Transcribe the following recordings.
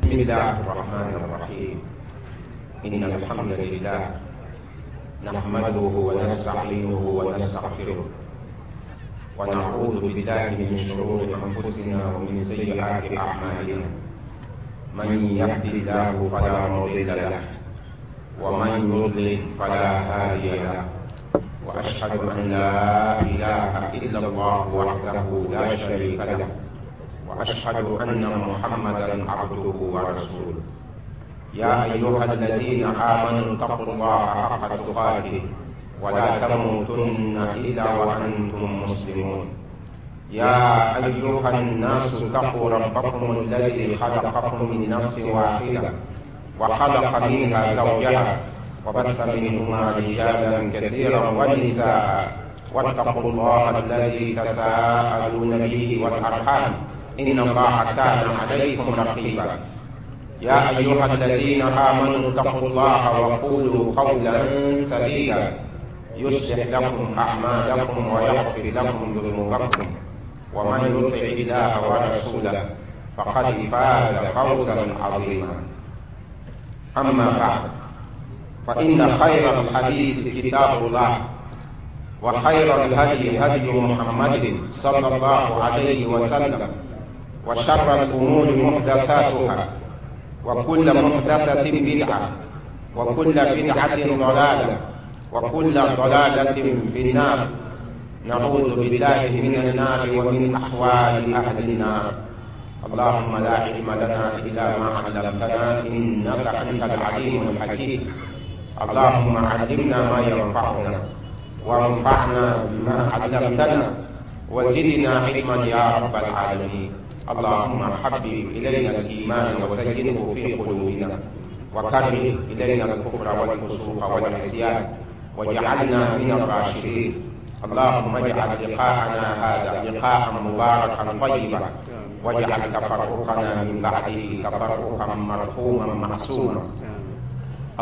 بسم الله الرحمن الرحيم. إن الحمد لله نحمده ونستعينه ونستغفره ونعوذ بالله من شرور أنفسنا ومن سيئات أعمالنا. من يهد الله فلا مضل له ومن يضلل فلا هادي له، وأشهد أن لا إله إلا الله وحده لا شريك له، وأشهد أن محمدا عبده ورسوله. يا أيها الذين آمنوا اتقوا الله حق تقاته ولا تموتن إلا وأنتم مسلمون. يا أيها الناس اتقوا ربكم الذي خلقكم من نفس واحدة وخلق منها زوجها وبث منهما رجالا كثيرا ونساء، واتقوا الله الذي تساءلون به والأرحام إن الله كان عليكم رقيبا. يا أيها الذين آمنوا اتقوا الله وقولوا قولا سديدا يصلح لكم أعمالكم ويغفر لكم ذنوبكم، ومن يطع الله ورسوله فقد فاز فوزا عظيما. أما بعد، فإن خير الحديث كتاب الله، وخير الهدي هدي محمد صلى الله عليه وسلم، وشر الأمور محدثاتها، وكل محدثة بدعة، وكل بدعة ضلالة، وكل ضلالة في النار. نعوذ بالله من النار ومن أحوال أهل النار. اللهم لا علم لنا إلا ما علمتنا إنك أنت العليم الحكيم. اللهم علمنا ما ينفعنا، وانفعنا بما علمتنا، وزدنا علما يا رب العالمين. اللهم حبب إلينا الإيمان وزينه في قلوبنا، وكره إلينا الكفر والفسوق والعصيان، واجعلنا من الراشدين. اللهم اجعل لقاءنا هذا لقاء مباركا طيبا، واجعل تفرقنا من بعده تفرقا مرحوما معصوما.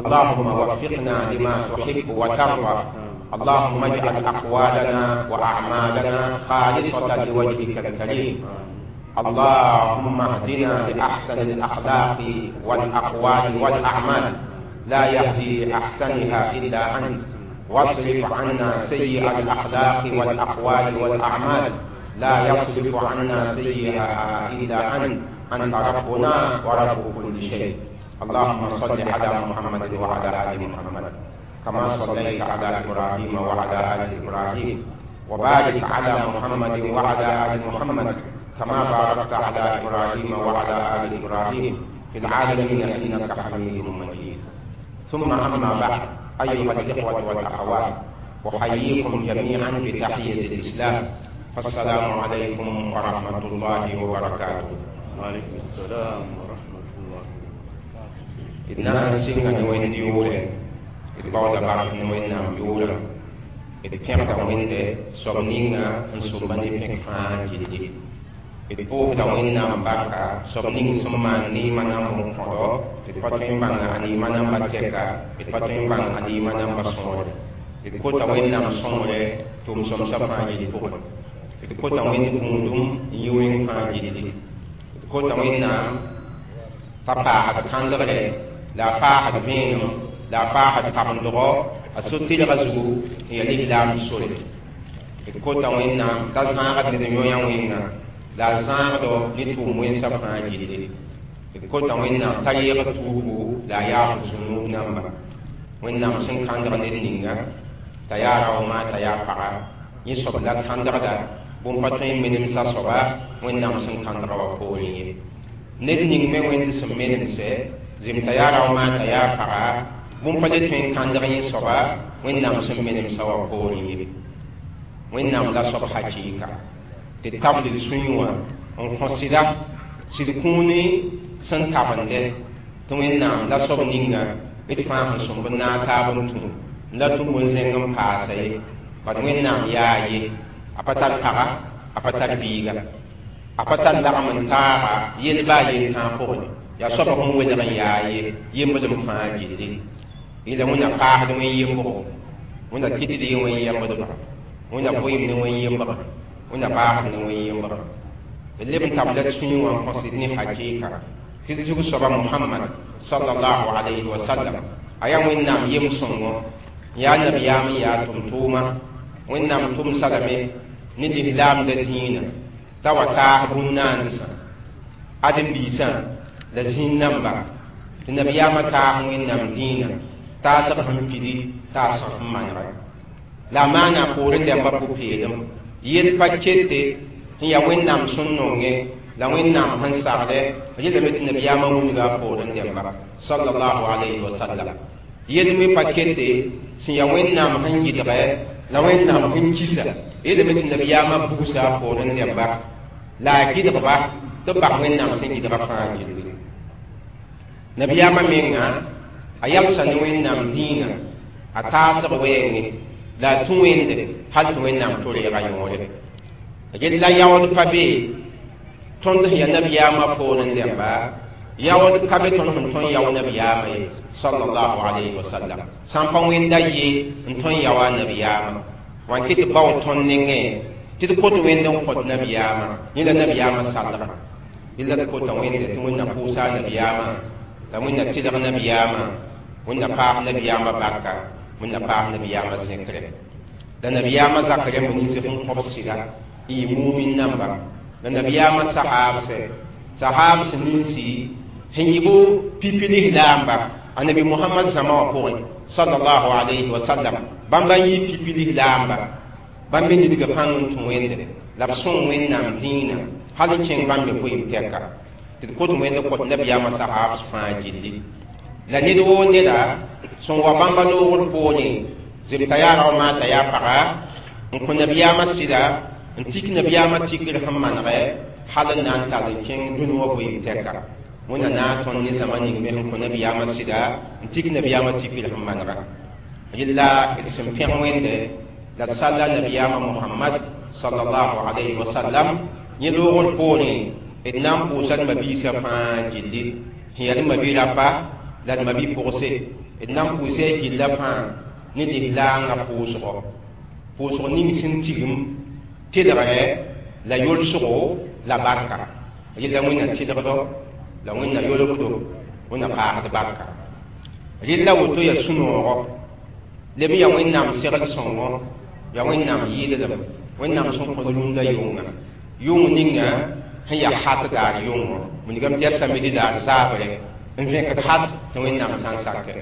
اللهم وفقنا لما تحب وترضى. اللهم اجعل أقوالنا وأعمالنا خالصة لوجهك الكريم. اللهم اهدنا لأحسن الأخلاق والأقوال والأعمال، لا يهدي لأحسنها إلا أنت، واصرف عنا سيء الأخلاق والأقوال والأعمال، لا يصرف عنا سيئها إلا أنت، أنت ربنا ورب كل شيء. اللهم صل على محمد وعلى آل محمد كما صليت على إبراهيم وعلى آل إبراهيم، وبارك على محمد وعلى آل محمد كما باركت على إبراهيم وعلى آل إبراهيم في العالمين إنك حميد مجيد. ثم أما بعد، أيها الإخوة والأخوات، أحييكم جميعا بتحية الإسلام، فالسلام عليكم ورحمة الله وبركاته. وعليكم السلام ورحمة الله وبركاته. إذ نسينا وين يوله إذ بعد وين يوله إذ كان وين سبنينا نسبني في فان d pʋʋsda Wẽnnaam barka soab ning sẽn maan neemã namb n kõdo, d pa tõe n bãng a neemã namba tɛka, d pa tõe n bãng a neemã namba sõore. D kota Wẽnnaam sõngre tʋm-sõmsã fãa yel pʋgẽ. D kota Wẽnd kũudum n yi wẽng fãa gilli. D kota Wẽnnaam t'a paasd kãndgre, la a paasd vẽenem, la a paasd tabendgɔ a so-tɩlgã zugu n yaa lislaam sore. D kota Wẽnnaam t'a zãagd ned n yõ-yã wẽnga, la a zãagdo ne tʋʋm wẽnsã fãa gilli. D kota Wẽnnaam t'a yeeg tuubu la a yaasd zũnub namba. Wẽnnaam sẽn kãndg ned ninga t'a yaa raooma t'a yaa paga, yẽ soab la kãndgda bũmb pa tõe n menemsa soaba Wẽnnaam sẽn kãndga wã poorẽ ye. Ned ning me Wẽnd sẽn menemsɛ zem t'a yaa raooma t'a yaa paga, bũmb pa le tõe n kãndg yẽ soaba Wẽnnaam sẽn menemsa wã poorẽ ye. Wẽnnaam la soab hakɩɩka tɩ tabl d sũyẽ wã n kõ sɩda sɩd kũuni sẽn tabende tɩ Wẽnnaam la soab ninga d fãa sẽn sõmb n naag taab n tũ la tũ bõn-zẽng n paasa ye. Bad Wẽnnaam yaa ye, a pa tar paga, a pa tar biiga, a pa tar lagm n taaga yel baa yel tãag pʋgẽ. Yaa soab sẽn welg n yaa ye yemblem fãa gilli. Yẽla Wẽnna paasd wẽn-yembgo, Wẽnna kɩtd ye wẽn-yembdba, Wẽnna vɩɩm ne wẽn-yembga, Wẽnna baasd ne wẽn-yembga. D leb n tabla d sũyẽ wã n kõ sɩd ne hakɩɩka Tɩ d zug soaba Muhammad sallallahu alayhi wa sallam a yaa Wẽnnaam yem sõngo n yaa nabiyaam n yaa tʋm-tʋʋma Wẽnnaam tʋmsa lame ne lislaamda dĩinã t'a wa taas bũn-naandsã ãdem-biisã la zĩig namba tɩ nabiyaamã taas Wẽnnaam dĩinã taasg sẽn pidi taasg sẽn manegɛ la a maana a poorẽ dãmbã pʋ-peelem yel pa kete sẽn yaa Wẽnnaam sẽn nongẽ la Wẽnnaam sẽn saglɛ yelame tɩ nabiyaamã wilga a poorẽ dãmba sallallahu alayhi wa sallam yel me pa kete sẽn yaa Wẽnnaam sẽn gɩdgɛ la Wẽnnaam sẽn kisa yelame tɩ nabiyaamã bugsa a poorẽ dãmba la a gɩdgba tɩ b bas Wẽnnaam sẽn gɩdga fãa gilli nabiyaamã menga a yalsa ne Wẽnnaam dĩinã a taasg wɛɛngẽ la a tũ wẽnde hal tɩ Wẽnnaam to-reega yõore gel la yaood pa be tõnd sẽn yaa nabiyaamã poorẽ dãmba yaood ka be tõnd sẽn tõn yao nabiyaamã ye sallallahu alayhi wa sallam sã n pa wẽnda ye n tõn yaoa nabiyaamã wã n kɩ tɩ bao tõnd nengẽ tɩ d kot wẽnd n kõt nabiyaamã yẽ la nabiyaamã salgã yella d kota wẽnde tɩ Wẽnna pʋʋsa nabiyaamã la Wẽnna tɩlg nabiyaamã Wẽnna paas nabiyaamã barka Wẽnna paas nabiyaamã zẽkre la nabiyaamã zak rãmb nins sẽn kõb sɩda n yɩ mumin namba la nabiyaamã sahaabsɛ sahaabs ninsi sẽn yɩ bo pipi lislaamba annabi Muhammad zãma wã pʋgẽ sallallahu alayhi wa sallam bãmba n yɩ pipi lislaamba bãmb me nidga pãng n tũ wẽnde la b sõng Wẽnnaam dĩinã hal n kẽng bãmb me vɩɩm tɛka tɩ d kot wẽnd kõt nabiyaamã sahaabs fãa gilli la ned woo neda sẽn wa bãmba noogr poorẽ zemta yaa rao maata yaa paga n kõ nabiyaamã sɩda n tik nabiyaamã tikr sẽn manegɛ hal n na n tall n kẽng dũni wã vɩɩm tɛka Wẽnna na n tõnd ne zãma ning me sẽn kõ nabiyaamã sɩda n tik nabiyaamã tikr sẽn manega yella d sẽn pẽg Wẽnde la d salla nabiyaamã Muhammad sallallahu alayhi wa sallam yẽ loogr poorẽ d na n pʋʋsa d mabiisã fãa gilli sẽn yaa d mabi-rapa la d mabi-pʋgse d na n pʋʋsa y gilla fãa ne lislaangã pʋʋsgɔ pʋʋsg ning sẽn tigim tɩlgrɛ la yolsgo la barka yella Wẽnna tɩlgdo la Wẽnna yolgdo Wẽnna paasd barka rella woto yaa sũ-noogɔ leb yaa Wẽnnaam segl sõngo yaa Wẽnnaam yɩɩdlem Wẽnnaam sẽn kõ rũndã yʋnga yʋng ninga sẽn yaa hat daar yʋngo wilgame tɩ yaa samedi daar zaabre n vẽkd hat tɩ Wẽnnaam sã n sakɛ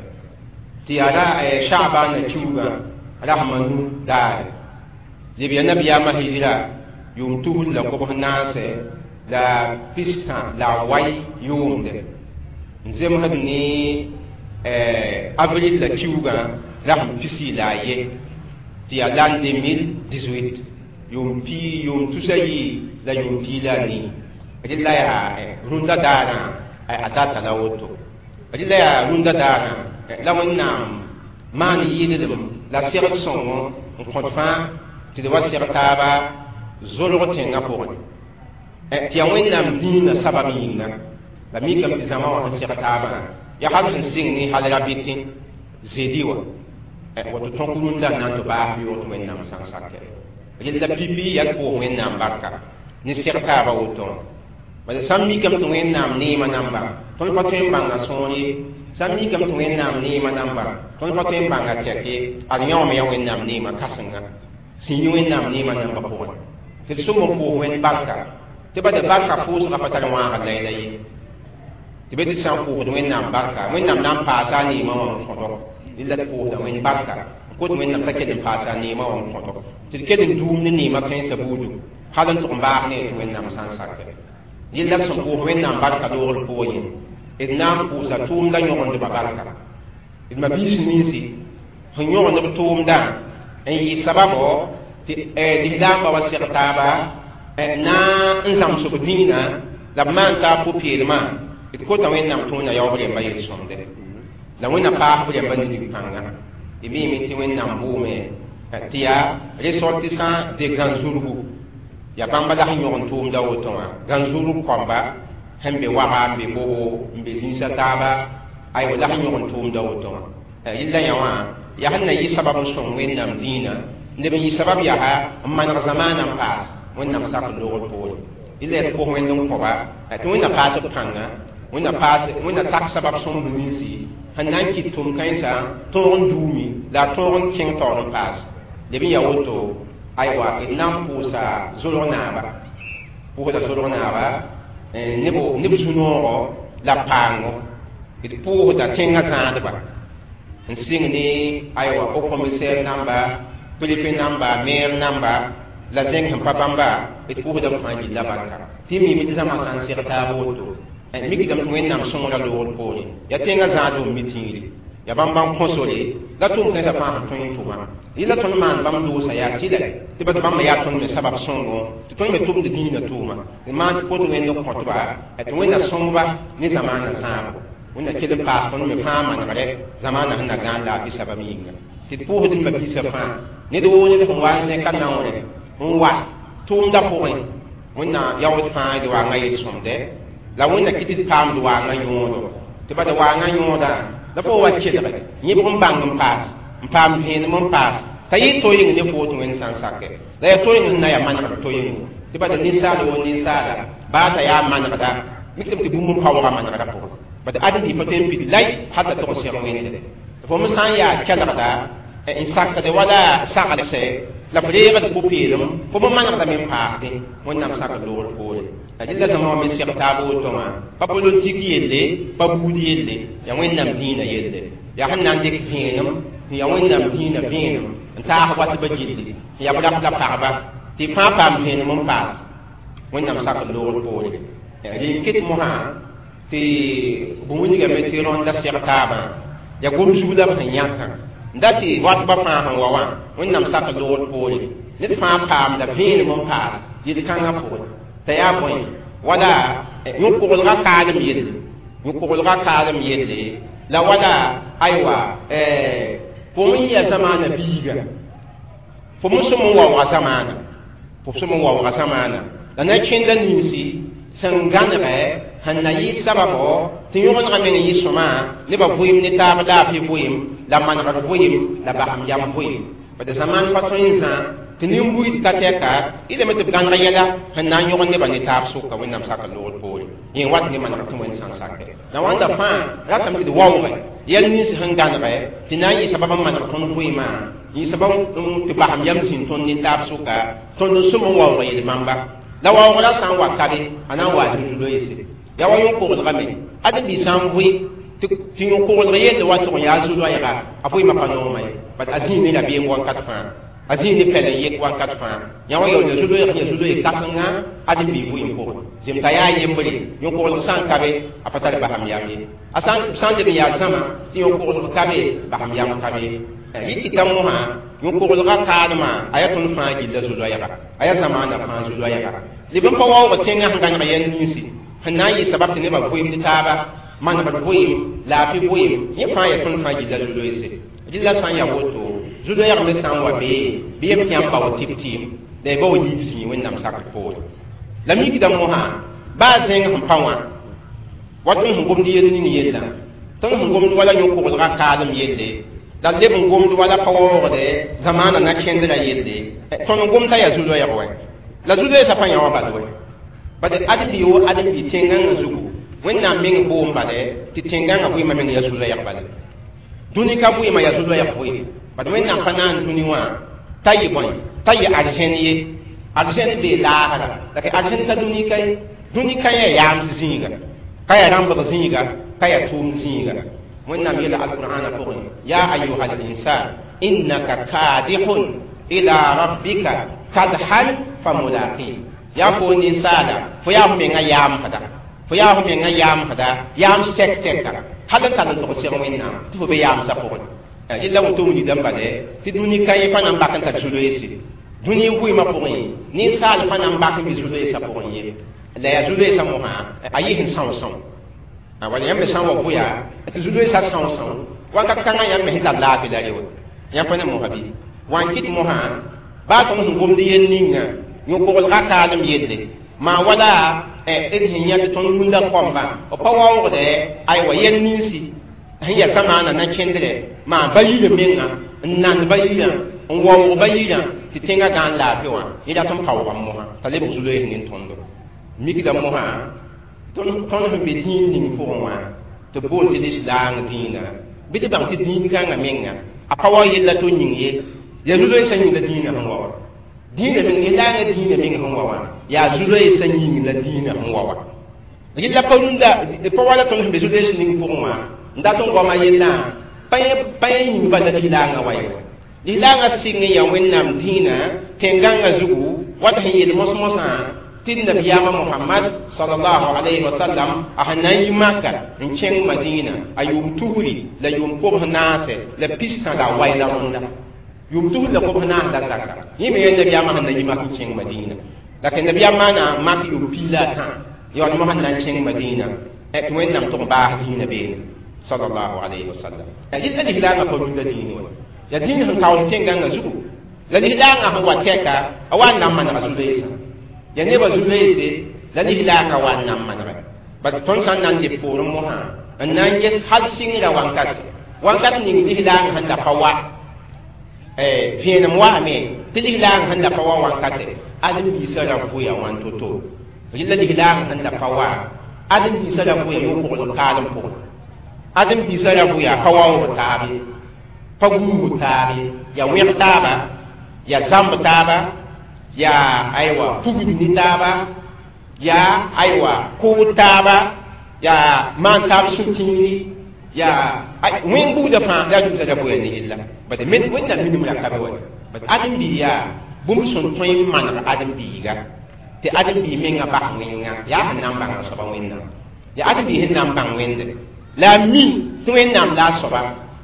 tɩ yaa ra Shaabaana kiuugã rasma nu daare leb yaa nabiyaamã hijra yʋʋm tusr la kobs naase la pistã la wai yʋʋmde n zemsd ne avril la kiuugã rasm pisi la a ye tɩ yaa l'an 2018 yʋʋm pi yʋʋm tusa yɩ la yʋʋm pii la a nii rɩla yaa rũndã daarã a data la woto rɩla yaa rũndã daarã la Wẽnnaam maan yɩɩdlem la segd sõngo n kõt fãa tɩ d wa seg taaba zolg tẽngã pʋgẽ tɩ yaa Wẽnnaam dĩinã sabab yĩnga la mikame tɩ zãma wã sẽn seg taabã yaa hal sẽn sɩng ne hal rabɩtẽ zedi wã woto tõk rũndã n na n tɩ baas yoog tɩ Wẽnnaam sã n sakɛ rella pipi yaa d pʋʋs Wẽnnaam barka ne seg taaba woto wã bala sã n mikame tɩ Wẽnnaam neemã namba tõnd pa tõe n bãnga sõor ye sã n mikame tɩ Wẽnnaam neemã namba tõnd pa tõe n bãnga tɛk ye ad yã wã me yaa Wẽnnaam neemã kãsenga sẽn yi Wẽnnaam neemã namba pʋgẽ tɩ d sʋm n pʋʋs Wẽnd barka tɩ ba de barka pʋʋsgã pa tar wãagd layla ye tɩ be tɩ sã n pʋʋsd Wẽnnaam barka Wẽnnaam na n paasa a neemã wã n kõdo rɩla d pʋʋsda Wẽnd barka n kot Wẽnnaam t'a kell n paasa a neemã wã n kõdo tɩ d kell n duum ne neemã kãensã buudu hal n tʋg n baas ne tɩ Wẽnnaam sã n sakɛ yella d sẽn pʋʋs Wẽnnaam barka loogr poorẽ d na n pʋʋsa tʋʋmdã yõgendbã barka d mabiis ninsi sẽn yõgend b tʋʋmdã n yɩ sababo tɩ lislaambã wa seg taaba na n zãmsg dĩinã la b maan taab pʋ-peelmã d kota Wẽnnaam tɩ Wẽnna yaoob rẽmba yel-sõmde la Wẽnna paas b rẽmba nidg pãnga d miime tɩ Wẽnnaam bʋʋme tɩ yaa ressortissant de Gãn-zurgu yaa bãmba la sẽn yõg n tʋʋmda woto wã Gãn-zurg kõmba sẽn be waga n be bogo n be zĩnsã taaba aywa la sẽn yõg n tʋʋmda woto wã rɩlla yã wã yaa sẽn na yɩ sabab n sõng Wẽnnaam dĩinã neb n yɩ sabab yaa n maneg zamaanã n paas Wẽnnaam sak loogr poore rɩla yaa d pʋs Wẽnd n kõba tɩ Wẽnna paas b pãnga Wẽnna paas wẽnna tak sabab sõmb ninsi sẽn na n kɩt tʋm-kãensã tõog n duumi la a tõog n kẽng taoor n paas leb n yaa woto aywa d na n pʋʋsa zolg naaba pʋʋsda zolg naaba neb zu-noogo la paango d pʋʋsda tẽngã zãadba n sɩng ne aywa haut commissaire namba préfet namba maire namba la zẽng sẽn pa bãmba d pʋʋsda b fãa gilla barka tɩ mime tɩ zãma sã n seg taab woto mikdame tɩ wẽnnaam sõngra loogr poore yaa tẽngã zãadum mi tĩiri yaa bãmb bãmb kõsore la tʋʋm kãensã fãa sẽn tõe n tʋma yẽla tõnd maan bãmb doosa yaa tɩlɛ tɩ ba tɩ bãmb yaa tõnd me sabab sõngo tɩ tõnd me tʋmd dĩinã tʋʋma d maan tɩ pot wẽnd kõtba tɩ wẽnna sõngba ne zamaanã sãabo wẽnna kell n paas tõnd me fãa manegre zamaanã sẽn na gãan laafɩ sabab yĩnga tɩ d pʋʋsd d mabisa fãa ned woo ned sẽn wa n zẽka naoore n wa tʋʋmda pʋgẽ wẽnna yaood fãa d waanga yel-sõmdɛ la wẽnna kɩ tɩ d paamd waangã yõodo tɩ bada waangã yõoda la fo wa kelge yẽbg n bãng n paas n paam vẽenem n paas t'a yɩ to-yĩng ne fo tɩ wẽnd sã n sake la yaa to-yĩng sẽn na yaa manegd to-yĩngo tɩ bada ninsaal woo ninsaala baa t'a yaa manegda mikdame tɩ bũmb n paoogã manegda pʋgẽ bad ãdem-bi pa tõe n pid lay hal t'a tog n seg wẽnde tɩ fo me sã n yaa kelgda n sakde wala saglsɛ la f reegd pʋ-peelem fo me manegdame n paasdẽ wẽnnaam sak loogr poore la dɩla zãma wã me seg taab woto wã pa politik yelle pa buud yelle yaa wẽnnaam dĩinã yelle yaa sẽn na n dɩk vẽenem tɩ yaa wẽnnaam dĩinã vẽenem n taas wa tɩ ba gilli tɩ yaa b rap la pagba tɩ fãa paam vẽenem n paas wẽnnaam sak loogr poore rẽn ket mosã tɩ bũmb-wilgame tɩ rõnda seg taabã yaa gom zug la b sẽn yãkã n da tɩ watba fãa sẽn wa wã wẽnnaam sak loogr poore ned fãa paamda vẽenem n paas yel-kãngã pʋgẽ t'a yaa bõe wala yõ-koglgã kaalem yelle yõ-koglgã kaalem yelle la wala aywa fo n yɩa zamaana biiga fo me sẽm n waooga zamaana fo sẽm n waooga zamaana la na kẽnda ninsi sẽn gãnegɛ sẽn na yɩ sababo tɩ yõgenegã meng n yɩ sõma nebã vʋɩm ne taab laafɩ vʋɩm la manegr vʋɩm la basem yam vʋɩm bad zamaan pa tõe n zã tɩ nin-buid ka tɛka ɩlame tɩ b gãneg yɛla sẽn na n yõgd nebã ne taab sʋka wẽnnaam sak loogr poore yẽ wat ne manegr tɩ wẽnd sã n sake la wãnda fãa ratame tɩ d waoogɛ yɛl nins sẽn gãnegɛ tɩ na n yɩ sabab n maneg tõnd vʋɩmã yɩ sabab tɩ basem yam zĩnd tõnd ne taab sʋka tõnd n sʋm n waoog yel-bãmba la waoogrã sã n wa kabe a na n wa zu-loeese yaa wa yõ-koglgame ãdem-bi sã n vʋɩ tɩ yõ-koglg yelle wa tʋg n yaa zu-loɛɛga a vʋɩmã pa nooma ye bat a zĩig ne rabeem wakat fãa a zĩig ne pɛl n yek wakat fãa yã wa yaool zu-loɛɛg yã zu-loeeg kãsenga ãdem-bi vʋɩm pʋgẽ zem t'a yaa yembre yõ-koglg sã n ka be a pa tar basem yam ye a sã n leb n yaa zãma tɩ yõ-koglg ka be basem yam ka be yɩ kɩta mosã yõ-koglgã kaalmã a yaa tõnd fãa gilla zu-loɛɛga a yaa zamaanã fãa zu-loɛɛga leb n pa waoog tẽngã sẽn gãneg yɛl ninsi sẽn na n yɩ sabab tɩ nebã vʋɩmd taaba manegd vʋɩm laafɩ vʋɩm yẽ fãa yaa tõnd fãa gilla zu-loeese dɩla sã n yaa woto zu-loɛɛg me sã n wa bee bɩ yem tɩ yãmb bao tɩb-tɩɩm la y bao yiib zĩig wẽnnaam sakr poore la mikda mosã baa zẽng sẽn pa wã wa tõnd sẽn gomd yell ning yellã tõnd sẽn gomd wala yõ-koglgã kaalem yelle la leb n gomd wala pa waoogde zamaanã na kẽndrã yelle tõnd n gomd t'a yaa zu-loɛɛg wɛ la zu-loeesã pa yã wã bal wɛ bad ãdem-bi wo ãdem-bi tẽngãngã zugu wẽnnaam meng boom bale tɩ tẽngãngã vʋɩɩmã meng yaa zu-loɛɛg bale dũni ka vʋɩɩmã yaa zu-loɛɛg vʋɩɩm bad wẽnnaam pa naan dũni wã t'a yɩ bõe t'a yɩ arzẽn ye arzẽn bee laagra la arzẽn ka dũni ka ye dũni ka yaa yaams zĩiga ka yaa rãmbg zĩiga ka yaa tʋʋm zĩiga wẽnnaam yeela alqur'ana pʋgẽ yaa ayuha linsan innaka kadihun ila rabbika kadhan famulaqi yaa fo ninsaala fo yaa f menga yaamsda fo yaa f menga yaamsda yaam sɛk tɛka hal n tar n tog seg wẽnnaam tɩ fo be yaamsã pʋgẽ yella woto wilgdã bale tɩ dũni ka yẽ pa na n bak n tar zu-loeese dũni n vʋɩɩmã pʋgẽ ninsaal pa na n bak n bɩ zu-loeesã pʋgẽ ye la yaa zu-loeesã mosã a yɩ sẽn são-são wala yãmb me sã n wa vʋya tɩ zu-loeesã são-são wakat kãngã yãmb me sẽn tar laafɩ la rewa yãmb pa ne mosã bɩ wã n kɩt mosã baa tõnd sẽn gomd yell ninga yõ-koglgã kaalem yelle maa wala d sẽn yã tɩ tõnd rũndã kõmba b pa waoogdɛ aywa yɛl ninsi sẽn yaa zamaanã na kẽndrɛ maa ba yirã menga n nand ba yirã n waoog ba yirã tɩ tẽngã gãan laafɩ wã yẽ rat n paoogame mosã t'a lebg zu-loees nin-tõndo mikda mosã Tõnd sẽn be dĩin ning pʋgẽ wã tɩ bool tɩ lislaang dĩinã bɩ tɩ bãng tɩ dĩin kãngã menga a pa wa yella to yĩng ye yaa zu-loeesã yĩng la dĩinã sẽn wa wã dĩinã meng lislaangã dĩinã meng sẽn wa wã yaa zu-loeesã yĩng la dĩinã sẽn wa wã yella pa rũndã pa wala tõnd sẽn be zu-loees ning pʋgẽ wã n dat n goama yellã pa yẽ yĩng bala lislaangã wa ye lislaangã sɩng n yaa wẽnnaam dĩinã tẽn-gãngã zugu wat sẽn yeel mos-mosã tɩ nabiyaamã Mohamad sallallahu alayhi wa sallam a sẽn na n yi Maka n kẽng Madina a yʋʋm tusri la yʋʋm kobs naase la pistã la a wai la rõnda yʋʋm tusr la kobs naas la zaka yẽ me yaa nabiyaamã sẽn na yi Mak n kẽng Madina la kẽ nabiyaam maana Mak yʋʋm piig la a tã yaool mosã na n kẽng Madina tɩ Wẽnnaam tʋg n baas dĩinã beene sallallahu alayhi wa sallam yella lislaangã pa rũndã dĩin wã yaa dĩin sẽn kaoos tẽn-gãngã zugu la lislaangã sẽn wa tɛka a wa n na n manega zu-loeesã ya nebã zu-loeese la lislaangã wa n na n manega bad tõnd sã n na n leb poorẽ mosã n na n ges hal sɩngrã wankate wankat ning lislaangã sẽn da pa wa vẽenem waame tɩ lislaangã sẽn da pa wa wankate ãdem-biisã ra vʋya wãn to-to yella lislaangã sẽn da pa wa ãdem-biisã ra vʋya yo-kogl kaalem pʋgẽ ãdem-biisã ra vʋya pa waoog taab ye pa guug taab ye yaa wẽg taaba yaa zãmb taaba yaa aywa pugd ne taaba yaa aywa kʋʋd taaba yaa maan taab sũ-tĩiri yaa wẽn buudã fãa la dusa ra vʋya ne yella bad wẽnnaam minim ra ka be wa bad ãdem-bii yaa bũmb sẽn tõe n maneg ãdem-biiga tɩ ãdem-bii mengã bas wẽnga yaa sẽn na n bãng a soaba wẽnnaam yaa ãdem-bii sẽn na n bãng wẽnde la a mi tɩ wẽnnaam la a soaba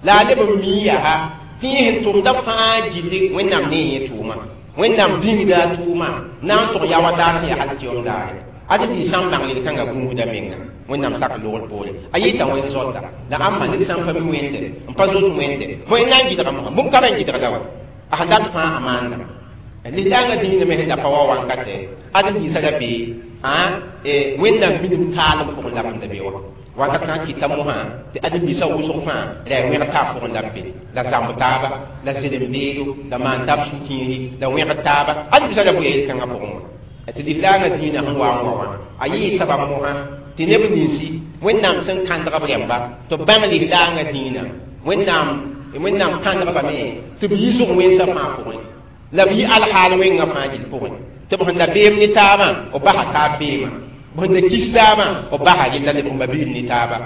la a leb n mii yaa tɩ yẽ sẽn tʋmda fãa gilli wẽnnaam ne yẽ tʋʋma wẽnnaam bĩngda a tʋʋma na n tʋg ya wa daar sẽn yaa hal tɩ yom daare ãdem-bii sã n bãng yel-kãngã gũusda menga wẽnnaam sak logr poore a yɩta wẽn zɔta la ãmba ned sã n pa mi wẽnde n pa zoet wẽnde bõe n na n gɩdga mosã bũmb ka ba n gɩdgda wa a sẽn dat fãa a maanda lislaangã dĩinã me sẽn da pa wa wankate ãdem-biisã ra be wẽnnaam minim taalem pʋgẽ la b sẽn da be wa wakat sã n kɩta mosã tɩ ãdem-biisã wʋsg fãa la yaa wẽg taab pʋgẽ la b be la zãmb taaba la zelem beedo la maan taab sũ-tĩiri la wẽgd taaba ãdem-biisã ra bʋya yel-kãngã pʋgẽ wã tɩ lislaangã dĩinã sẽn wa n wa wã a yɩɩ sabab mosã tɩ neb ninsi wẽnnaam sẽn kãndg b rẽmba tɩ b bãng lislaangã dĩinã wẽnnaam kãndgbame tɩ b yiisg wẽnsã fãa pʋgẽ la b yɩ alhaal wẽngã fãa gill pʋgẽ tɩ b sẽn da beem ne taabã b basa taab beemã b sẽn da kis taabã b basa yella leb n ba biil ne taaba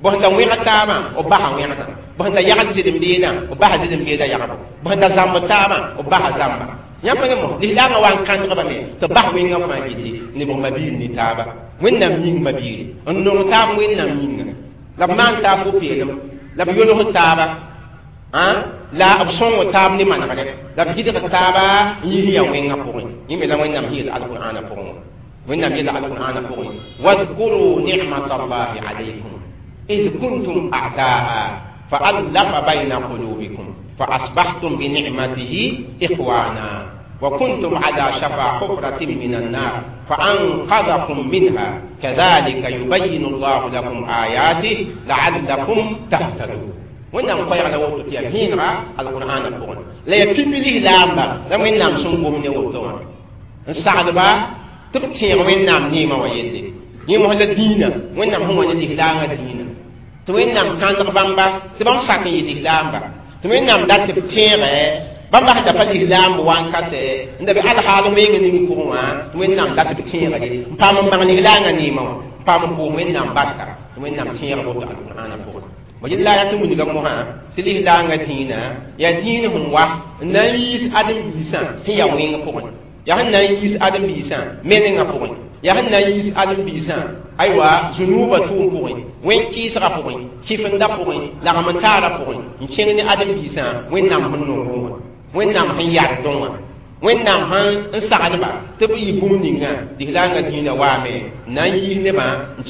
b sẽn da wẽgd taabã b basa wẽgdã b sẽn da yagd zɩlem-beedã b basa zɩlem-beedã yagbo b sẽn da zãmb taabã b basa zãmba yãmb ne mos lislaangã wa n kãndgbame tɩ bas wẽngã fãa gilli ne b ma biil ne taaba wẽnnaam yĩng ma biire n nong taab wẽnnaam yĩnga la b maan taab pʋ-peelem la b yolg taaba la b sõng taab ne manegre la b gɩdg taaba n yis ya wẽngã pʋgẽ yẽ me la wẽnnaam yeel alqur'aana pʋgẽ wã wẽnnaam yeela alqur'aana pʋgẽ wadkuru nicmata allahi alaykum id kuntum a'daa fa'allafa bayna qulubikum فأصبحتم بنعمته إخوانا وكنتم على شفا حفرة من النار فأنقذكم منها كذلك يبين الله لكم آياته لعلكم تهتدون wẽnnaam koɛɛg la woto tɩ yaa vẽenega alqur'aana pʋgẽ la yaa pipi lislaamba la wẽnnaam sẽn gom ne woto wã n sagdba tɩ b tẽeg wẽnnaam neemã wã yelle yẽ mos la dĩinã wẽnnaam sẽn wa ne lislaangã dĩinã tɩ wẽnnaam kãndg bãmba tɩ bãmb sak n yɩ lislaamba tɩ wẽnnaam dat tɩ b tẽegɛ bãmb sẽn da pa lislaamb wankate n da be alhaal weng ning pʋgẽ wã tɩ wẽnnaam dat tɩ b tẽegre n paam n bãng lislaangã neemã wã n paam n pʋʋs wẽnnaam barka tɩ wẽnnaam tẽeg woto alqur'aana pʋgẽ b yella yaa tɩ wilga mosã tɩ lislaangã dĩinã yaa dĩin sẽn wa n na n yiis ãdem-biisã sẽn yaa wẽng pʋgẽ yaa sẽn na n yiis ãdem-biisã menengã pʋgẽ yaa sẽn na n yiis ãdem-biisã aywa zũnuubã tʋʋm pʋgẽ wẽn-kɩɩsgã pʋgẽ kɩfenda pʋgẽ lagm n taarã pʋgẽ n kẽng ne ãdem-biisã wẽnnaam sẽn nongẽ wã wẽnnaam sẽn yardẽ wã wẽnnaam sẽn n sagdba tɩ b yɩ bũmb ninga lislaangã dĩinã waame n na n yiis nebã n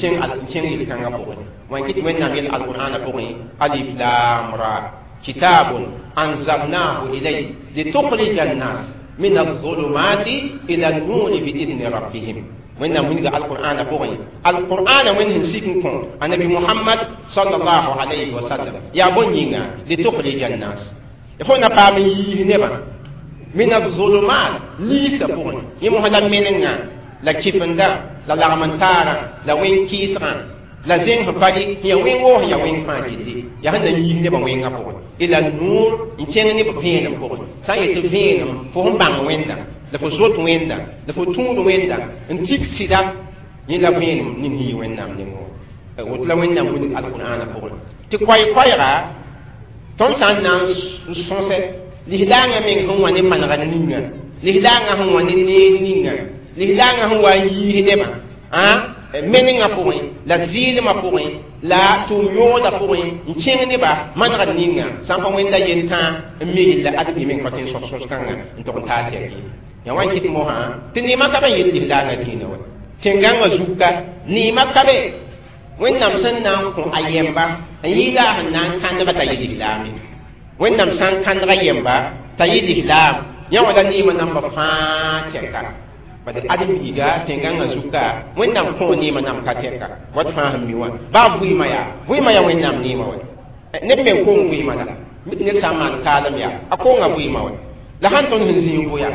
kẽng yel-kãngã pʋgẽ wã kɩt wẽnnaam yel alqur'aana pʋgẽ alif lam ra kitabun anzalnahu ilayk litukhrija annas min الظلمات إلى النور بإذن ربهم wẽnnaam wilga alqur'aana pʋgẽ alqur'aana wẽnd sẽn sik n kõ annabi Muhammad sallallahu alayhi wa sallam yaa bõn yĩnga litukhrija annas fo na paam n yiis nebã min الظلمات liisã pʋgẽ yẽ mosã la menengã la kɩfenda La lagm-n-taarã la wẽn-kɩɩsgã la zẽng sẽn pa rɩ sẽn yaa wẽn-woog sẽn yaa wẽng fãa gilli yaa sẽn na n yiis nebã wẽngã pʋgẽ ila nuur n kẽng ne b vẽenem pʋgẽ sã n yet tɩ vẽenem fo sẽn bãng wẽnda la fo zoet wẽnda la fo tũud wẽnda n tik sɩda yẽ la vẽenem ning sẽn yɩ wẽnnaam nengẽ wã woto la wẽnnaam wilg alqur'aanã pʋgẽ tɩ koɛy-koɛɛga tõnd sã n na n sõsɛ lislaangã meng sẽn wa ne manegr ninga lislaangã sẽn wa ne neer ninga lislaangã sẽn wa n yiis nebã menengã pʋgẽ la zɩɩlmã pʋgẽ la tʋʋm yoogdã pʋgẽ n kẽng nebã manegr ninga sã n pa wẽnda yentã n mi yella ad-bi meng pa tõe n sõs sõs-kãngã n tog n taa tɛk ye ya wa n kɩt mosã tɩ neemã ka be n yet lislaangã dĩinã wa tẽn-gãngã zuka neemã ka be wẽnnaam sẽn na n kõ a yɛmba n yɩɩda a sẽn na n kãndga t'a yɩ lislaame wẽnnaam sã n kãndga yɛmba t'a yɩ lislaam yã wã la neemã namba fãa tɛka bad ãdem-biiga tẽn-gãngã zuka wẽnnaam kõ neemã nam ka tɛka wat fãa sẽn mi wã baa vɩɩmã yaa vɩɩmã yaa wẽnnaam neemã wa neb meng kong vɩɩmã la mi tɩ ned sã n maan kaalem yaa a konga vɩɩmã wa la sãn tõnd sẽn zĩig vʋya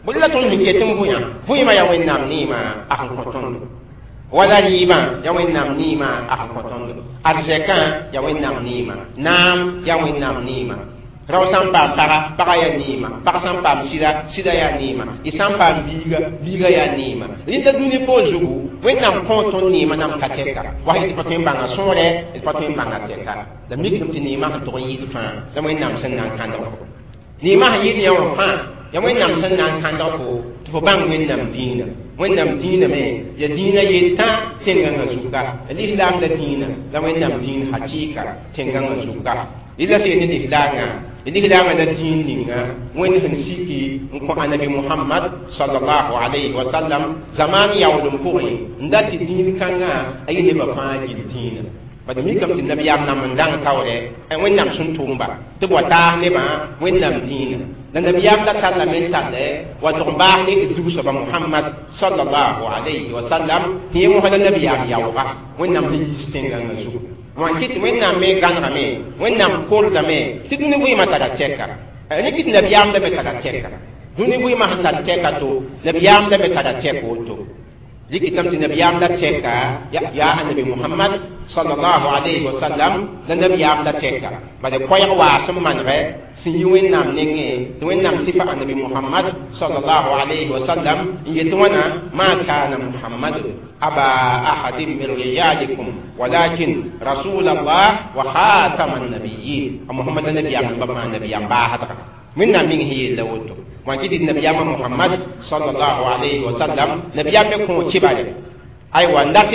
bõe la tõnd sẽn ket n vʋyã vɩɩmã yaa wẽnnaam neemã a sẽn kõ tõndo wala rɩɩbã yaa wẽnnaam neemã a sẽn kõ tõndo arzɛkã yaa wẽnnaam neemã naam yaa wẽnnaam neemã rao sã n paam paga paga yaa neema pag sã n paam sɩda sɩda yaa neema y sã n paam biiga biiga yaa neema rẽnda dũni poor zugu wẽnnaam kõ tõnd neemã nam ka tɛka wa d pa tõe n bãnga sõore d pa tõe n bãnga tɛka la mikdame tɩ neemã sẽn tog n yɩɩd fãa la wẽnnaam sẽn na n kãndg fo neemã sẽn yɩɩd yã wã fãa ya wẽnnaam sẽn na n kãndg fo tɩ fo bãng wẽnnaam dĩinã wẽnnaam dĩinã me ya dĩinã yetã tẽn-gãngã zuka lislaam la dĩinã la wẽnnaam dĩin hakɩɩka tẽn-gãngã zuka rɩla sẽn ne lislaangã lislaamã la dĩin ninga wẽnd sẽn siki n kõ anabi Muhammad sallallahu alayhi wa sallam zamaan yaoolem pʋgẽ n dat tɩ dĩin kãngã a yɩ nebã fãa gil dĩinã bad mikame tɩ nabiyaam nam n dãng taoorɛ wẽnnaam sẽn tʋʋmba tɩ b wa taas nebã wẽnnaam dĩinã la nabiyaam la tallame n tallɛ wa tʋg n baas ne zug-soaba Muhammad sallallahu alayhi wa sallam tɩ yẽ mosã la nabiyaam yaooga wẽnnaam sẽn yiis tẽn-gãngã zugu wã kɩt wẽnnaam me gãnegame wẽnnaam kordame tɩ dũni vɩɩmã tara tɛka ne kɩt nabiyaam la me tara tɛka dũni vɩɩmã sẽn tar tɛka to nabiyaam la me tara tɛk woto rɩkɩtame tɩ nabiyaam la tɛka yaa anabi Muhammad sallallahu alayhi wa sallam la nabiyaam la tɛka bad koɛɛg waas n manegɛ sẽn yi wẽnnaam nengẽ tɩ wẽnnaam sɩfa anabi Muhammad sallallahu alayhi wa sallam n yet wãna ma kana Muhammad aba ahadin min rijalikum walakin rasul Allah wa khatama an-nabiyyin Muhammad nabiyaam ba fãa nabiyaam baasdga wẽnnaam meng sẽn yella woto wã kɩ tɩ nabiyaamã Muhammad sallallahu alayhi wa sallam nabiyaam me kõ kibare aywa n dat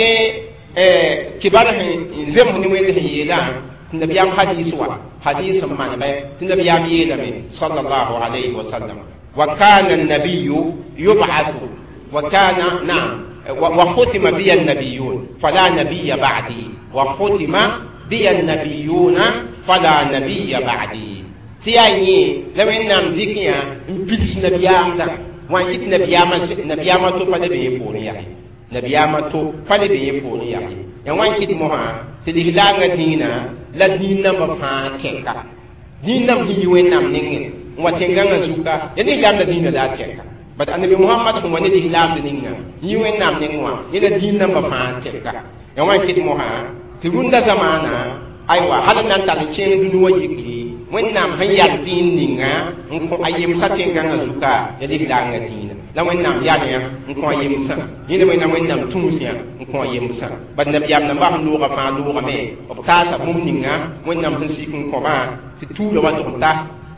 kibar sẽn zems ne wẽnd sẽn yeelã tɩ nabiyaam hadis wa hadis n manegɛ tɩ nabiyaam yeelame sallallahu alayhi wa sallam wa kana an-nabiyyu yub'athu wa kana na'am wa khutima biya an-nabiyyun fala nabiyya ba'di wa khutima biya an-nabiyyuna fala nabiyya ba'di tɩ yaa yẽ la wẽnnaam dɩk yã n pids nabiyaamdã wã n kɩt nabiyaamã to pa le be yẽ poorẽ yaa nabiyaamã to pa le be yẽ poorẽ yaa ya wã n kɩt mosã tɩ lislaangã dĩinã la dĩin nambã fãa tɛka dĩin namb sẽn yi wẽnnaam nengẽ n wa tẽn-gãngã zuka ya lislaam la dĩinã la a tɛka bad anabi Muhammad sẽn wa ne lislaamd ninga yi wẽnnaam nengẽ wã yẽ la dĩin nambã fãa tɛka ya wã n kɩt mosã tɩ rũndã zamaana aywa hal n na n tar n kẽeng dũni wã yikri wẽnnaam sẽn yal dĩin ninga n kõ a yemsã tẽn-gãngã zuka ya lislaangã dĩinã la wẽnnaam yal yã n kõ a yemsã yẽne wẽnnaam wẽnnaam tũus yã n kõ a yemsã bad nabiyaam nambã sẽn loogã fãa loogame b taasa bũmb ninga wẽnnaam sẽn sik n kõbã tɩ tuurã wa tʋg n ta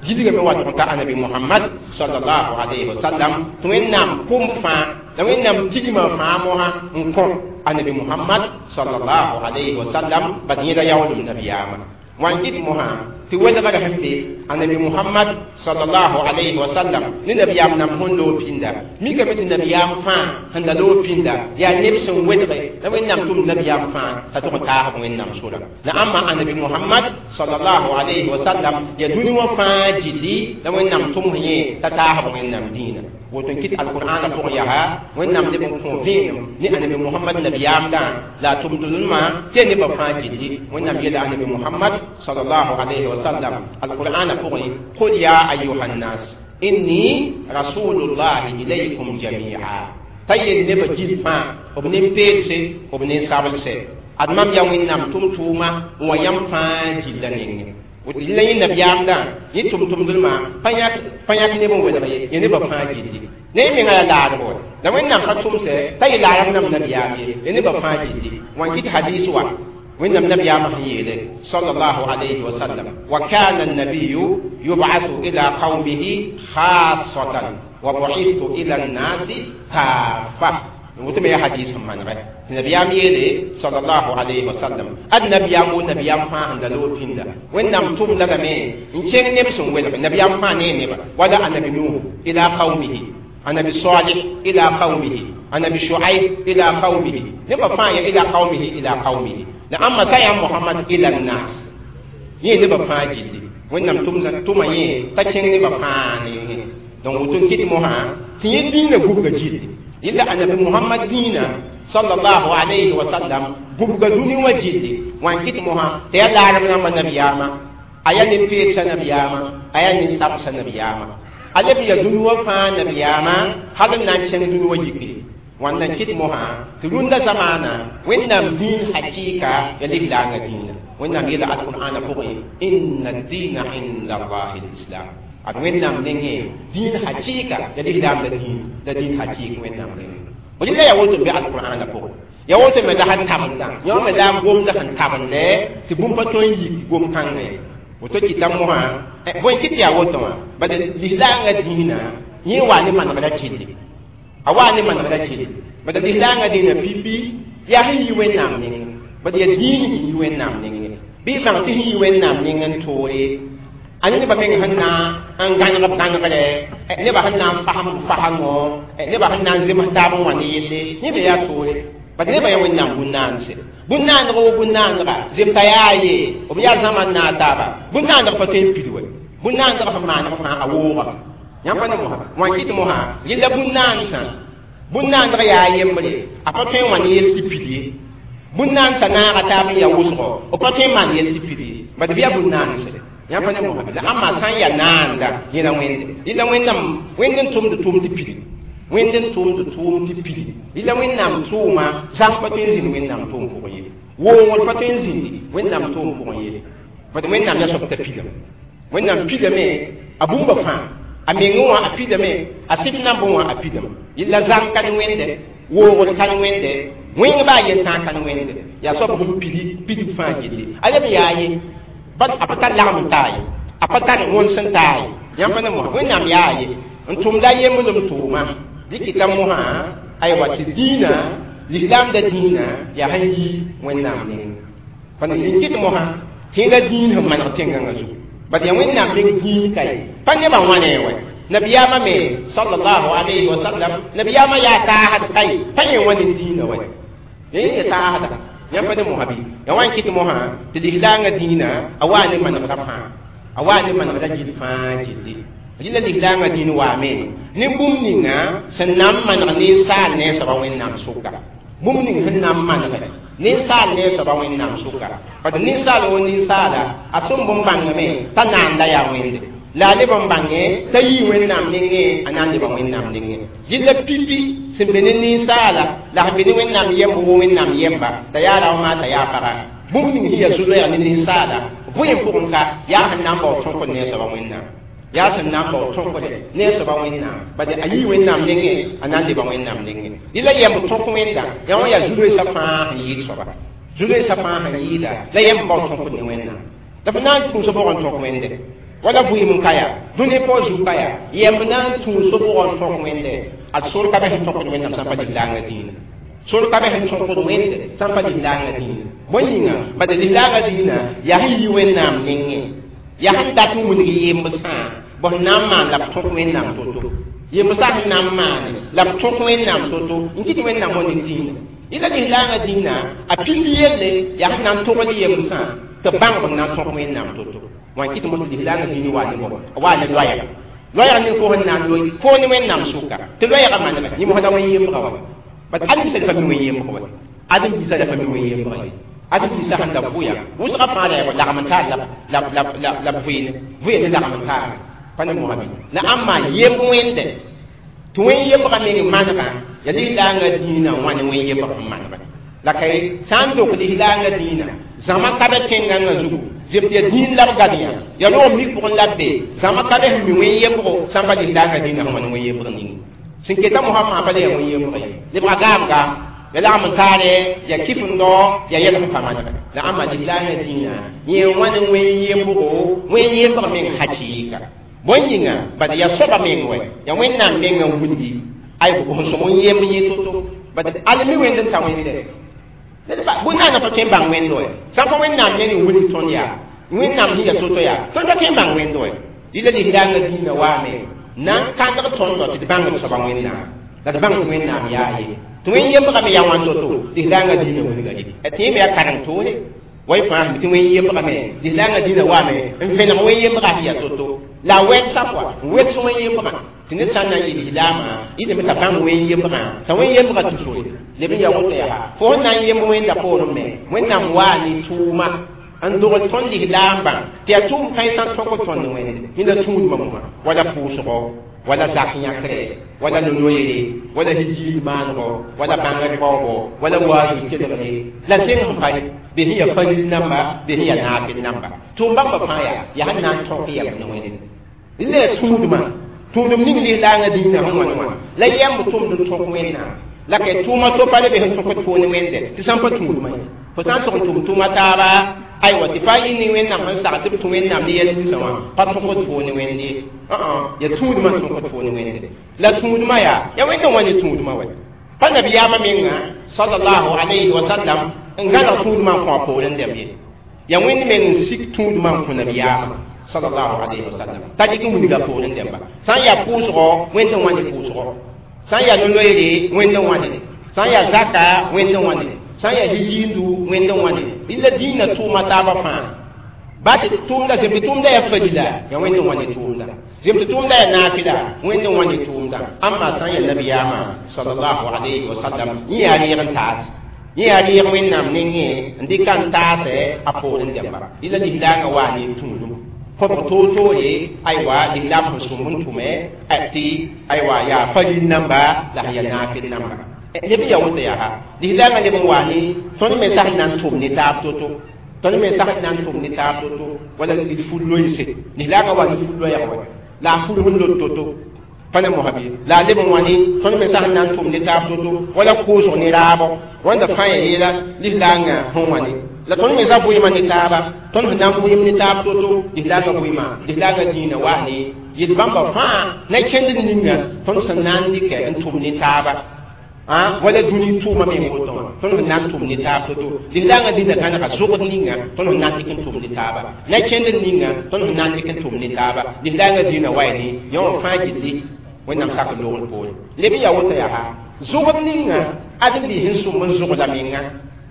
gilgame wa tʋg n ta anabi Muhammad sallallahu alayhi wa sallam tɩ wẽnnaam kom fãa la wẽnnaam tigmã fãa mosã n kõ anabi Muhammad sallallahu alayhi wa sallam bad yẽla yaoolem nabiyaamã wã n kɩt mosã tɩ welgrã sẽn be anabi Muhammad sallallahu alayhi wa sallam ne nabiyaam nam sẽn loog pĩnda mikame tɩ nabiyaam fãa sẽn da loog pĩnda yaa neb sẽn welge la wẽnnaam tʋm nabiyaam fãa t'a tʋg n taasb wẽnnaam sora la ãmba anabi Muhammad sallallahu alayhi wa sallam yaa dũni wã fãa gilli la wẽnnaam tʋms yẽ t'a taasb wẽnnaam dĩinã woto n kɩt alqur'aanã pʋgẽ yaa wẽnnaam leb n kõ vẽenem ne anabi Muhammad nabiyaamdã la a tʋmd-rũmã tɩ yaa nebã fãa gilli wẽnnaam yeela anabi Muhammad sallallahu alayhi wa sallam alqur'aanã pʋgẽ qul ya ayuha nnas inni rasulullahi ilaykum jamia t'a yel nebã gil fãa b nin-peelse b nin-sablse ad mam yaa Wẽnnaam tʋm-tʋʋma n wa yãmb fãa gilla nengẽ la yẽ nabiyaamdã yẽ tʋm-tʋmdmã pa yãk neb n welg ye yẽ nebã fãa gilli ne yẽ menga yaa laadgo la Wẽnnaam pa tʋmsɛ t'a yɩ laarem nam nabiyaam ye yẽ nebã fãa gilli wã n kɩt hadiis wa Wẽnnaam nabiyaamã sẽn yeele sallallahu alayhi wa sallam wa kana an-nabiyyu yub'athu ila qawmihi khassatan wa bu'ithtu ila an-nasi kaffa woto me yaa hadis sẽn manegɛ tɩ nabiyaam yeele sallallahu alayhi wa sallam ad nabiyaam wo nabiyaam fãa sẽn da loog pĩnda Wẽnnaam tʋmda lame n kẽng neb sẽn welg nabiyaam fãa ne neba wala annabi Nuh ila qawmihi annabi Salih ila qawmihi annabi Shuaib ila qawmihi neba fãa ya ila qawmihi ila qawmihi la amma sa yaa Muhammad ila nnas yẽ neba fãa gilli Wẽnnaam tʋma yẽ t'a kẽng neba fãa nengẽ donc woto n kɩt mosã tɩ yẽ dĩinã gubga gilli yella annabi Muhammad dĩinã sallallahu alayhi wa sallam gubga dũni wã gilli wã n kɩt mosã tɩ yaa laarem rãmbã nabiyaamã a yaa nin-peedsã nabiyaamã a yaa nin-sabsã nabiyaamã a leb n yaa dũni wã fãa nabiyaamã hal n na n kẽng dũni wã yikre wãnda n kɩt mosã tɩ rũndã zamaana Wẽnnaam dĩin hakɩɩka ya lislaangã dĩinã Wẽnnaam yeela alqur'ana pʋgẽ inna dĩina inda allahi lislam ad Wẽnnaam nengẽ dĩin hakɩɩka ya lislaam la dĩin la dĩin hakɩɩk Wẽnnaam nengẽ rɩla yaa woto n be alqur'ana pʋgẽ yaa woto me la sẽn tabendã yõ me la n gomda sẽn tabende tɩ bũmb pa tõe n yik gom-kãngẽ woto kɩta mosã bõe kɩ tɩ yaa woto wã bala lislaangã dĩinã yẽ waa ne manegrã gilli a waa ne manegrã gilli bala lislaangã dĩinã pipi yaa sẽn yi Wẽnnaam nengẽ bala yaa dĩin sẽn yi Wẽnnaam nengẽ bɩ bãng tɩ sẽn yi Wẽnnaam nengẽ n toore a nebã meng sẽn na n gãneg b gãnegre nebã sẽn na n fasem b fasengõ nebã sẽn na n zems taab n wã ne yelle yẽ me yaa toore bad nebã yaa Wẽnnaam bũn-naanse bũn-naaneg wo bũn-naanega zemta yaa ye b yaa zãma n naag taaba bũn-naaneg pa tõe n pid we bũn-naaneg sẽn maaneg fãa a woogame yãmb pa ne mosã wã n kɩt mosã yella bũn-naansã bũn-naaneg yaa yembre a pa tõe n wã ne yel tɩ pid ye bũn-naansã naaga taab n yaa wʋsgo b pa tõe n maan yel tɩ pid ye bad bɩ yaa bũn-naanse yãmb pa ne mosã la ãmba sã n yaa naanda yẽla wẽnde yella Wẽnnaam wẽnd n tʋmd tʋʋm tɩ pidi wẽnd n tʋmd tʋʋm tɩ pidi yella Wẽnnaam tʋʋma zãng pa tõe n zĩnd Wẽnnaam tʋʋm pʋgẽ ye woogr pa tõe n zĩndi Wẽnnaam tʋʋm pʋgẽ ye bad Wẽnnaam yaa soab t'a pidame Wẽnnaam pidame a bũmba fãa a mengẽ wã a pidame a sɩf nambẽ wã a pidame yella zãng ka ne wẽnde woogr ka ne wẽnde wẽng baa yel-tãag ka ne wẽnde yaa soab sẽn pidi pidb fãa gilli a leb yaa ye bad a pa tar lagem n taa ye a pa tar wõns n taa ye yãmb pa ne mosã Wẽnnaam yaa ye n tʋmda yemblem tʋʋma dɩkɩta mosã aywa tɩ dĩinã lislaamda dĩinã yaa sẽn yi Wẽnnaam nengẽ pa n kɩt mosã tɩ la dĩin sẽn maneg tẽngãngã zugu bad yaa Wẽnnaam meng dĩin ka ye pa nebã wãne wɛ nabiyaamã me sallallahu alayhi wa sallam nabiyaamã yaa taasd ka ye pa yẽ wã ne dĩinã wɛ yẽ ya taasda yãmb pa ne mosã bɩ ya wa n kɩt mosã tɩ lislaangã dĩinã a waa ne manegrã fãa a waa ne manegrã gill fãa gilli rɩla lislaangã dĩin waame ne bũmb ninga sẽn na n maneg ninsaal ne soaba Wẽnnaam sʋka bũmb ning sẽn na n manege ninsaal ne soaba Wẽnnaam sʋka bad ninsaal wo ninsaala a sẽn bõn bãngame t'a naanda yaa wẽnde la a leb n bãnge t'a yii Wẽnnaam nengẽ a na n leba Wẽnnaam nengẽ yella pipi sẽn be ne ninsaala la sẽn be ne Wẽnnaam yemb wo Wẽnnaam yemba t'a yaa raoã t'a yaa paga bũmb ning sẽn yaa zu-loɛɛg ne ninsaala vʋɩ pʋgẽ ka yaa sẽn na n bao tõkd ne a soaba Wẽnnaam yaa sẽn na n bao tõkde ne a soaba Wẽnnaam bad a yii Wẽnnaam nengẽ a na n leba Wẽnnaam nengẽ yella yemb tõk wẽnda yã wã yaa zu-loeesã fãa sẽn yɩɩd soaba zu-loeesã fãa sẽn yɩɩda la yemb bao tõkd ne Wẽnnaam la fo na n tũus bʋg n tõk wẽnde wala vʋɩɩm n ka yaa dũni pʋgã zug ka yaa yemb na n tũus bʋg n tõk wẽnde ad sor ka be sẽn tõkd Wẽnnaam sã n pa lislaangã dĩinã sor ka be sẽn tõkd wẽnde sã n pa lislaangã dĩinã bõe yĩnga bad lislaangã dĩinã yaa sẽn yi Wẽnnaam nengẽ yaa sẽn dat n wilg yembsã bõ sẽn na n maan la b tõk Wẽnnaam to-to yembsã sẽn na n maane la b tõk Wẽnnaam to-to n kɩt Wẽnnaam wã ne dĩinã yẽla lislaangã dĩinã a pipi yelle yaa sẽn na n togl yembsã tɩ bãng b na n tõk Wẽnnaam to-to wã n kɩt mos lislaangã dĩinã waa ne bõ waa ne loɛɛga loɛɛg ning fo sẽn na n loe fo ne Wẽnnaam sʋka tɩ loɛɛgã manega yẽ mosda wẽn yembga wa bad ãdem-biisã pa mi wẽn yembg wa ãdem-biisã la pa mi wẽn yembga ye ãdem-biisã sẽn da vʋya wʋsgã fãa la yaa lagm n taar la b vʋɩne vʋya ne lagm n taara pa ne mosã bɩ la ãmba yemb wẽnde tɩ wẽn yembgã meng manegã Ya lislaangã dĩinã wã ne wẽn yembg sẽn manegre la kay sã n dok lislaangã dĩinã zãma ka be tẽngãngã zugu zemt ya dĩin la b gad yã ya roog mik pʋgẽ la b be zãma ka be sẽn mi wẽn yembgo sã n pa lislaangã dĩinã sẽn wa ne wẽn yembg ning sẽn keta mosã fãa pa le ya wẽn yembg ye lebga gaamga ya lagm n taare ya kɩf n dao ya yɛls n pa manegre la ãmba lislaangã dĩinã yẽ wã ne wẽn yembgo wẽn yembg meng hakɩɩka bõe yĩnga bad ya soaba meng wɛ ya wẽnnaam mengã wilgi ay sẽn sõm n yemb yẽ to-to bad al mi wẽnd n ta wẽnde bõe naana pa tõe n bãng wẽnd wɛ sã n pa wẽnnaam meng n wilg tõnd yaa wẽnnaam sẽn ya to-to yaa tõnd pa tõe n bãng wẽnd wɛ rɩla lislaangã dĩinã waame na n kãndg tõndɔ tɩ d bãng d soaba wẽnnaam la d bãng tɩ wẽnnaam yaa ye tɩ wẽn yembgame yaa wãn to-to lislaangã dĩinã wilga ye tɩ yẽ me yaa kareng toore way fãa tɩ wẽn yembgame lislaangã dĩinã waame n vẽneg wẽn yembgã sẽn yaa to-to la a wɛdsa pʋa n weds wẽn yembgã tɩ ned sã n na n yɩ lislaamã yɩlame t'a bãng wẽn yembgã t'a wẽn yembgã tusore leb n ya woto yaa fo sẽn na n yemb wẽnda poorẽ me wẽnnaam waa ne tʋʋma n dogl tõnd lislaambã tɩ yaa tʋʋm kãensã n tõk tõnd wẽnde yẽnda tũudmã mosã wala pʋʋsgo wala zak yãkre wala no-noeere wala hijiid maanego wala bãngr baoobo wala waazu kelgre la zẽng sẽn pa be sẽn yaa faril namba be sẽn yaa naafɩl namba tʋʋm bãmba fãa yaa yaa sẽn na n tõk yɛm ne wẽnde la yaa tũudmã tũudum ning lislaangã dĩinã sẽn wãn wã la yɛmb tʋmd n tõk wẽnnaam la kay tʋʋma to pa le be sẽn tõkd poone wẽnde tɩ sã n pa tũudmã ye fo sã n tʋg n tʋm tʋʋma taaba aywa tɩ pa yɩ ne wẽnnaam sẽn sag tɩ b tũ wẽnnaam ne yɛl ninsã wã pa tõkd poone wẽnde ye ya tũudmã n tõkd poone wẽnde la tũudmã yaa ya wẽnd n wa ne tũudmã wɛ pa nabiyaamã menga sallallahu alayhi wa sallam n gãneg tũudmã n kõ a poorẽ dɛm ye ya wẽnd meng n sik tũudmã n kõ nabiyaamã sallallahu alayhi wa sallam t'a dɩk n wilga poorẽ dɛmba sã n yaa pʋʋsgɔ wẽnd n wa ne pʋʋsgɔ sã n yaa no-loeere wẽnd n wa ne sã n yaa zaka wẽnd n wa ne sã n yaa hijiindu wẽnd n wa ne la dĩinã tʋʋma taabã fãa ba tɩ tʋʋmda zemtɩ tʋʋmda yaa farila yaa wẽnd n wa ne tʋʋmda zemtɩ tʋʋmda yaa naafɩla wẽnd n wa ne tʋʋmda ãmba sã n yaa nabiyaamã sallallahu alayhi wa sallam yẽ yaa reeg n taas yẽ yaa reeg wẽnnaam nengẽ n dɩka n taasɛ a poorẽ dɛmba la lislaangã waa ne tũudum kõbg toor-toore aywa lislaam sẽn sõm n tʋme tɩ aywa yaa faril namba la sẽn yaa naafɩl namba leb n yaa woto yaa lislaangã leb n waa ne tõnd me sas n na n tʋm ne taab to-to tõnd me sas n na n tʋm ne taab to-to wala d ful loeese lislaangã waa ne ful loɛɛg wɛ la a ful sẽn lot to-to pa ne mosã bɩ la a leb n wã ne tõnd me sas n na n tʋm ne taab to-to wala koosg ne raabo wãnda fãa ya yeela lislaangã sẽn wã ne la tõnd me sa vʋɩɩmã ne taaba tõnd sẽn na n vʋɩɩm ne taab to-to lislaangã vʋɩɩmã lislaangã dĩinã waa ne yel bãmba fãa na kẽnd ninga tõnd sẽn na n dɩkɛ n tʋm ne taaba wala dũni tʋʋma meng woto wã tõnd sẽn na n tʋm ne taab to-to lislaangã dĩnã gãnega zʋgd ninga tõnd sẽn na n dɩk n tʋm ne taaba na kẽnd ninga tõnd sẽn na n dɩk n tʋm ne taaba lislaangã dĩinã wa ne yã wã fãa gilli wẽnnaam sak loogr poore leb n yaa woto yaa zʋgd ninga ãdem-biis sẽn sõm n zʋgda menga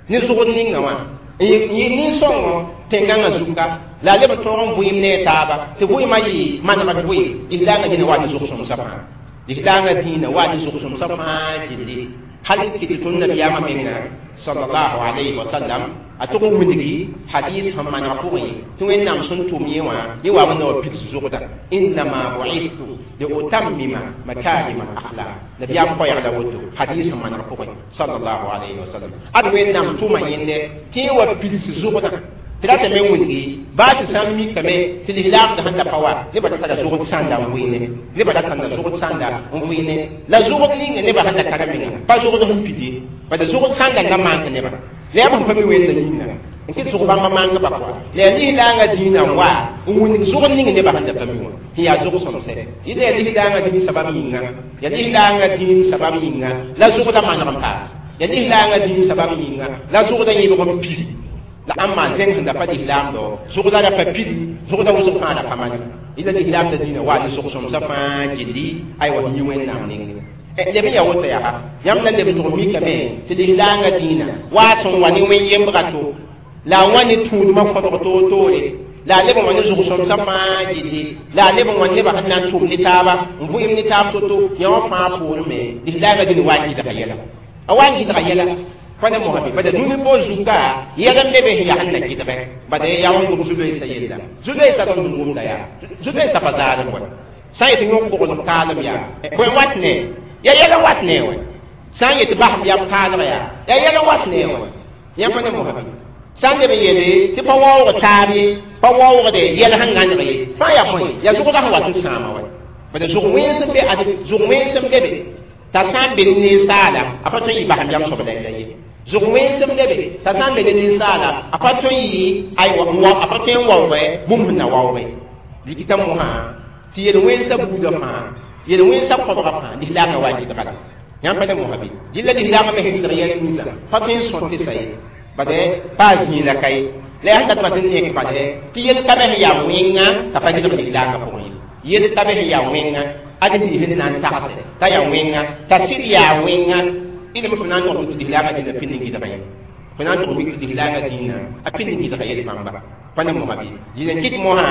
ne zʋgd ninga wã n yɩ nin-sõngo tẽngãngã zuka la a leb n tõog n vʋɩɩm ne a taaba tɩ vʋɩɩmã yɩ manegd vʋɩɩm lislaangã dĩnã wa ne zʋg-sõmsã fãa lislaangã dĩinã wa ne zʋg-sõmsã fãa gilli hal n kɩt tõnd nabiyaamã menga sallallahu alayhi wa sallam a tʋg n wilgi hadis sẽn maneg pʋgẽ tɩ wẽnnaam sẽn tʋm yẽ wã yẽ wa na wa pids zʋgda innama bu'istu liutammima makarima al-akhlaq nabiyaam koɛɛg la woto hadis sẽn maneg pʋgẽ sallallahu alayhi wa sallam ad wẽnnaam tʋma yẽnde tɩ yẽ wa pids zʋgdã tɩ ratame n wilgi baa tɩ sã n mikame tɩ lislaamdã sẽn da pa wa nebã da tara zʋgd sãnda n vʋɩɩne nebã da tãnda zʋgd sãnda n vʋɩɩne la zʋgd ninga nebã sẽn da tara menga pa zʋgd sẽn pid ye bad zʋgd sãnda n da mank nebã la yaa bõmb pa mi wẽnda yĩnga n kɩt zʋg bãmba mangba pʋga la yaa lislaangã dĩinã n wa n wilg zʋgd ning nebã sẽn da pa mi wã sẽn yaa zʋg-sõmsɛ yɩla yaa lislaangã dĩin sabab yĩnga yaa lislaangã dĩin sabab yĩnga la zʋgdã maneg n paas yaa lislaangã dĩin sabab yĩnga la zʋgdã yẽbg n pidi la ãmba zẽng sẽn da pa lislaamdo zʋgda ra pa pidi zʋgda wʋsg fãa ra pa maneg yɩla lislaamdã dĩinã waa ne zʋg-sõmsã fãa gilli aywa yĩ wẽnnaam nengẽ leb n yaa woto yaa yãmb na leb n tʋg mikame tɩ lislaangã dĩinã waa sẽn wa ne wẽn yembga to la a wã ne tũudmã kõbg toor-toore la a leb n wa ne zʋg-sõmsã fãa gilli la a leb n wa nebã sẽn na n tʋm ne taaba n vʋɩɩm ne taab to-to yã wã fãa poorẽ me lislaangã dĩnã waa n gɩdga yɛla a waa n gɩdga yɛla pa ne mosã bɩ bada dũni po zuka yɛl n be be sẽn yaa sẽn na gɩdgẽ bada yaa wẽn gom zu-loeesã yella zu-loeesã tõnd sẽn gomda yaa zu-loeesã pa zaadem wɛ sã n yetɩ yõk bogl kaalem yaa bõe wat ne ya yɛl n wat ne wɛ Sã n yet basem yam kaalg yaa yaa yɛl n wat ne wã yãmb pa ne mosã bɩ sã n leb n yeele tɩ pa waoog taab ye pa waoogde yɛl sẽn gãneg ye fãa yaa bõe yaa zʋgda sẽn wat n sãama wa bad zʋg wẽns n be ad zʋg wẽns n be be t'a sã n be ne ninsaala a pa tõe n yɩ basem yam soab la ye zʋg wẽns n be be t'a sã n be ne ninsaala a pa tõe n yɩ aywa a pa tõe n waoogɛ bũmb sẽn na waoogɛ dɩkɩta mosã tɩ yel-wẽnsã buudã fãa yel-wẽnsã kõbga fãa lislaamã wa gɩdga la yãmb pa ne mosã bɩ dɩlla lislaamã me sẽn gɩdg yɛl ninsã pa tõe n sõt tɩ sa ye bad baa zĩig la ka ye la yaa sẽn dat n nek bad tɩ yel ka be sẽn yaa wẽnga t'a pa gɩdg lislaamã pʋgẽ ye yel ka be sẽn yaa wẽnga ad n sẽn na n tagse t'a yaa wẽnga t'a sɩd yaa wẽnga ilm fo na n tog tɩ lislaamã dĩnã pĩnd n gɩdga ye fo na n tog mik tɩ lislaamã dĩnã a pĩnd n gɩdga yel bãmba pa ne mosã bɩ dĩnã kɩt mosã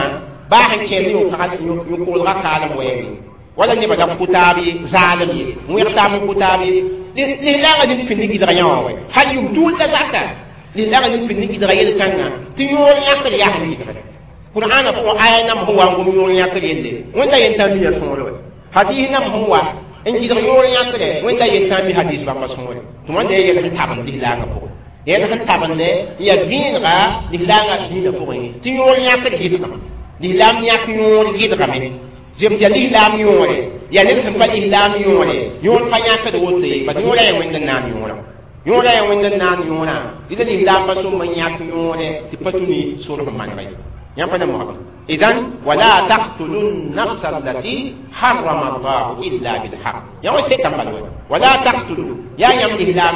baa sẽn kẽer yõ-koolga kaalem wɛɛngẽ wala nebã da kʋ taab ye zaalem ye wẽg taab n kʋ taab ye lislaangã dĩn pĩnd n gɩdga yã wã wɛ hal yʋm tuul la zaka lislaangã dĩn pĩnd n gɩdga yel-kãngã tɩ yõor yãkr yaa sẽn gɩdgre qur'aana pʋgẽ aya nam sẽn wa n gom yõor yãkr yelle wẽnda yentã miya sõore wɛ hadis nam sẽn wa n gɩdg yõor yãkre wẽnda yentã mi hadis bãmba sõore tɩ wãnda ya yɛl sẽn tabend lislaangã pʋgẽ yɛl sẽn tabende n yaa vẽenega lislaangã dĩinã pʋgẽ tɩ yõor yãkr gɩdgame lislaam yãk yõor gɩdgame zemd yaa lislaam yõore yaa ned sẽn pa lislaam yõore yõor pa yãkd woto ye bad yõora yaa wẽnd n naan yõora yõora yaa wẽnd n naan yõorã dɩla lislaam pa sõm n yãk yõore tɩ pa tũ ne sor sẽn manega ye yãmb pa ne mosã إذن ولا تقتلوا النفس التي حرم الله إلا بالحق يا وسيتم ولا تقتلوا يا يم الإسلام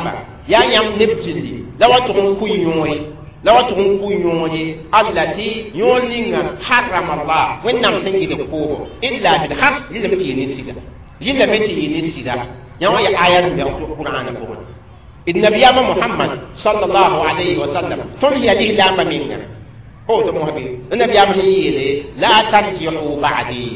يا يم نبجلي لو تكون كيوني لو تكون كيوني التي يونين حرم الله وين نم سنجد كوه إلا بالحق لم تيني سيدا لم تيني سيدا يا ويا آيات من القرآن كوه النبي محمد صلى الله عليه وسلم تنهي الإسلام منا هو تموهبي النبي يامه لا ترجعوا بعدي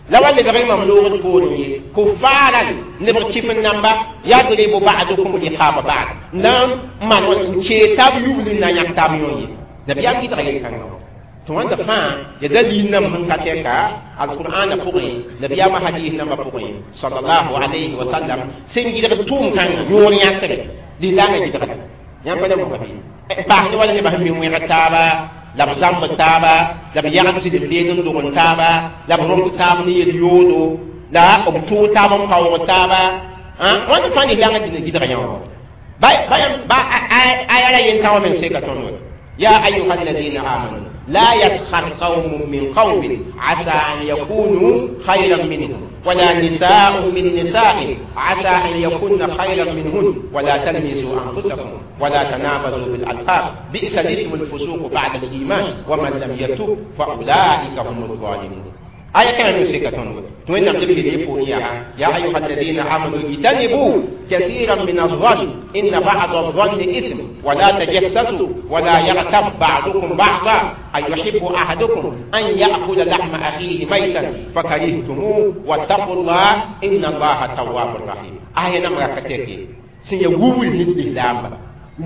لو اللي بغي مملوغ تقولي كفارا نبغي من نمبا يضرب بعضكم رقاب بعض نعم من كتاب يولنا يكتاب يوني نبي يامه تغير كان توان دفع يدلي نم من كتاكا القرآن فقري نبي يامه حديث نم فقري صلى الله عليه وسلم سنجد توم كان يوني يكتب لله يجدغ يامه مهبي باهني ولا نبه من وين la b zãmb taaba la b yagd sɩd beed n dog n taaba la b rõmd taab ne yel-yoodo la b tʋʋg taab n paoog taaba wãnd fãa lislaangã dĩnã gɩdg yã wã ba aya la yentã wã meng seka tõnd wa يا أيها الذين آمنوا لا يسخر قوم من قوم عسى أن يكونوا خيرا منهم ولا نساء من نساء عسى أن يكون خيرا منهن ولا تلمزوا أنفسكم ولا تنابزوا بالألقاب بئس الاسم الفسوق بعد الإيمان ومن لم يتوب فأولئك هم الظالمون آية كان نسيكة توين نقلب يا أيها الذين آمنوا اجتنبوا كثيرا من الظن إن بعض الظن إثم ولا تجسسوا ولا يغتب بعضكم بعضا أيحب أحدكم أن يأكل لحم أخيه ميتا فكرهتموه واتقوا الله إن الله تواب رحيم آية نمرة كتير سيقول الإسلام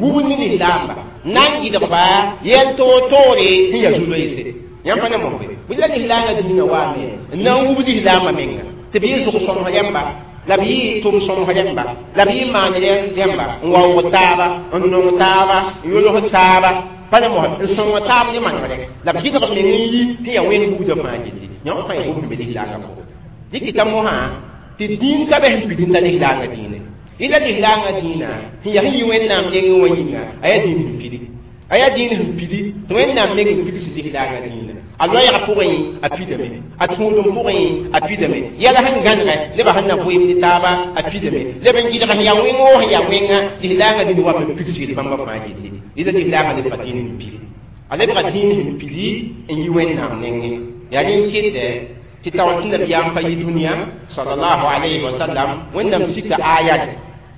wubul ni lislaamba na n gɩdgba yɛl toor-toore sẽn yaa zu-loeese yãmb pa ne mosbe bɩ la lislaangã dĩinã waame n na n wub lislaambã menga tɩ b yɩ zʋg-sõmsg rẽmba la b yɩ tʋm-sõmsg rẽmba la b yɩ maan rẽmba n waoog taaba n nong taaba n yʋls taaba pa ne mosbe n sõng taab ne manegre la b gɩdg meng n yi tɩ yaa wẽnd buudã fãa gilli yãmb fãa yaa bũmb be lislaangã pʋgẽ dɩkɩta mosã tɩ dĩin ka be sẽn pidẽ t'a lislaangã dĩinã ila lislaangã dĩinã sẽn yaa sẽn yɩ wẽnnaam nengẽ wã yĩnga a yaa dĩin sẽn pidi a yaa dĩin sẽn pidi tɩ wẽnnaam meng n pids lislaangã dĩinã a loɛɛgã pʋgẽ a pidame a tũudum pʋgẽ a pidame yɛla sẽn gãnegɛ nebã sẽn na vɩɩm ne taaba a pidame leb n gɩdg sẽn yaa wẽng woo sẽn yaa wẽnga lislaangã dĩin wa n pids yel bãmba fãa gilli ila lislaangã lebga dĩin sẽn pidi a lebga dĩin sẽn pidi n yi wẽnnaam nengẽ yaa rẽn kɩtɛ tɩ taoor tɩ nabiyaam pa yɩ dũniyã salallahu alayhi wa sallam wẽnnaam sika ayat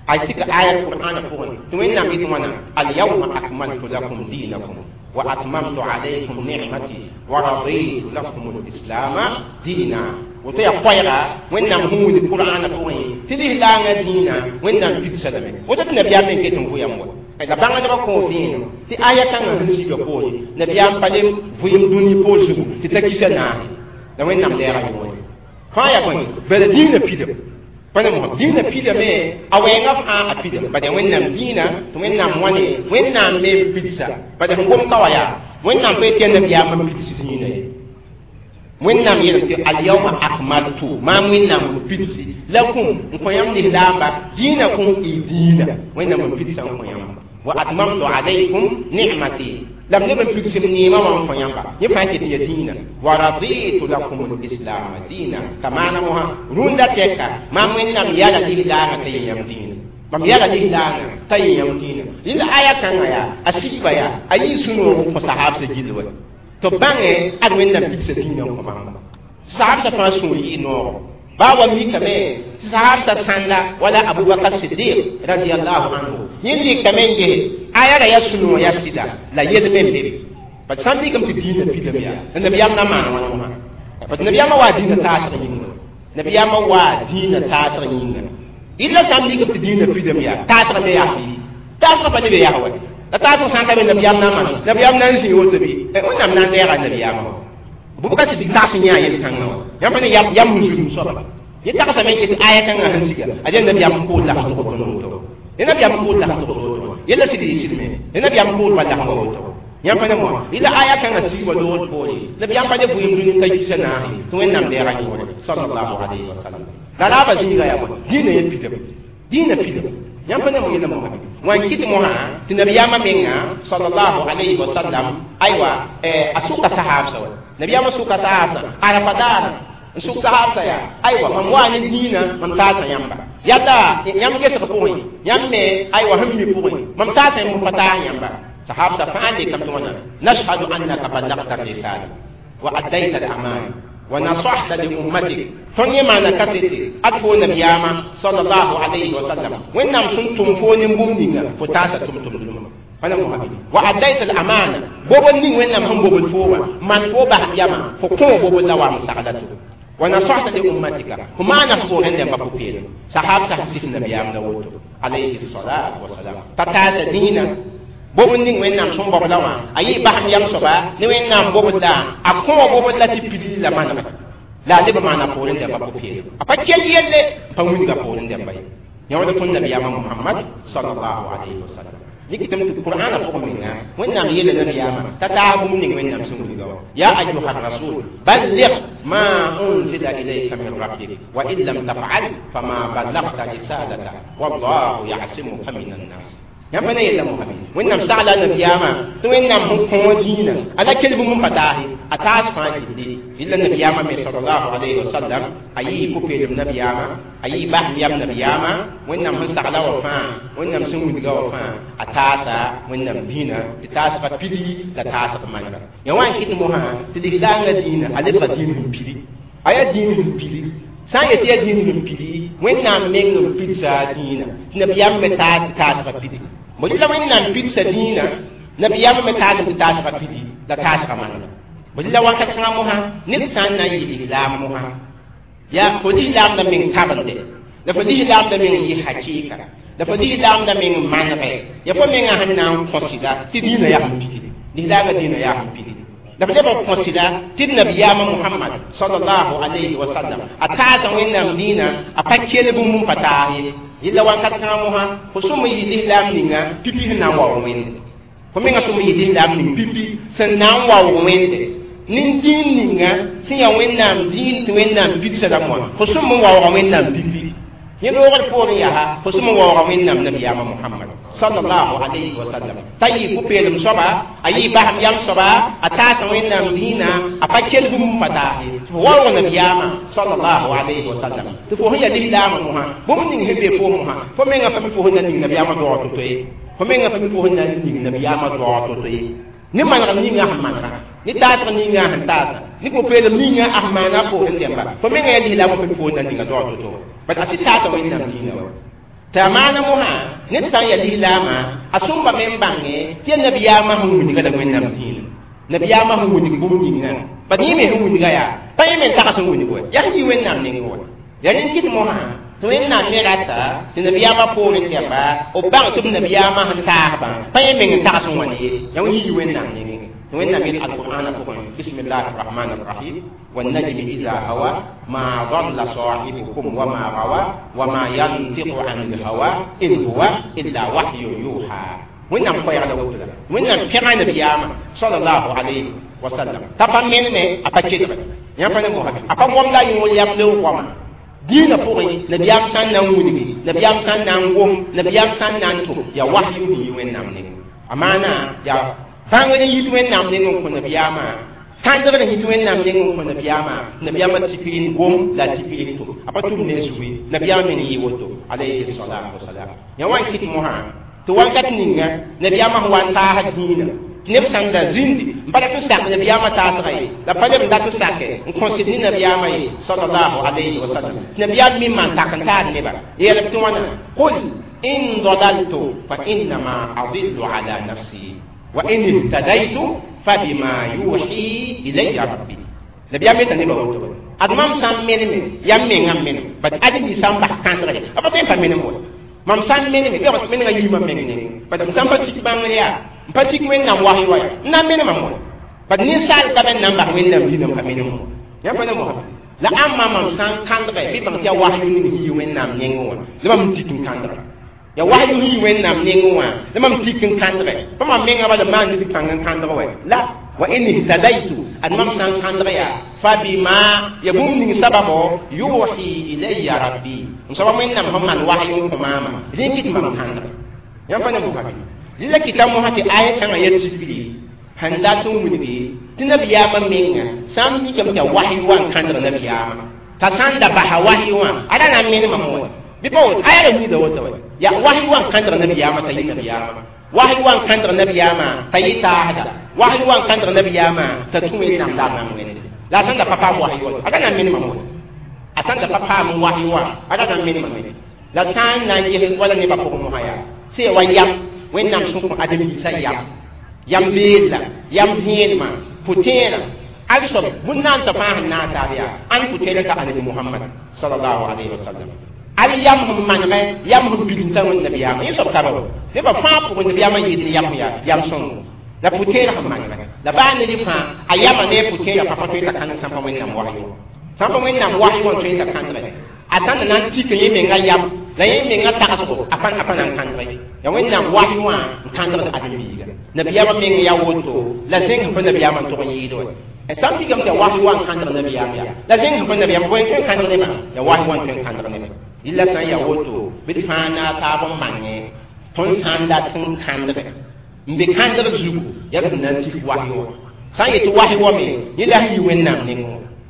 ay sika ayat qur'ana pʋgẽ tɩ wẽnnaam yet wãna alyawma akmaltu lakum dinakum wa atmamtu alaykum nicmati wa raditu lakum lislama dina woto yaa koɛɛga wẽnnaam sẽn wilg qur'ana pʋgẽ tɩ lislaangã dĩinã wẽnnaam pidsa lame woto tɩ nabiyaam meng ket n vʋyam wa la bãngdbã kõo vẽenem tɩ aya kãngã sẽn siga poore nabiyaam pa le vɩɩm dũni poor zugu tɩ ta kisa naase la wẽnnaam lɛɛga yõore fãa yaa bõe bala dĩinã pidame Pa ne mo dĩinã pidame a wɛɛngã fãa a pidame bad yaa Wẽnnaam dĩinã tɩ Wẽnnaam wãne Wẽnnaam me n pidsa bad sẽn gom ka wa yaa Wẽnnaam pa yetɩ yaa nabiyaamã n pids dĩinã ye Wẽnnaam yeelame tɩ alyawma akmaltu maam Wẽnnaam n pidsi lakum n kõ yãmb lislaamba dĩinakum y dĩinã Wẽnnaam n pidsa n kõ yãmba wa atmamtu alaykum ni'mati lam leb n pigsem neemã wã n kõ yãmba yẽ fãa ket ya dĩinã wa raditu lakum lislaama dĩinã t'a maana mosã rũndã tɛka maam Wẽnnaam yala lislaangã t'a yẽ yãmb dĩinã mam yala lislaangã t'a yẽ yãmb dĩinã rẽnd aya kãngã yaa a sigba yaa a yɩ sũ-noog n kõ sahaabsã gill wa tɩ b bãngẽ ad Wẽnnaam pigsa dĩinã n kõ bãmba sahaabsã fãa sũur yɩ noogo baa wa mikame tɩ sahaabsã sãnda wala Abubakar Sidiq radiallahu anhu yẽ likame n gese aya ra yaa sũ-noog yaa sɩda la yel me n be bat sã n mikame tɩ dĩinã pidame yaa la nabiyaam na maan wãna wã bat nabiyaamã waa dĩinã taasg yĩnga nabiyaamã waa dĩinã taasg yĩnga illa sã n mikame tɩ dĩinã pidame yaa taasg me yaa taasg pa ne be yaa wa la taasg sã n ka be nabiyaam na maan nabiyaam na n zĩ woto bɩ Wẽnnaam na n deega nabiyaamã wa Bubakar Sidiq taas n yã yel-kãngã wã yãmb ne yam n zulum soaba yẽ tagsame n ket aya kãngã sẽn siga ad yaa nabiyaam n kood lagem woto woto yẽ nabiyaam n kood lagem woto yella sɩd yɩ sɩdme yẽ nabiyaam n kood pa lagem woto yãmb pa ne moa yella aya kãngã sig wa loogd poore nabiyaam pa ne bʋɩɩm dũni ka yisa naase tɩ Wẽnnaam deega yõore sallallahu alayhi wa sallam la raaba zĩiga yaa bõe dĩinã yẽ pidame dĩinã pidame yãmb pa ne mo yella mosã wã n kɩt mosã tɩ nabiyaamã menga sallallahu alayhi wa sallam aywa a sʋka sahaabsã wa nabiyaamã sʋka sahaabsã arafa daara n sʋk sahaabsã yaa aywa mam waa ne dĩinã mam taasa yãmba yalla yãmb gesg pʋgẽ yãmb me aywa sẽn mi pʋgẽ mam taasa yãmb pa taas yãmba sahaabsã fãa lekame tɩ wãna nashhadu annaka ballagta risala wa addayta al-amana wa nasahta li ummatik tõnd yẽ maana kasete ad fo nabiyaamã sallallahu alayhi wa sallam Wẽnnaam sẽn tʋm fo ne bũmb ninga fo taasa tʋm-tʋmdmã wa addayta al-amana bobl ning Wẽnnaam sẽn bobl fo wã man fo bas yamã fo kõ bobl la wam sagla to wa nasahta li ummatika fo maana fo pʋgẽ dẽmba pʋ-peelem sahaab sã sɩs nabiyaam la woto alayhi salatu wasalam t'a taasa dĩinã bobl ning Wẽnnaam sẽn baob la wã a yɩ basem yam soaba ne Wẽnnaam bobl la a kõ bobl la tɩ pidl la manega la a leb maana poorẽ dẽmba pʋ-peelem a pa kell yelle n pa wilga poorẽ dẽmba ye yãwd tõnd nabiyaamã Muhammad sallallahu alayhi wa sallam dɩktame tɩ Qur'aanã pʋgẽ menga Wẽnnaam yeela nabiyaamã t'a taas bũmb ning Wẽnnaam sẽn wilga wã ya ayuha rasul balligh ma unzila ilayka min rabbik wa in lam taf'al fama ballagta risalata wallahu ya'simuka min annas yãmb pa ne yella mosã Wẽnnaam sagla nabiyaamã tɩ Wẽnnaam sẽn kõ dĩinã a la kell bũmb n pa taase a taas fãa gilli yella nabiyaamã me sallallahu alayhi wa sallam a yɩɩ pʋ-peelem nabiyaamã a yɩ basem yam nabiyaamã Wẽnnaam sẽn sagla wã fãa Wẽnnaam sẽn wilga wã fãa a taasa Wẽnnaam dĩinã tɩ taasga pidi la taasg manega yã wã n kɩt mosã tɩ lislaangã dĩinã a lebga dĩin sẽn pidi a yaa dĩin sẽn pidi sã n yetɩ yaa dĩin sẽn pidi Wẽnnaam meng n pidsa dĩinã tɩ nabiyaam me taas tɩ taasga pidi bõe la Wẽnnaam pidsa dĩinã nabiyaam me taas tɩ taasga pidi la taasga manega bõe la wakat kãngã mosã ned sã n na n yɩ lislaam mosã yaa fo lislaamdã meng tabende la fo lislaamdã meng yɩ hakɩɩka la fo lislaamdã meng manegɛ ya fo mengã sẽn na n kõ sɩda tɩ dĩinã yaa sẽn pidi lislaamã dĩinã yaa sẽn pidi la f leb n kõ sɩda tɩ d nabiyaamã Muhammad sallallahu alayhi wa sallam a taasa Wẽnnaam dĩinã a pa kell bũmb n pa taas ye yella wakat kãngã mosã fo sõm n yɩ lislaam ninga pipi sẽn na n waoog Wẽnde fo menga sõm n yɩ lislaam ning pipi sẽn na n waoog Wẽnde nin-dĩin ninga sẽn yaa Wẽnnaam dĩin tɩ Wẽnnaam pidsa rãmb wã fo sõm n waooga Wẽnnaam pipi yẽ loogd poorẽ yaa fo sõm n waooga Wẽnnaam nabiyaamã Muhammad sallallahu alayhi wa sallam t'a yɩ pʋ-peelem soaba a yɩ basem yam soaba a taasa Wẽnnaam dĩinã a pa kell bũmb n pa taas ye tɩ fo waoog nabiyaamã sallallahu alayhi wa sallam tɩ fo sẽn yaa lislaamã mosã bũmb ning sẽn be foom mosã fo menga pa mi fo sẽn na ning nabiyaamã doog to-to ye fo menga pa mi fo sẽn na ning nabiyaamã doog to-to ye ne manegr ninga sẽn manega ne taasg ninga sẽn taasa ne pʋ-peelem ninga sẽn maana a poorẽ dẽmba fo menga yaa lislaamã pa mi fo sẽn na ninga doog to-to bat a sɩ taasa Wẽnnaam dĩinã wa tɩ a maana mosã ned sã n yaa lislaamã a sõmba me n bãnge tɩ yaa nabiyaamã sẽn wilga la Wẽnnaam dĩinã nabiyaamã sẽn wilg bũmb ninga bat yẽ me sẽn wilga yaa pa yẽ me n tags n wilg wa yaa sẽn yɩ Wẽnnaam neng wa yaa rẽnd kɩt mosã tɩ Wẽnnaam me rata tɩ nabiyaamã poorẽ dẽmba b bãng tɩ b nabiyaamã sẽn taasbã pa yẽ meng n tags n wãn ye yaa yɩ Wẽnnaam nengẽ Wẽnnaam yel alqur'ana pʋgẽ bismillahi rrahmani rrahim والنجم إذا هوى ما ضل صاحبكم وما غوى وما ينطق عن الهوى إن هو إلا وحي يوحى. وإنما قيل له وإنما كان نبياما صلى الله عليه وسلم تفهم من ما أبكي يا فني محمد أبا لا يقول يملو وما دين فوقي نبيام سان نانوني نبيام سان نانغوم نبيام سان نانتو يا وحي وإنما أمانة يا بانغني يتوين نام نينو نبياما kãndgr yit wẽnnaam neng n kõ nabiyaamã nabiyaamã tikr n gom la tikr n tʋm a pa tʋm ne zugi nabiyaam me n yɩ woto alayhi salatu wasalam yã wa n kɩt mosã tɩ wakat ninga nabiyaamã sẽn wa n taasd dĩinã tɩ neb sãn da zĩndi n pa dat n sak nabiyaamã taasga ye la pa leb n dat n sake n kõsd ne nabiyaamã ye sallallahu alayhi wasallam tɩ nabiyaam me n maan tak n taad neba yeelb tɩ wãna qul in dalaltu fa innama adillu ala nafsi wa in ihtadaytu فبما يوحي إلي ربي نبي أمي تنبا وتو أدمام سام مني يامي ngam مني بس أدي سام بح كان رجع أبا تين فمني مو mam sãn meneme bɩ menega yiimã meng neng bat m sãn pa tik bãngr yaa n pa tik wẽnnaam wasy wa n na n menemã mo bat ninsaal ka bẽn na n bas wẽnnaam dĩnã n pa menem mo yã pa ne mosã la ãmba mam sã n kãndgɛ bɩ bãng tɩ yaa wasyu ning yii wẽnnaam nengẽ wã la mam tik n kãndga ya wahyu yi wẽnnaam nengẽ wã la mam tik n kãndgɛ pa mam menga bala maan ned kãng n kãndg wɛ la wa in ihtadaytu ad mam sã n kãndg yaa fa bima ya bũmb ning sababo yuhi ilayya rabbi n soaba wẽnnaam sẽn maan wahyu n kõ maama rẽ kɩt mam kãndg yã pa ne bʋka la kɩta mosã tɩ aya kãngã ya tikri sẽn dat n wilgi tɩ nabiyaamã menga sã n mikame tɩ ya wahyu wã n kãndg nabiyaamã t'a sã n da basa wahyu wã ada na n menemã wã bɩ pa woto aya la wilda woto wɛ ya wahyu wã n kãndg nabiyaamã t'a yɩ nabiyaamã wahyu wã n kãndg nabiyaamã t'a yɩ taasda wahyu wã n kãndg nabiyaamã t'a tũ wẽnnaam la a mam wẽnde la a sãn da pa paam wahyu wã ada na n menemã wã a sãn da pa paam wahyu wã ada na n menemã me la sã n na n ges wala nebã pʋgẽ mosã yaa sẽn wa yam wẽnnaam sẽn kõ adem-biisã yam yam beedla yam vẽenemã pʋtẽerã al soab bũn-naansã fãa sẽn naag taab yaa ãn pʋtẽerã ka anabi Muhammad sallallahu alayhi wa sallam al yam sẽn manegɛ yam sẽn bilmta wẽnd nabiyaamã yẽ soab ka ba nebã fãa pʋgẽ nabiyaamã yɩɩd ne yam yaa yam sõngo la pʋtẽerã sẽn manegɛ la baa ned fãa a yamã ne a pʋtẽerã pa pa tõe t'a kãndg sãn pa wẽnnaam wahyu sãn pa wẽnnaam wahyu wã n tõe t'a kãndgɛ a sãn da na n tik yẽ menga yam la yẽ menga tagsgo a pa na n kãndgɛ ya wẽnnaam wahyu wã n kãndgd adem-biiga nabiyaamã meng yaa woto la zẽng sẽn pa nabiyaamã n tog n yɩɩd wɛ sãn mikame tɩ ya wahyu wã n kãndg nabiyaam yaa la zẽng sẽn pa nabiyaam bõe n tõe n kãndg nebã ya wahyu wã n tõe n kãndg nebã rɩla sã n yaa woto bɩ d fãa naag taab n mangẽ tõnd sã n dat n kãndgɛ n be kãndg zugu yaa d sẽn na n tik wahyu wã sã n yetɩ wahyu wã me yẽ la sẽn yi wẽnnaam nengẽ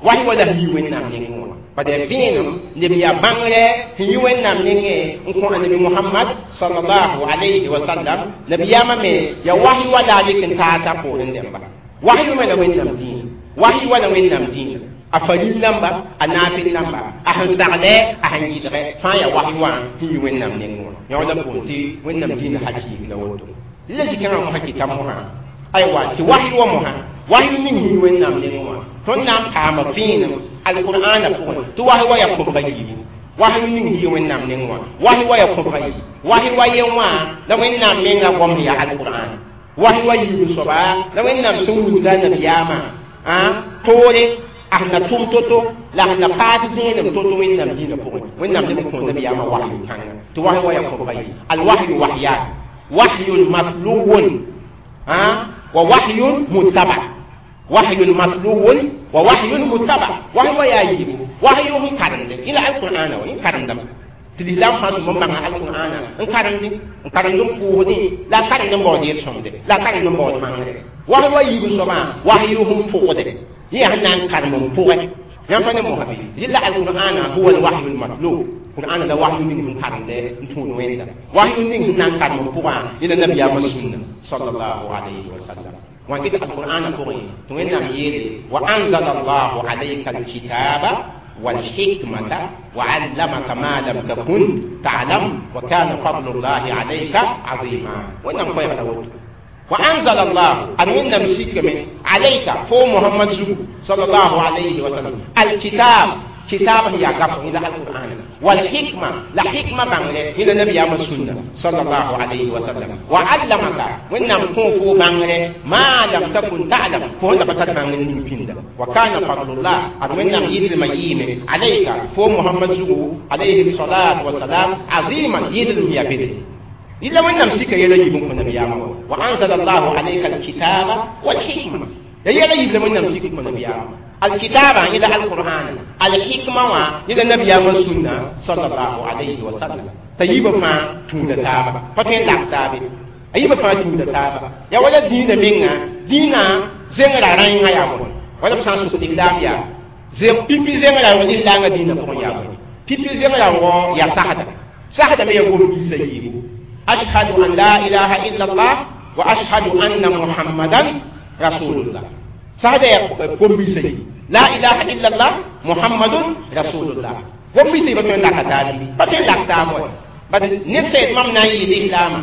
wã wahyu wã la sẽn yi wẽnnaam nengẽ wã bad yaa vẽenem neb yaa bãngrɛ sẽn yi wẽnnaam nengẽ n kõ anabi Muhammad sallallahu alayhi wa sallam nabiyaamã me yaa wahyu wã la a lek n taasa poorẽ dẽmba wahyu me la wẽnnaam dĩinã wahyu wã la wẽnnaam dĩinã a faril namba a naafɩl namba a sẽn saglɛ a sẽn yɩdgɛ fãa yaa wahyu wã sẽn yi wẽnnaam nengẽ wã yõ la pʋʋn tɩ wẽnnaam dĩinã hakiik la woto la zikãngã mosã kɩta mosã aywa tɩ wahyu wã mosã wahyu ning sẽn yi wẽnnaam nengẽ wã tõnd na n paama vẽenem alqur'ana pʋgẽ tɩ wahyu wã yaa kõbga yiibu wahyu ning sẽn yi wẽnnaam nengẽ wã wahyu wã yaa kõbga yiibu wahyu wa yen wã la wẽnnaam menga goam sẽn yaa alqur'an wahyu wa yiib soaba la wẽnnaam sẽn wilga nabiyaamã toore a sẽn na tʋm to-to la sẽn na paas zẽenem to-to wẽnnaam dĩinã pʋgẽ wẽnnaam leb n kõ nabiyaamã wahyu kãnga tɩ wahyu wa yaa kõbga yiibu alwahyu wahyan wahyun matluwun wa wahyun muttaba wahyun matluwun wa wahyun muttaba wahyu wa yaa yiibu wahyu sẽn karemde yẽ la alqur'ana wa yẽ karemdame tɩ lislaam fãa tʋm n bãnga alqur'ana n karemde n karemd n pʋʋsdẽ la a karemd n baood yel-sõmde la a karemd n baood mangre wahyu wa yiib soabã wahyu sẽn pʋgde yẽ yaa sẽn na n karem n pʋgɛ yãmb pa ne mosã bɩ rɩla alqur'ana huwa alwahyu almatlub qur'ana la wahyu ning sẽn karemde n tũud wẽnda wahyu ning sẽn na n karem n pʋgã yẽ la nabiyaamã sũnna sallallahu alayhi wa sallam wã kɩt alqur'ana pʋgẽ tɩ wẽnnaam yeele wa anzala allahu alayka alkitaba والحكمة وعلمك ما لم تكن تعلم وكان فضل الله عليك عظيما وإنما قيل وأنزل الله أن وإنما سيك من عليك فو محمد زكو صلى الله عليه وسلم الكتاب kitab ya gaf ila alquran wal hikma la hikma bangle ila nabiyama sunna sallallahu alayhi wa sallam wa allamaka wẽnnaam kõ fo bãngre ma lam takun ta'lam fo sẽn da pa tar bãngr ning pĩnda wa kana fadlullah ad wẽnnaam yɩdlmã yɩɩme alayka fo Muhammad zugu alayhi salatu wasalam aziman yɩdlm ya bede illa wẽnnaam sika yɛla yiib n kõ nabiyaamã wa anzala allahu alayka alkitaba walhikma ya yɛla yibla wẽnnaam sik n kõ nabiyaamã alkitaba yẽla alqur'an alhikma wã yẽla nabiyaamã sũnna sallallahu alayhi wa sallam t'a yiibã fãa tũuda taaba pa tõe n lak taabe a yiibã fãa tũuda taaba ya wala dĩinã menga dĩinã zengrã rãengã yaa bõe wala b sã n sʋk lislaam yaa pipi zengrã rõg lislaangã dĩinã pʋgẽ yaa bõe pipi zengrã rõg yaa sagda sagda me ya gom-biisã yiibu ashhadu an la ilaha illa allah wa ashhadu anna muhammadan rasulullah sagda ya gom-biisã yiibu la ilaha illa allah muhammadun rasulullah gom-biisã yiiba tõe n laka taabi pa tõe n lak taab wa bad ned sã yet mam na n yɩ lislaamã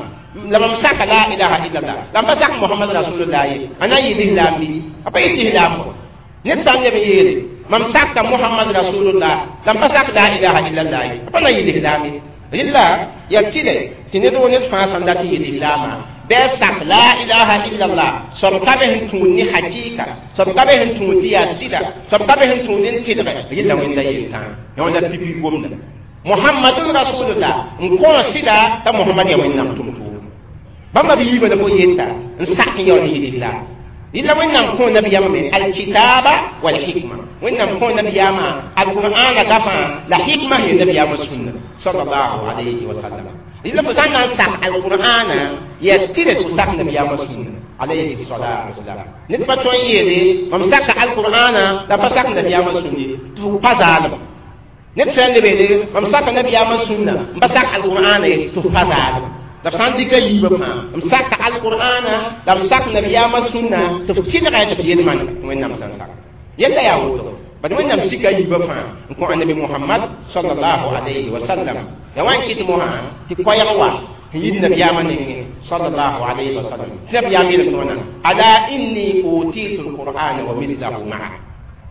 la mam saka la ilaha illallah la m pa sak Muhammad rasulullah ye a na n yɩ lislaam bɩ a pa yɩ lislaam wa ned sã n leb n yeele mam saka Muhammad rasulullah la m pa sak la ilaha illallah ye a pa na n yɩ lislaam ye rɩlla yaa tɩlɛ tɩ ned wo ned fãa sãn dat n yɩ lislaamã bɩ a sak la ilaha illallah soab ka be sẽn tũud ne hakɩɩka soab ka be sẽn tũud tɩ yaa sɩda soab ka be sẽn tũud n tɩlgɛ rɩlla wẽnda yel-tãa ya wẽnda pipi gomda Muhammadun rasulullah n kõ sɩda t'a Muhammad yaa wẽnnaam tʋm-tʋʋm bãmba b yiibã la fo yeta n sak n yaool n yɩ lislaam rɩla wẽnnaam kõ nabiyaamã me alkitaba walhikma wẽnnaam kõ nabiyaamã alqur'ana gafã la hikma sẽn nabiyaamã sũnna sallallahu alayhi wa sallam rɩla fo sã n na n sak alqur'ana yaa tɩrɛ tɩ fo sak nabiyaamã sũnna alayhi salatu wasalam ned pa tõe n yeele mam saka alqur'ana la pa sak nabiyaamã sũnne tɩ fo pa zaalem ned sã n lebeede mam saka nabiyaamã sũnna n pa sak alqur'ana ye tɩ fo pa zaalem la f sã n dɩka yiibã fãa m saka alqur'ana la m sak nabiyaamã sũnna tɩ f tɩlga tɩ f yel-mãna wẽnnaam sẽn sak yella yaa woto bad wẽnnaam sika yiibã fãa n kõ annabi Muhammad sallallahu alayhi wa sallam ya wa n kɩt mosã tɩ koɛɛg wa sẽn yit nabiyaamã nengẽ sallallahu alayhi wa sallam tɩ nabiyaam yel tõona ala inni utitu alqur'ana wa mithlahu maa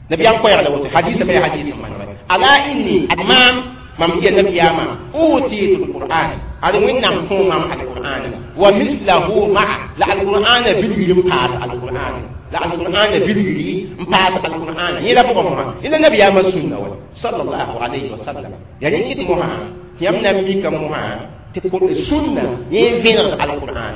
nabiyaam koɛɛg la woto hadisa me hadis n manegɛ ala inni ad maam mam ya nabiyaamã utitu alqur'an ad wẽnnaam kõ mam alqur'an wa mithlahu maa la alqur'ana bilgri n paas alqur'an la alqur'ana bilgri n paas alqur'an yẽla pʋgẽ mosã yẽla nabiyaamã sũnna wa sallallahu alayhi wa sallam yaa rẽ kɩt mosã tɩ yãmb na n mika mosã tɩ sũnna yẽ n vẽneg alqur'an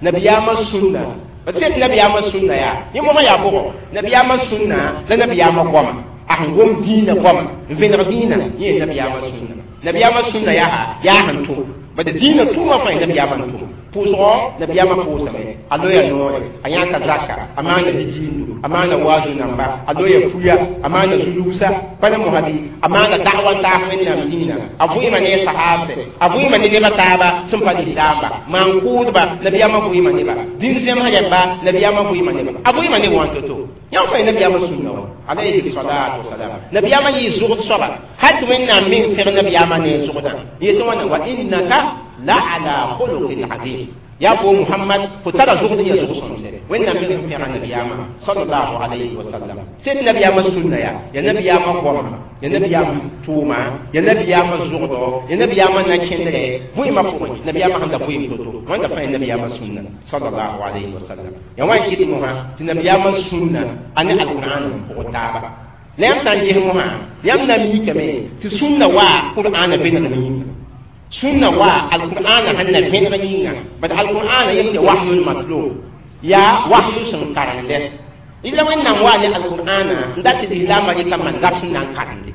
nabiyaamã sũnna b sẽn nabiyaamã sũnna yaa yẽ mosã yaa pʋgõ nabiyaamã sũnna la nabiyaamã goama a sẽn gom dĩinã goama n vẽneg dĩinã yẽ nabiyaamã sũnna nabiyaamã sũnna yaa sẽn tʋm bad dĩinã tʋʋmã fãa nabiyaamã n tʋm pʋʋsgɔ nabiyaamã pʋʋsame a loya noore a yãka zaka a maana didiindu a maana waazu namba a loya puya a maana zulugsa pa na mosã bɩ a maana da'wa n taas wẽnnaam dĩinã a vʋɩɩma ne a sahaabsɛ a vʋɩɩma ne nebã taaba sẽn pa lislaamba maan-kʋʋdba nabiyaamã vʋɩɩma neba dĩn-zẽmsã rɛmba nabiyaamã vʋɩɩma neba a vʋɩɩma neb wã to-to yãmb fãa nabiyaamã sũnna wa alayhi salatu wasalam nabiyaamã yɩ zʋgd soaba hal tɩ wẽnnaam meng sẽg nabiyaamã ne zʋgdã yetɩ wãna wa innaka la ala khuluqin azim ya fo Muhammad fo tara zʋgd n ya zʋg sõmse wẽnnaam meng sẽn pẽga nabiyaamã sallallahu alayhi wa sallam sẽd nabiyaamã sũnna yaa ya nabiyaamã goama ya nabiyaamã tʋʋma ya nabiyaamã zʋgdɔ ya nabiyaamã na-kẽndrɛ vʋɩɩmã pʋgẽ nabiyaamã sẽn da vʋɩɩm to-to wãnda fãa ya nabiyaamã sũnna sallallahu alayhi wa sallam ya wa n kɩt mosã tɩ nabiyaamã sũnna a ne alqur'an n pʋgd taaba la yãmb sã n ges mosã yãmb na n mikame tɩ sũnna wa qur'ana vẽnegm yĩnga sũnna wa alqur'ana sẽn na vẽneg yĩnga bad alqur'ana yem tɩ wahyun matlu yaa wahyu sẽn karende illa wẽnnaam wa ne alqur'ana n dat tɩ lislaambã rɩka man gab sẽn na n karende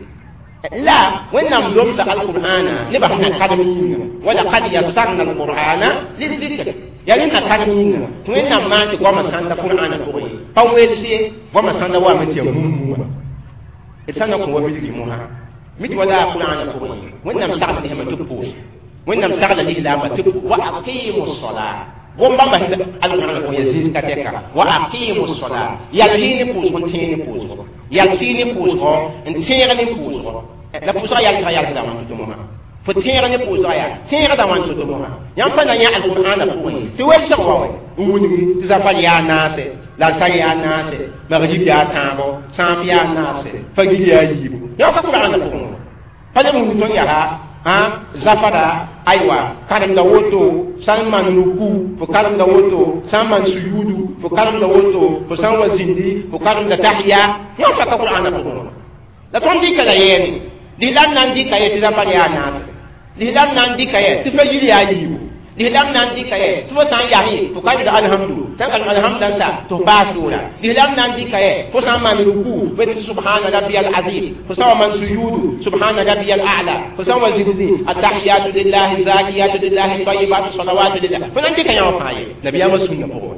la wẽnnaam lomsa alqur'ana nebã sẽn na karem yĩnga walaqad yassarna alqur'ana lizikr yaa rẽ na karem yĩnga tɩ wẽnnaam maan tɩ goamã sãnda qur'ana pʋgẽ pa welse ye goamã sãnda wame tɩ yaa mummuwa d sã n na kõ wa bilgi mosã mit wala qur'ana pʋgẽ wẽnnaam sagl nesmã tɩ pʋʋs wẽnnaam sagla lislaambã tɩ wa aqimu sola gom bãmba alqur'ana pʋgẽ yaa zĩis ka tɛka wa aqimu sola yal yɩ ne pʋʋsg n tẽeg ne pʋʋsgɔ yal sɩ ne pʋʋsgɔ n tẽeg ne pʋʋsgɔ la pʋʋsgã yalsga yalsda wã tɩ mosã fo tẽeg ne pʋʋsga yaa tẽegda wã tɩ mosã yãmb pa na yã alqur'ana pʋgẽ tɩ welsg wa n wilgi tɩ zafar yaa naase La sar yaa naase, magrib yaa tãabo, sãaf yaa naase, fagir yaa yiibu. Yã ka Qur'aana pʋgẽ pa leb n tõnd yaa zafara aywa karemda woto sãn maan ruku fo karemda woto sãn maan suyudu fo karemda woto fo sãn wa zĩndi fo karemda tahiya. Yã pa ka Qur'aana pʋgẽ la tõnd dɩka la yɛɛne lislaam na n dɩka ye tɩ zafar yaa naase, lislaam na n dɩka ye tɩ fagir yaa yiibu, lislaam na n dɩka ye tɩ fo sã n yas fo karemda alhamdu sãn karem alhamda n sa tɩ f baas sʋʋra, lislaam na n dɩka ye fo sã n maan ruku fo tɩ subhana rabbiyal azim, fo sã n wa maan suyudu subhana rabbiyal a'la, fo sã n wa zĩndi attahiyatu lillahi zakiyatu lillahi tayyibatu salawatu lillah. Fo na n dɩka yã wã fãa ye nabiyaamã sũnna pʋgẽ,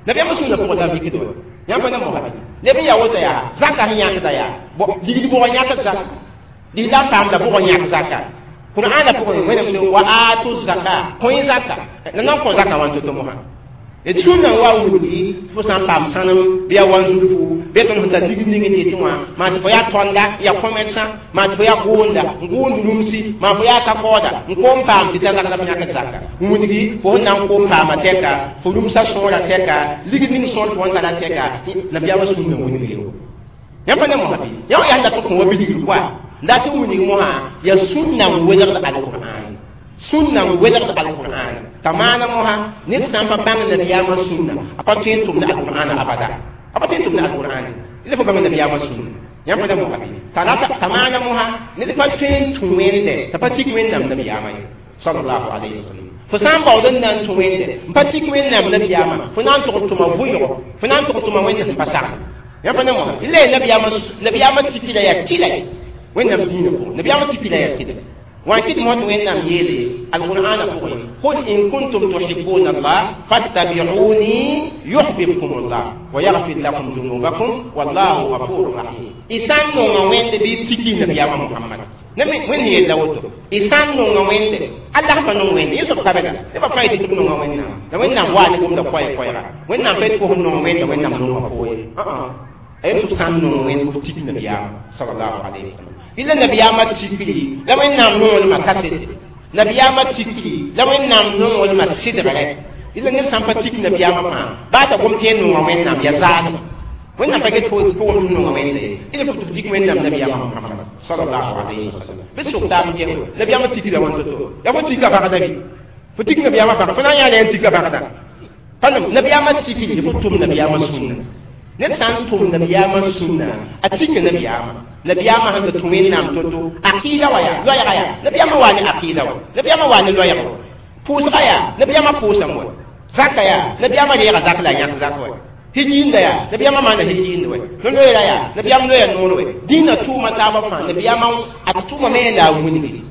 nabiyaamã sũnna pʋgẽ la vikd wa yãmb pa na mosã neb n yaa woto yaa zaka sẽn yãkda yaa ligd bʋgã yãkd zaka, lislaam paamda bʋgã yãk zaka. Qur'ana pʋgẽ Wẽnnaam wa atu zaka kõi zaka la nan kõ zaka wã to-to mosã d sũnna n wa wilgi fo sã n paam sãnem bɩ yaa wanzurfu bɩ tõnd sẽn tar ligd ning n yetẽ wã maa tɩ fo yaa tõnda yaa kõmɛdsã maa tɩ fo yaa gʋʋnda n gʋʋnd rũmsi maa fo yaa ka-kaooda n koom paam tɩ ta zak la b yãkd zaka n wilgi fo sẽn na n koom paama tɛka fo rũmsã sõora tɛka ligd ning sõor tɩ fo n tara tɛka nabiyaamã sũnna wilg yo. Yãmb pa ne mosã bɩ yã wã yaa dat kõ wa bilgr koa n dat n wilg mosã yaa sũnna n welgd alqur'an, sũnna n welgd alqur'an t'a maana mosã ned sã n pa bãng nabiyaamã sũnna a pa tõe n tʋmda alqur'an abada, a pa tõe n tʋmda alqur'an ila fo bãng nabiyaamã sũnna. Yãmb pa ne mosã bɩ t'a maana mosã ned pa tõe n tũ wẽnde t'a pa tik Wẽnnaam nabiyaamã ye sallallahu alayhi wa sallam. Fo sã n baood n na n tũ wẽnde n pa tik Wẽnnaam nabiyaamã fo na n tʋg tʋma vʋɩgo fo na n tʋg tʋma wẽnd sẽn pa sagl. Yãmb pa ne mosã ila ya nabiyaamã tikila yaa tɩla Wẽnnaam dĩinã pʋgẽ, nabiyaamã tikila yaa tɩla wã kɩt mosã tɩ Wẽnnaam yeele alqur'aana pʋgẽ qul in kuntum tuhibbuna Allah fattabi'uni yuhbibkum Allah wa yaghfir lakum dhunubakum wallahu ghafurur rahim. Y sã n nonga Wẽnde bɩ tiki nabiyaamã Muhammad Wẽnd yella woto y sã n nonga Wẽnde Allah pa nong Wẽnde yẽ soab ka bɛda nebã fãa yetɩ tɩ b nonga Wẽnnaam la Wẽnnaam waa ne gomda koɛɛ koɛɛga Wẽnnaam pa yetɩ fo sẽn nong Wẽnda Wẽnnaam nonga fo ye a yet tɩ b sã n nong Wẽnd f tik nabiyaamã sallallahu alayhi wa sallam. Ila nabiyaamã tikri la Wẽnnaam nonglmã kasete, nabiyaamã tikri la Wẽnnaam nonglmã sɩdgrɛ ila ned sã n pa tik nabiyaamã fãa baa t'a gom tɩ yẽ nonga Wẽnnaam yaa zaadma Wẽnnaam pa get fo gom tɩ nonga Wẽnda ye ila fo tɩ b tik Wẽnnaam nabiyaamã Muhammad sallallahu alayhi wa sallam. Bɩ sʋk taab n ges nabiyaamã tikra wãn to-to yaa fo tika bagda bɩ fo tik nabiyaamã bag fo na n yaa la yẽn tika bagda pa nabiyaamã tikri fo tʋm nabiyaamã sũnna ned sã n tʋm nabiyaamã sũnna a tikã nabiyaamã nabiyaamã sẽn tɩ tũ Wẽnnaam to-to aqɩɩda wa yaa loɛɛga yaa nabiyaamã waa ne aqɩɩda wa nabiyaamã waa ne loɛɛg wa pʋʋsga yaa nabiyaamã pʋʋsame wa zaka yaa nabiyaamã reega zak la a yãk zak wa hijiinda yaa nabiyaamã maana hijiind wa no-loeera yaa nabiyaam loeya noor wa dĩinã tʋʋma taabã fãa nabiyaamã a tʋʋma me la a wilgi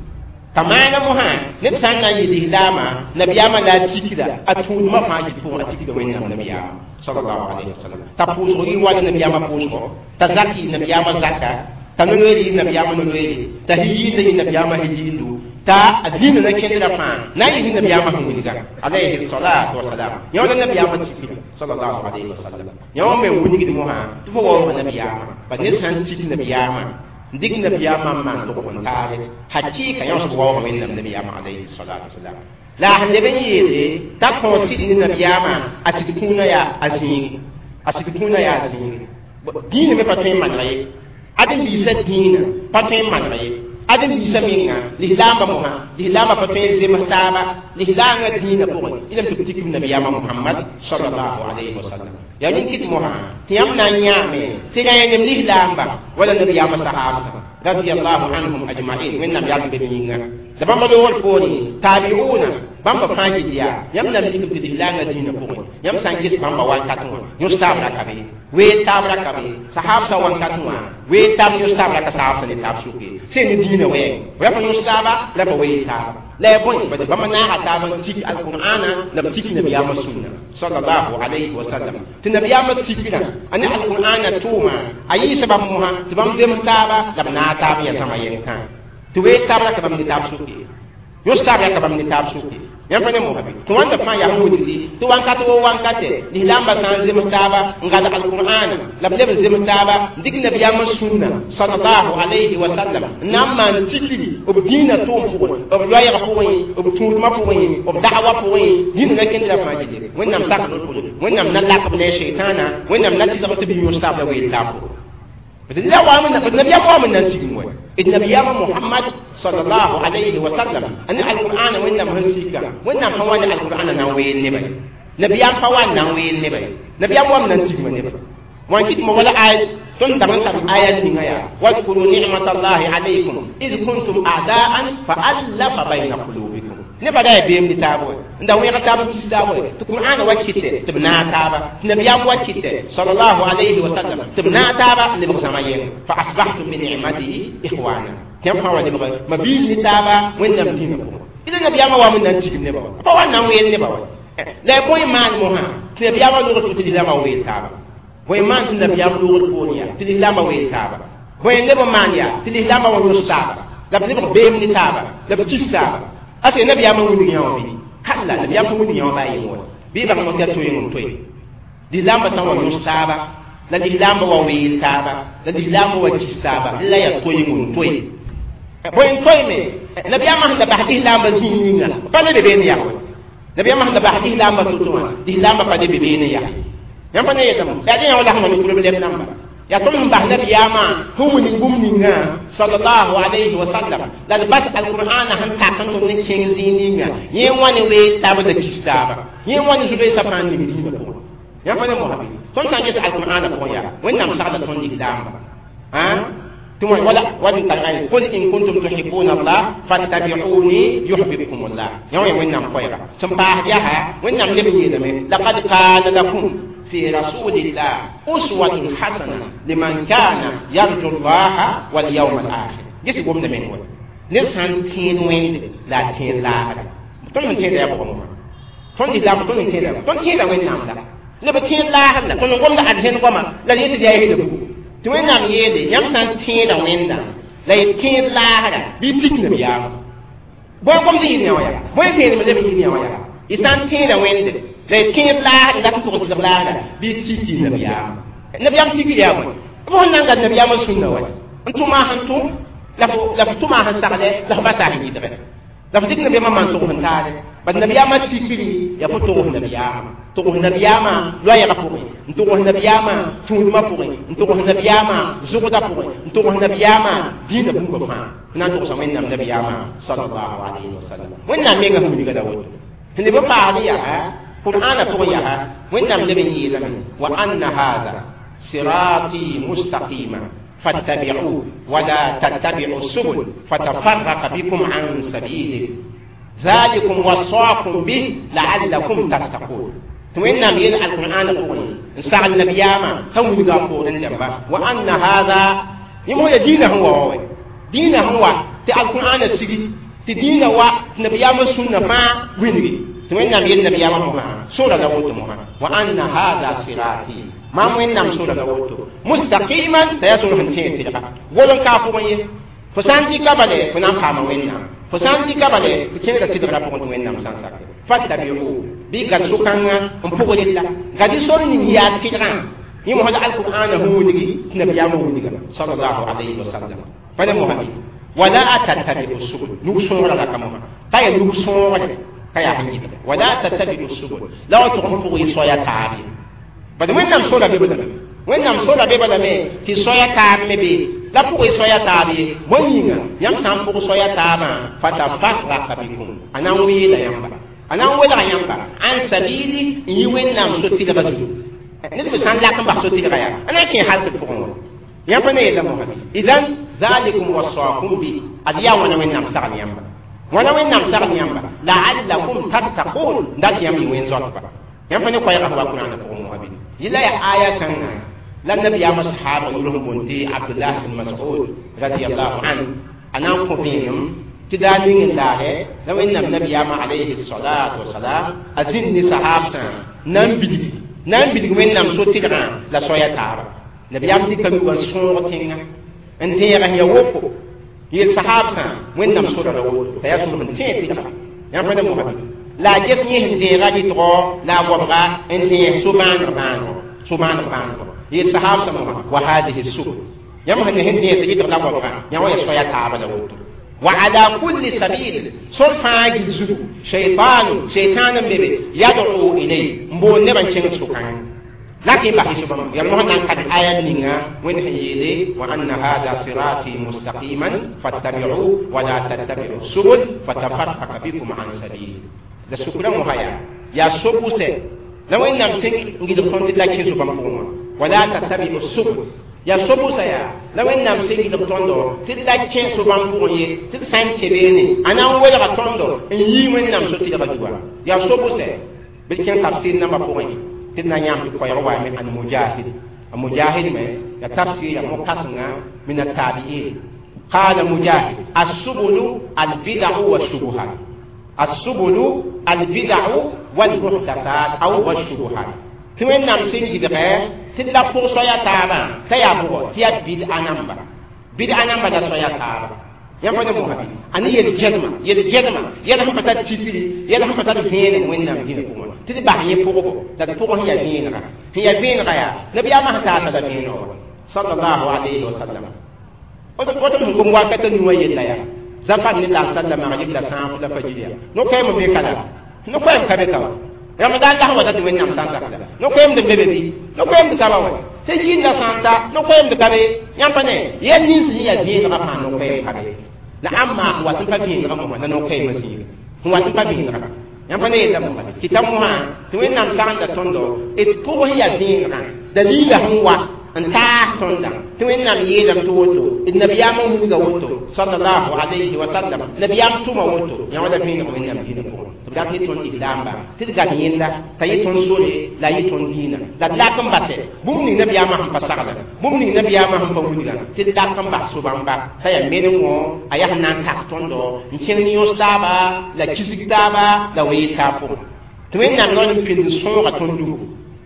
t'a maana mosã ned sã n na n yɩ lislaamã nabiyaamã la a tikda a tũudmã fãa yɩ pʋgẽ a tikda Wẽnnaam nabiyaamã sallallahu alayhi wa sallam t'a pʋʋsg yɩ wala nabiyaamã pʋʋsgɔ t'a zak yɩ nabiyaamã zaka t'a no-loeer yɩ nabiyaamã no-loeere t'a hijiinda yɩ nabiyaamã hijiindu t'a a dĩinã na kẽndra fãa na n yɩ nabiyaamã sẽn wilga alayhi salatu wasalam. Yã wala nabiyaamã tikra sallallahu alayhi wa sallam yã wã me wilgd mosã tɩ fo waoog nabiyaamã ba ned sã n tik nabiyaamã n dɩk nabiyaamã n maan tʋg n taare hakɩɩka yã sb waoog Wẽnnaam nabiyaamã alayhi salatu wasalam la a sẽn leb n yeele t'a kõo sɩd ne nabiyaamã a sɩd kũunã yaa a zĩig a sɩd kũunã yaa a zĩig dĩinã me pa tõe n manega ye ãdem-biisã dĩinã pa tõe n manega ye ãdem-biisã menga lislaambã mosã lislaambã pa tõe n zems taaba lislaangã dĩinã pʋgẽ ilame tɩ b tik b nabiyaamã Muhammad sallallahu alayhi wa sallam yaa nin-kɩt mosã tɩ yãmb na n yãame tɩ rẽenem lislaamba wala nabiyaamã sahaabsã radiyallahu anhum ajma'in Wẽnnaam yalm be yĩnga la bãmba loogr poorẽ taabiuuna bãmba fãa yɩl yaa yãmb na n mikame tɩ lislaangã dĩinã pʋgẽ yãmb sã n ges bãmba wakat wã yõs taab ra ka be wee taab ra ka be sahaabsã wakat wã wee taab yõs taab ra ka sahabsã ne taab sʋke sẽn ne dĩinã wɛɛng ya pa yõs taaba la pa wee taaba la ya bõe bad bãmba naaga taab n tik alqur'ana la b tik nabiyaamã sũnna sallallahu alayhi wa sallam tɩ nabiyaamã tikrã a ne alqur'ana tʋʋma a yɩɩsa bãmb mosã tɩ bãmb zems taaba la b naag taab n yaa zãma yẽnkã tɩ wee taab ra ka bãmb ne taab sʋke yõs taab ra ka bãmb ne taab sʋke. Yãmb pa ne mosã bɩ tɩ wãnda fãa yaa sẽn wilgdi tɩ wãnkat wo wãnkate lislaambã sã n zems taaba n gad alqur'ana la b leb n zems taaba n dɩk nabiyaamã sũnna sallallahu alayhi wa sallam n na n maan tikri b dĩinã tʋʋm pʋgẽ b loɛɛg pʋgẽ b tũudmã pʋgẽ b da'wa pʋgẽ dĩinã na kẽnd la fãa gilli Wẽnnaam sak rot pʋgẽ Wẽnnaam na lak b ne a sheitãana Wẽnnaam na tɩlg tɩ b yõs taab la weel taab pʋgẽ la wa nabiyaam wa n na n tigim wa d nabiyaamã Mohamad sallallahu alayhi wa sallam a ne alqur'ana Wẽnnaam sẽn sika Wẽnnaam pa wa ne alqur'ana na n weel nebã ye nabiyaam pa wa n na n weel nebã ye nabiyaam wam na n tigma nebã wãn kɩt mo wala aya tõnd dag n tar aya ninga yaa wadkuru nicmatallahi alaykum id kuntum a'daan fa allafa bayna qulubikum nebã da yaa beem ne taab wa n da wẽeg taab n tis taab wa tɩ qur'ana wa kɩtɛ tɩ b naag taaba tɩ nabiyaam wa kɩtɛ sallallahu alayhi wa sallam tɩ b naag taaba n lebg zãma yɛng fa asbahtum bi nicmatihi ikhwana tɩ yãmb fãa wa lebg ma biil ne taaba Wẽnnaam dĩinã pʋgẽ tɩ nabiyaamã wa n na n tigim nebã wa pa wa n na n weel nebã wa la bõe maan mosã tɩ nabiyaamã logr tɩ lislaamã weel taaba bõe maan tɩ nabiyaam logr poor yaa tɩ lislaamã weel taaba bõe neb n maan yaa tɩ lislaamã wa yõs taaba la b lebg beem ne taaba la b tis taaba ase nabiyaamã wilg yã wã bɩ kalla nabiyaam sẽn wilg yã wã baa yeng wa bɩ bãng mo tɩ a toeeng n toe lislaambã sã n wa yõs taaba la lislaambã wa weel taaba la lislaambã wa kis taaba la yaa toeeng n toe bõe n toeeme nabiyaamã sẽn da bas lislaambã zĩig ninga pa ne be been yaa wa nabiyaamã sẽn da bas lislaambã to-to wã lislaambã pa ne be been yaa yãmb pa ne yeelame yaa dẽ yã wa la sẽn wa ne problɛm namba yaa tõnd sẽn bas nabiyaamã sẽn wilg bũmb ninga sallallahu alayhi wa sallam la d bas alqur'ana sẽn tak n tõnd n kẽng zĩig ninga yẽ wã ne weel taaba la kis taaba yẽ wã ne zu-beesã fãa n ning dĩinã pʋgẽ yãmb pa ne mosã bɩ tõnd sã n ges alqur'ana pʋgẽ yaa Wẽnnaam sagda tõnd lislaamba wala wadin tar'ani qul in kuntum tuhibbuna Allah fattabi'uni yuhibbukum Allah yãw ya Wẽnnaam koɛɛga sẽn paas yaa Wẽnnaam leb n yeelame laqad kana lakum fi rasulillah uswatun hasana liman kana yarju Allah wal yawm al akhir ges gomda meng wa ned sã n tẽed Wẽnde la a tẽed laasra tõnd sẽn tẽeda yaa bʋgã mosã tõnd lislaam tõnd sẽn tẽeda tõnd tẽeda Wẽnnaam la neb tẽed laasr la tõnd n gomda arzẽn goama la d yetɩ d yaa yesda bugu tɩ Wẽnnaam yeele yãmb sã n tẽeda Wẽnda la y tẽed laasra bɩ tik nabiyaamã bõe gomd yɩɩd yã wã yaa bõe tẽedme leb yɩɩd yã wã yaa y sã n tẽeda Wẽnde la y tẽed laasra dat n tʋg n tɩlg laasra bɩ tiki nabiyaamã nabiyaam tikr yaa bõe b sẽn na n gad nabiyaamã sũnna wa n tʋma sẽn tʋm la f tʋma sẽn sagle la f basa sẽn yɩdgɛ la f dɩk nabiyaamã maan tʋgs n taale bad nabiyaamã tikri yaa fo togs nabiyaamã togs nabiyaamã loɛɛgã pʋgẽ n togs nabiyaamã tũudmã pʋgẽ n togs nabiyaamã zʋgdã pʋgẽ n togs nabiyaamã dĩinã bũmba fãa n na n togsa Wẽnnaam nabiyaamã sallallahu alayhi wa sallam Wẽnnaam menga sẽn wilga la woto sẽn leb n paasd yaa qur'ana pʋgẽ yaa Wẽnnaam leb n yeelame wa anna hada sirati mustaqima fattabi'u wala tattabi'u subul fatafarraqa bikum an sabilih ذلكم وصاكم به لعلكم تتقون tɩ Wẽnnaam yeel alqur'ana pʋgẽ n sagl nabiyaamã t'a wilga a poorẽ dãmba wa anna hada yẽ mos ya dĩinã sẽn wa wa dĩinã sẽn wa tɩ alqur'ana sigi tɩ dĩinã wa tɩ nabiyaamã sũnna fãa wilgi tɩ Wẽnnaam yeel nabiyaamã mosã sora la woto mosã wa anna hada sirati maam Wẽnnaam sora la woto mustaqiman t'a yaa sor sẽn tẽeg tɩlga gol n kaa pʋgẽ ye fo sã n dɩka bale fo na n paama Wẽnnaam fo sã n dɩka bale fo kẽngda tɩlgrã pʋgẽ tɩ Wẽnnaam sã n sak fattabi'u bɩ gad so-kãngã n pʋgd la gad sor ning yaa tɩlgã yẽ mosã la alqur'ana sẽn wilgi tɩ nabiyaamã wilga sallallahu alayhi wa sallam pa ne mosã wala tattabi'u subul nug sõogra la ka mosã pa yaa nug sõogre ka yaa sẽn yɩlga wala tattabi'u subul la wa tʋg n pʋg y soaya taab ye bad Wẽnnaam sora be balame Wẽnnaam sora be balame tɩ soaya taab me be la pʋg y soaya taab ye bõe yĩnga yãmb sã n pʋg soaya taabã fatafarraka bikum a na n weela yãmba a na n welga yãmba an sabili n yi Wẽnnaam so-tɩlga zugu ned me sã n lak n bas so-tɩlga yaa a na n kẽ haltɩ pʋgẽ wa yãmb pa ne yeela mosã idan zalikum wasakum bi ad yaa wãna Wẽnnaam sagl yãmba wãna Wẽnnaam sagl yãmba la'allakum tattaqun dat yãmb yɩ wẽn-zoatba yãmb pa ne koɛɛgã sẽn wa Kurãana pʋgẽ mosã bɩ yɩla yaa aya kãngã la nabiyaamã sahaaba yʋl sẽn boond tɩ Abdullah ibn Mas'ud radiallahu anhu a na n kõ vẽenem tɩ daa ning n laagɛ la Wẽnnaam nabiyaamã alayhi salatu wasalam a zĩnd ne sahaabsã na n bilg Wẽnnaam so-tɩlgã la soaya taaba nabiyaam dɩka nugã n sõog tẽngã n tẽeg sẽn ya woko yeel sahaabsã Wẽnnaam sora la woto t'a yaa sor sẽn tẽeg tɩlga yãmb pa ne mosã La ges yẽ sẽn dẽega rɩtgɔ la a goabga n dẽes so-bãaneg bãanegɔ yeel sahab sã wa hadihi subul yãmb sẽn sẽn dẽes rɩtg la goabga yã wa ya soaya taaba la woto wa ala kulli sabil sor fãa gil zugu shaytanu shaytan n be yad'u ilay n boond nebã n kẽng sʋkãng لكن بحث يا مهنا قد آية نينا وين هيلي وأن هذا صراطي مستقيما فاتبعوه ولا تتبعوا السبل فتفرق بكم عن سبيله لا سكرا مهيا يا سبوسة لو إن نمسك نجد قنت لكن سبحان ولا تتبعوا السبل يا سبوسة يا لو إن نمسك نجد قنت تلكن سبحان تلسان تبيني أنا ولا قنت إن يمين نمسك تلك يا سبوسة بالكن تفسير نما فوقي تنا يام كوي من المجاهد المجاهد ما يتفسير مقصنا من التابعين قال مجاهد السبل البدع والشبهات السبل البدع والمحدثات أو والشبهات كما نمسين جدغه تلا فرصة يا تابا تيابو تيا بدع نمبر بدع نمبر دا سويا تابا يا فندم محمد أنا يلجدما يلهم فتات تيسي يلهم فتات فين وين نمدين tɩ d bas yẽ pʋgbo la d pʋg sẽn yaa vẽenega sẽn yaa vẽenega yaa nabiyaamã sẽn taasa la vẽeneg sallallahu alayhi wa sallam woto sẽn gom wakata nuwã yella yaa zafar ne la sallama a yella sãaf la pa yil yaa no-koɛɛm n be ka la no-koɛɛm ka be ka wa ramadan la sẽn wa ta tɩ wẽnnaam sã n sak la no-koɛɛmd n be be bɩ no-koɛɛmd ka ba wa tɩ yɩlla sã n ta no-koɛɛmd ka be yãmb pa ne yɛl nins sẽn yaa vẽenegã fãa no-koɛɛm ka be la ãmb maa wat n pa vẽenegã mosã la no-koɛɛmã zĩiga sẽn wat n pa vẽenegã yãmb pa ne yella mosã tɩ ta mosã tɩ wẽnnaam sagenda tõndo d pʋg sẽn yaa vẽenegã dalila sẽn wa n taas tõndã tɩ wẽnnaam yeelame tɩ woto d nabiyaam n wilga woto sallallahu alayhi wa sallam nabiyaam tʋma woto yã wala vẽeneg wẽnnaam dĩnã pʋgẽ tɩ b dat yɩ tõnd islaamba tɩ d gat yẽnda t'a yɩ tõnd sore la yɩ tõnd dĩinã la d lak n basɛ bũmb ning nabiyaamã sẽn pa sagla bũmb ning nabiyaamã sẽn pa wilga tɩ d lak n bas so-bãmba t'a yaa menengõ a yaa sẽn na n tak tõndo n kẽng ne yõs taaba la kisg taaba la wee taab pʋgẽ tɩ wẽnnaam noor n pĩnd sõoga tõnd dugu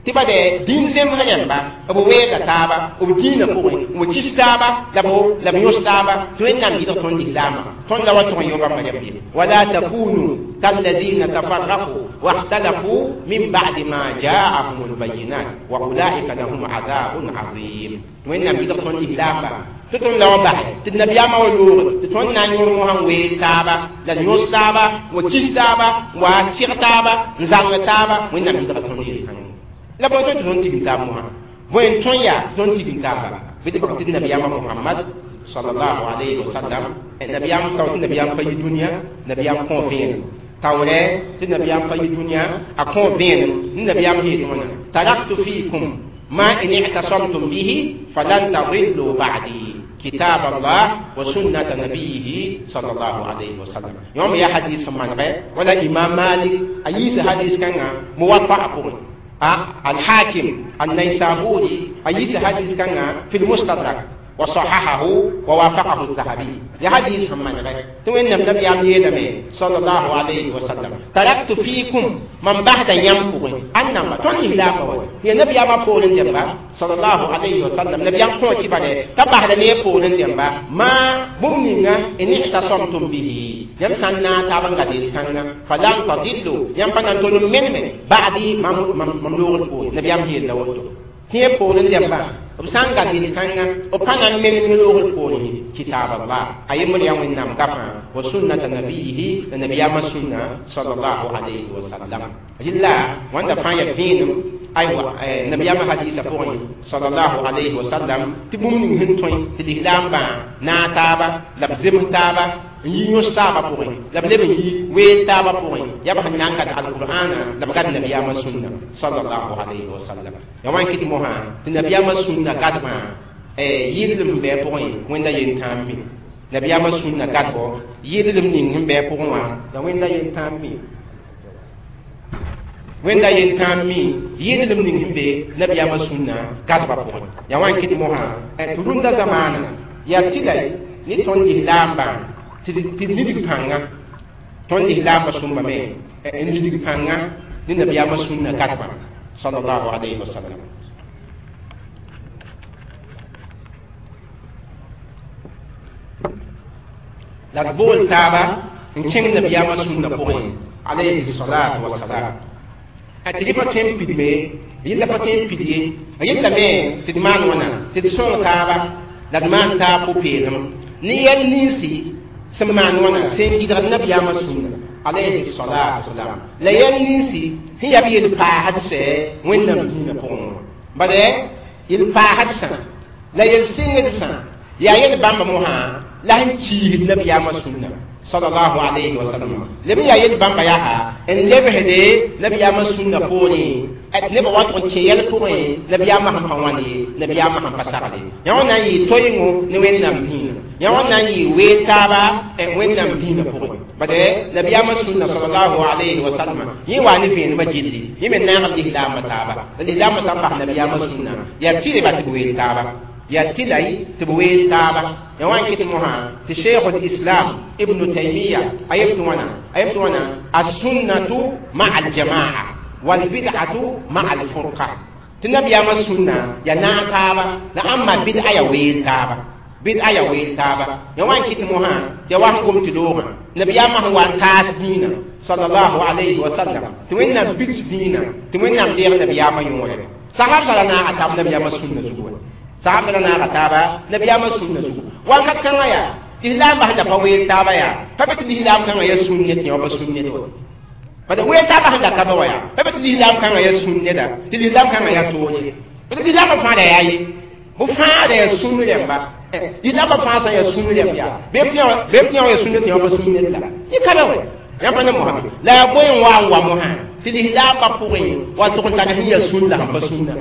tɩ ba de dĩin zemsga yãmba b weega taaba b dĩinã pʋgẽ b kis taaba la b yõs taaba tɩ wẽnnaam yɩlg tõnd islaamã tõnd la wa tʋg n yõ bãmba yãmb wala takunu kalladina tafarraqu واختلفوا من بعد ما جاءهم البينات واولئك لهم عذاب عظيم وإن يلg tõnd islaamba tɩ tõnd la wa basɛ tɩ nabiyaamã wa loog tɩ tõnd na n yõor mosã n wee taaba la d yõs taaba wa kis taaba wa tɩg taaba n zãng taaba wẽnnaam yɩlga tõnd yel-kãngã la bõe tõnd tɩ tõnd tigim taab mosã bõe n tõe yaa tɩ tõnd tigim taaba bɩ tɩ bag tɩ nabiyaamã Muhammad sallallahu alayhi wa sallam nabiyaam kao tɩ nabiyaam pa yi dũniyã nabiyaam kõ vẽenem taoorɛ tɩ nabiyaam pa yi dũniyã a kõ vẽenem ne nabiyaam yeel wãna taraktu fiikum ma in i'tasamtum bihi falan tadillu ba'di كتاب الله وسنة نبيه صلى الله عليه وسلم يوم يا حديث من غير ولا إمام مالك أيس حديث كان موفق الحاكم النيسابوري أيس حديث كان في المستدرك وصححه ووافقه الذهبي لحديث من غير توين النبي عمي صلى الله عليه وسلم تركت فيكم من بعد ينفق أنما توني لا فوي هي نبي أما فولن دمبا صلى الله عليه وسلم نبي أم كون كبره تبعد لي فولن دمبا ما بمنينا إن اعتصمتم به يمسنا تابن قدير كان فلن تضلوا يمبنا تولم من بعدي مملوك نبي أم هي لوتو tɩ poorẽ dẽmba b sã n gat yel-kãngã b pa na n menem loogr poorẽ kitab Allah a yembr yaa wẽnnaam gafã wa sunnata nabiyihi la nabiyaamã sũnna sallallahu alayhi wa sallam rɩla wãnda fãa yaa vẽenem aywa nabiyaamã hadiisã pʋgẽ sallallahu alayhi wa sallam tɩ bũmb ning sẽn tõe tɩ lislaambã naag taaba la b zems taaba n yi yõs taaba pʋgẽ la b leb n yi weel taaba pʋgẽ yaa b sẽn na n gat alqur'ana la b gat nabiyaamã sũnna sallallahu alayhi wa sallam ya wan kɩt mosã tɩ nabiyaamã sũnna gadbã yɩllem sẽn bɩ a pʋgẽ wẽnda yentãam mi nabiyaamã sũnna gadbɔ yɩllem ning sẽn bɩ a pʋgẽ wã la wẽnda yentãam mi wẽnda yentãam mi yɩllem ning sẽn be nabiyaamã sũnna gadbã pʋgẽ ya wan kɩt mosã tɩ rũndã zamaana yaa tɩla ne tõnd lislaambã tɩ d nidg pãnga tõnd lislaambã sõmba me n nidg pãnga ne nabiyaamã sũnna gadbã sallallahu alayhi wa sallam la d bool taaba N kẽng nabiyaamã sũnna pʋgẽ alayhi salatu wasalam a tɩ pa tõe n pidme yella pa tõe n pid ye a yellame tɩ d maan wãna tɩ d sõng taaba la d maan taab pʋ-peelem ne yɛl ninsi sẽn maan wãna sẽn gɩdgd nabiyaamã sũnna alayhi salatu wasalam la yɛl ninsi sẽn yaa b yel-paasd sɛ wẽnnaam dĩinã pʋgẽ wã bade yel-paasd sã la yel-sɩngd sã yaa yel bãmba mosã la sẽn kiisd nabiyaamã sũnna sallallahu alayhi wa sallam leb yaa yel bãmba yaa n lebsde nabiyaamã sũnna poorẽ nebã wa tʋg n kẽ yɛl pʋgẽ nabiyaamã sẽn pa wãn ye nabiyaamã sẽn pa sagle yã wã na n yɩ toengo ne wẽnnaam dĩinã yã wã na n yɩ weel taaba wẽnnaam dĩinã pʋgẽ bade nabiyaamã sũnna sallallahu alayhi wa sallam yẽ waa ne vẽenemã gilli yẽ me naag lislaambã taaba la lislaambã sã n bas nabiyaamã sũnna yaa tɩreba tɩ b weel taaba ya tilay tɩ b weel taaba ya wã n kɩt mosã tɩ cheikh lislam ibnu taimiya a yem tɩ wãna a yem tɩ wãna assunnatu maa aljamaa walbid'atu maa alfurqa tɩ nabiyaamã sũnna ya naag taaba la ãmba bid'a ya weel taaba bid'a ya weel taaba ya wã n kɩt mosã tɩ ya wa sẽn gom tɩ loogã nabiyaamã sẽn wa n taas dĩinã sallallahu alayhi wa sallam tɩ wẽnnaam bigs dĩinã tɩ wẽnnaam deeg nabiyaamã yõore sahab la naaga taab nabiyaamã sũnna zugu sahab la naaga taaba nabiyaamã sũnna zugu wakat kãngã yaa tɩ lislaam bas la pa weel taaba yaa pa be tɩ lislaam kãngã ya sũn ne tɩ yã pa sũn ned wa bad weel taaba sẽn da ka be wa yaa pa be tɩ lislaam kãngã ya sũn neda tɩ lislaam kãngã ya toog ye bad lislaamã fãada yaa ye b fãada ya sũn rẽmba lislaamã fãa sã ya sũn rẽmb yaa bɩ b tɩ yã ya sũn ned tɩ yã pa sũn ned la yẽ ka be wa yã pa ne mosã la yaa bõe n wa n wa mosã tɩ lislaambã pʋgẽ wa tʋg n tag sẽn ya sũn la sẽn pa sũnna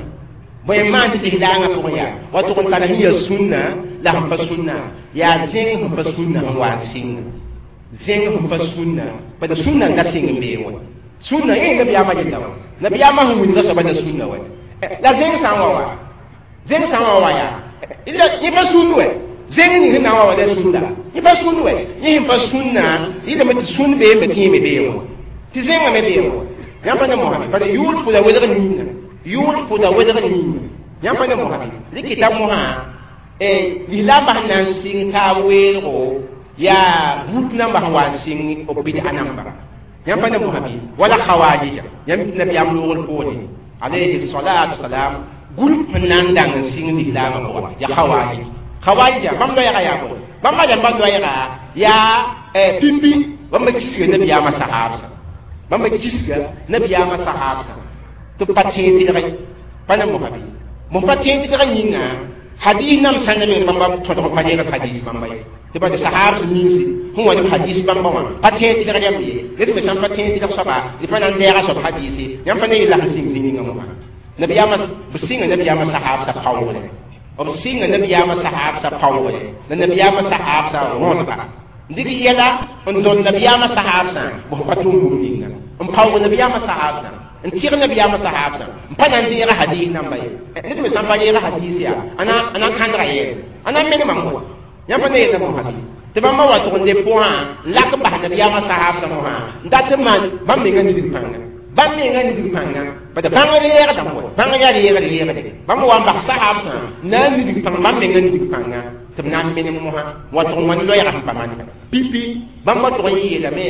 bõe n maan tɩ lislaangã pʋgẽ yaa wa tʋg n tag sẽn ya sũnna la sẽn pa sũnna yaa zẽng sẽn pa sũnna sẽn wa n sɩng zẽng sẽn pa sũnna bad sũnna n da sɩng n bee wa sũnna yẽ nabiyaamã yella wa nabiyaamã sẽn wilga soaba la sũnna wa la zẽng sã n wa wa zẽng sã n wa wa yaa yẽ pa sũnd wɛ zẽng ning sẽn na n wa wa la sũnda yẽ pa sũnd wɛ yẽ sẽn pa sũnna yɩlame tɩ sũnd beeme tɩ yẽ me bee wã tɩ zẽngã me bee wã yãmb pa ne mosã bad yʋʋl pʋda welg ninga yʋʋl pʋda welg ninga yãmb pa ne mosã rɩkɩta mosã lislaambã sẽn na n sɩng taab weelgo yaa but nambã sẽn wa n sɩng b bid'a namba yãmb pa ne mosã bɩ wala khawarija yãmb tɩ nabiyaam loogr poore alayhi salatu wasalam group sẽn na n dang n sɩng lislaamã pʋga ya khawarij khawarija bãmb loɛɛga yaa bõe bãmba rãmbã loɛɛga yaa pimpi bãmba kisga nabiyaamã sahaabsã bãmba kisga nabiyaamã sahaabsã tɩ b pa tẽeg tɩdgẽ pa ne mosã bɩ bõn pa tẽeg tɩdgã yĩnga hadis nam sãnda meng bãmba tõdg pa reeg hadis bãmba ye tɩ bad sahaabs ninsi sẽn wa ne b hadis bãmba wã pa tẽeg tɩdg rãmb ye ned me sãn pa tẽeg tɩdg soaba d pa na n deega soab hadise yãmb pa ne yella sẽn sɩng zĩ ninga mosã nabiyaamã b sɩnga nabiyaamã sahaabsã paoogre b sɩnga nabiyaamã sahaabsã paoogre la nabiyaamã sahaabsã rõdba dɩk yɛla n tõnd nabiyaamã sahaabsã b pa tʋm bũmb ninga n paoog nabiyaamã sahaabsã n tɩg nabiyaamã sahaabsã n pa na n deega hadis namba ye ned me sã n pa reega hadis yaa a na n kãndga yɛɛle a na n menemam wa yãmb pa ne yeta mosã bɩ tɩ bãmba wa tʋg n leb pʋgã n lak n bas nabiyaamã sahaabsã mosã n dat n maan bãmb menga nidg pãnga bãmb menga nidg pãnga bad bãng reegdame wa bãng yaa reegd reegde bãmb wa n bas sahaabsã n na n nidg pãng bãmb menga nidg pãnga tɩ b na n menem mosã wa tʋg n wãn loɛɛga sẽn pa maan pipi bãmba tʋg n yeelame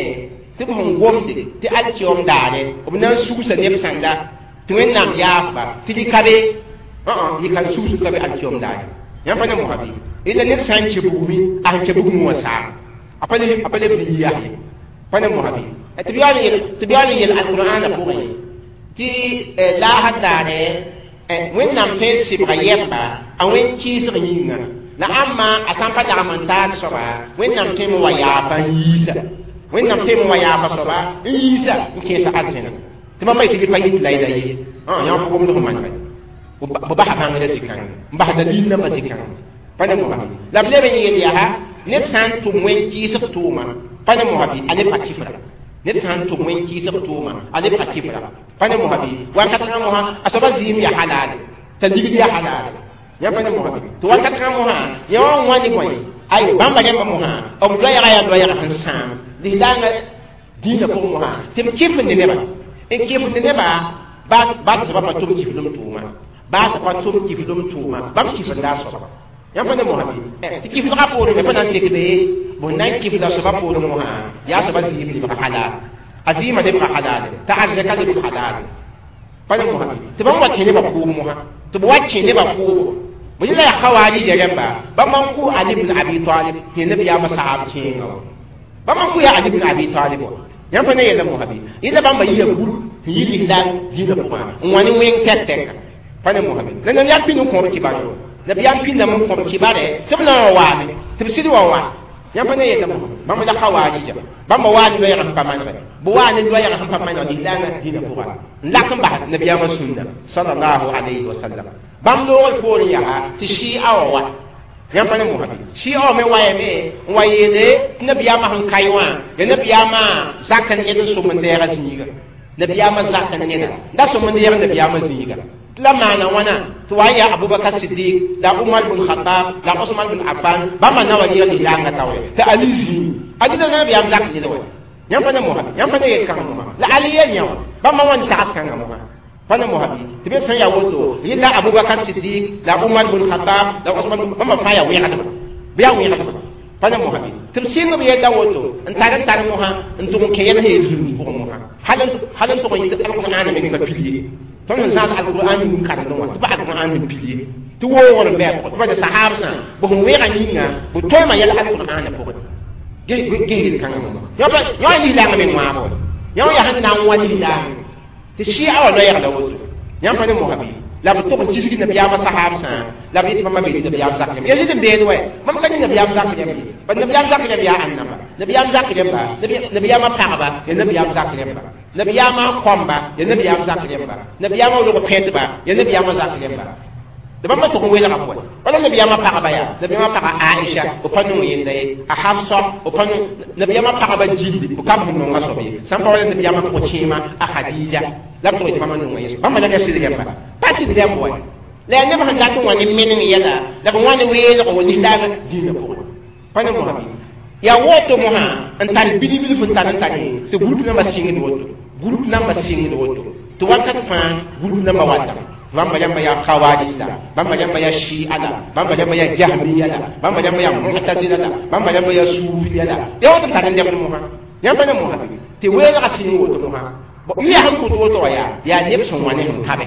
tɩ b sẽn gomde tɩ alkiom daare b na n sugsa neb sãnda tɩ wẽnnaam yaafba tɩ rɩka be rɩka sugsg ka be alkiom daare yãmb pa ne mosã bɩ ila ned sã n kẽ bugmi a sẽn kẽ bugmẽ wã saam a pa leb n yias ye pa ne mosã bɩ tɩ b yaool n yel alqur'aanã pʋgẽ tɩ laasã daare wẽnnaam tõe n sɩbga yɛmba a wẽn kɩɩsg yĩnga la ãmba a sã n pa lagm n taas soaba wẽnnaam tõe n wa yaafa n yiisa wẽnnaam tõe n wa yaafa soaba n yiisa n kẽesa arzẽna tɩ bãmba yetɩ pa yit la yela ye yã fo gomd sẽn manega b basa bãngrã zĩ-kãngã n bas dalil nambã zĩ-kãngã pa ne mosã la b leb n yel yaa ned sã n tʋm wẽn kɩɩsg tʋʋma pa ne mosã bɩ a lebga kifra ned sã n tʋm wẽn kɩɩsg tʋʋma a lebga kifra pa ne mosã bɩ wakat kãngã mosã a soaba zɩɩm yaa halaale t'a ligd yaa halaale yã pa ne mosã bɩ tɩ wakat kãngã mosã yã wã n wã ne bõe ay bãmba rẽmba mosã b loɛɛga yaa loɛɛga sẽn sãam lislaangã dĩinã pʋgẽ mosã tɩ b kɩfende nebã n kɩfende nebã baa tɩ soaba pa tʋm kiflem tʋʋma baa tɩ pa tʋm kiflem tʋʋma bãmb kifenda a soaba Yãmb pa ne mosã bɩ tɩ kifdgã poorẽ me pa na n tek be bõn na n kifda soaba poorẽ mosã yaa soaba zɩɩm lebg halal a zɩɩmã lebga halal t'a arzɛka lebg halal pa ne mosã tɩ bãmb wa kẽ nebã kʋʋb mosã tɩ b wa kẽ nebã kʋʋbo bõ yẽla yaa khawaarija rãmba bãmb n kʋ Ali ibn Abi Talib tɩ nabiyaamã saab kẽenga wa bãmb n kʋ yaa Ali ibn Abi Talib wa yãmb pa ne yɛla mosã bɩ yẽla bãmba yia gũr n yi lislaam dĩinã pʋgã n wa ne wẽng tɛk-tɛka pa ne mosã bɩ la nabiyaam pĩnd n kõb kibare nabiyaam pĩndame n kõb kibare tɩ b na n waame tɩ b sɩd wa wa yãmb pa ne yɛla mosã bãmb la khawaarija bãmba waa ne loɛɛg sẽn pa manegɛ bɩ waa ne loɛɛg sẽn pa maneg lislaamã dĩinã pʋga n lak n bas nabiyaamã sũnna sallallahu alayhi wa sallam bãmb loogr poorẽ yaa tɩ shɩa wa wa yãmb pa ne mosã bɩ shɩa wã me wayame n wa yeele tɩ nabiyaamã sẽn kae wã ya nabiyaamã zak n ned n sõm n deega zĩiga nabiyaamã zak n neda da sõm n deeg nabiyaamã zĩiga la maana wãna tɩ wa n yaa Abubakar Sidik la Umar bn Khattab la Osman bn Affan bãmba na wa yɩg lislaangã taoore tɩ Ali zĩig Ali la nabiyaam zak ned wa yãmb pa ne mosã yãmb pa ne yel kãngã mosã la Ali yel yã wã bãmba wã n tags kãngã mosã pa ne mosã bɩ tɩ be sẽn yaa woto yella Abubakar Sidik la Umar bn Khattab la Osman bãmba fãa yaa wẽgdba bɩ yaa wẽgdba pa ne mosã bɩ tɩ b sɩng b yella woto n tar n tar mosã n tʋg n kẽ yɛl sẽn yel zulm pʋgẽ mosã hal n tʋg n yɩ alqur'an meng pa pil ye tõnd sẽn zãad alqur'an yĩng karendẽ wã tɩ pa alqur'an n pil ye tɩ woogr n bɩ a pʋgẽ tɩ pa sahabsã b sẽn wẽega yĩnga b toɛɛmã yɛl alqur'an pʋgẽ ges yel-kãngã mosã yõ yaa lislaangã meng wãabo yõ yaa sẽn na n wa lislaang tɩ shɩa wã loɛɛgda woto yãmb pa ne mosã bɩ la b tʋg n kisg nabiyaamã sahabsã la b yet bãmba be nabiyaam zak rãmb ya zɩd n beed wɛ bãmb ka ne nabiyaam zak rãmb ye ba nabiyaam zak rãmb yaa ãnnamba nabiyaam zak rãmba nabiyaamã pagba ya nabiyaam zak rãmba nabiyaamã kõmba ya nabiyaam zak rãmba nabiyaamã log pẽtba ya nabiyaamã zak rãmba tɩ bãmba tʋg n welgame wɛ wala nabiyaamã pagba yaa nabiyaamã paga Aisha b pa nong yenda ye a Hafsa b pa nong nabiyaamã pagba gilli b ka b sẽn nonga soab ye sãn pa wala nabiyaamã pʋg-kẽema a Khadija la b tʋg tɩ bãmba nonga ye bãmba la ka sɩd rãmba pa sɩd rãmb wɛ la yaa neb sẽn dat n wa ne meneng yɛla la b wã ne weelg wa lislaam dĩinã pʋgẽ pa ne mosã bɩ yaa woto mosã n tar bilg-bilf n tar n tare tɩ group nambã sɩngd woto group nambã sɩngd woto tɩ wakat fãa group nambã watame bãmba rãmba yaa khawarij la bãmba rãmba yaa shia la bãmba rãmba yaa jahmiya la bãmba rãmba yaa mu'tazila la bãmba rãmba yaa suufiya la yaa woto n tar n dɛbd mosã yãmb pa ne mosã bɩ tɩ weelgã sɩng woto mosã yʋ sẽn kʋt woto wã yaa neb sẽn wã ne sẽn kabe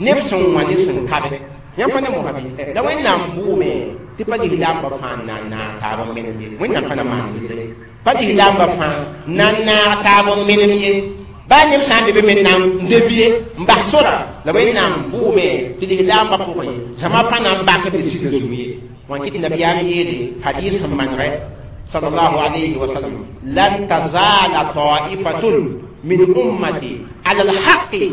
neb sẽn wã ne sẽn kabe yãmb pa ne mosã bɩ la Wẽnnaam bʋʋme tɩ pa lislaambã fãa n na n naag taab n menem ye Wẽnnaam pa na maan yelle pa lislaambã fãa na n naag taab n menem ye baa neb sã n be be me na n debie n bas sora la Wẽnnaam bʋʋme tɩ lislaambã pʋgẽ zãma pa na n bak b sida zugu ye wã kɩt nabiyaam yeele hadis sẽn manegɛ sallallahu alayhi wa sallam lan tazala ta'ifatun min ummati ala alhaqi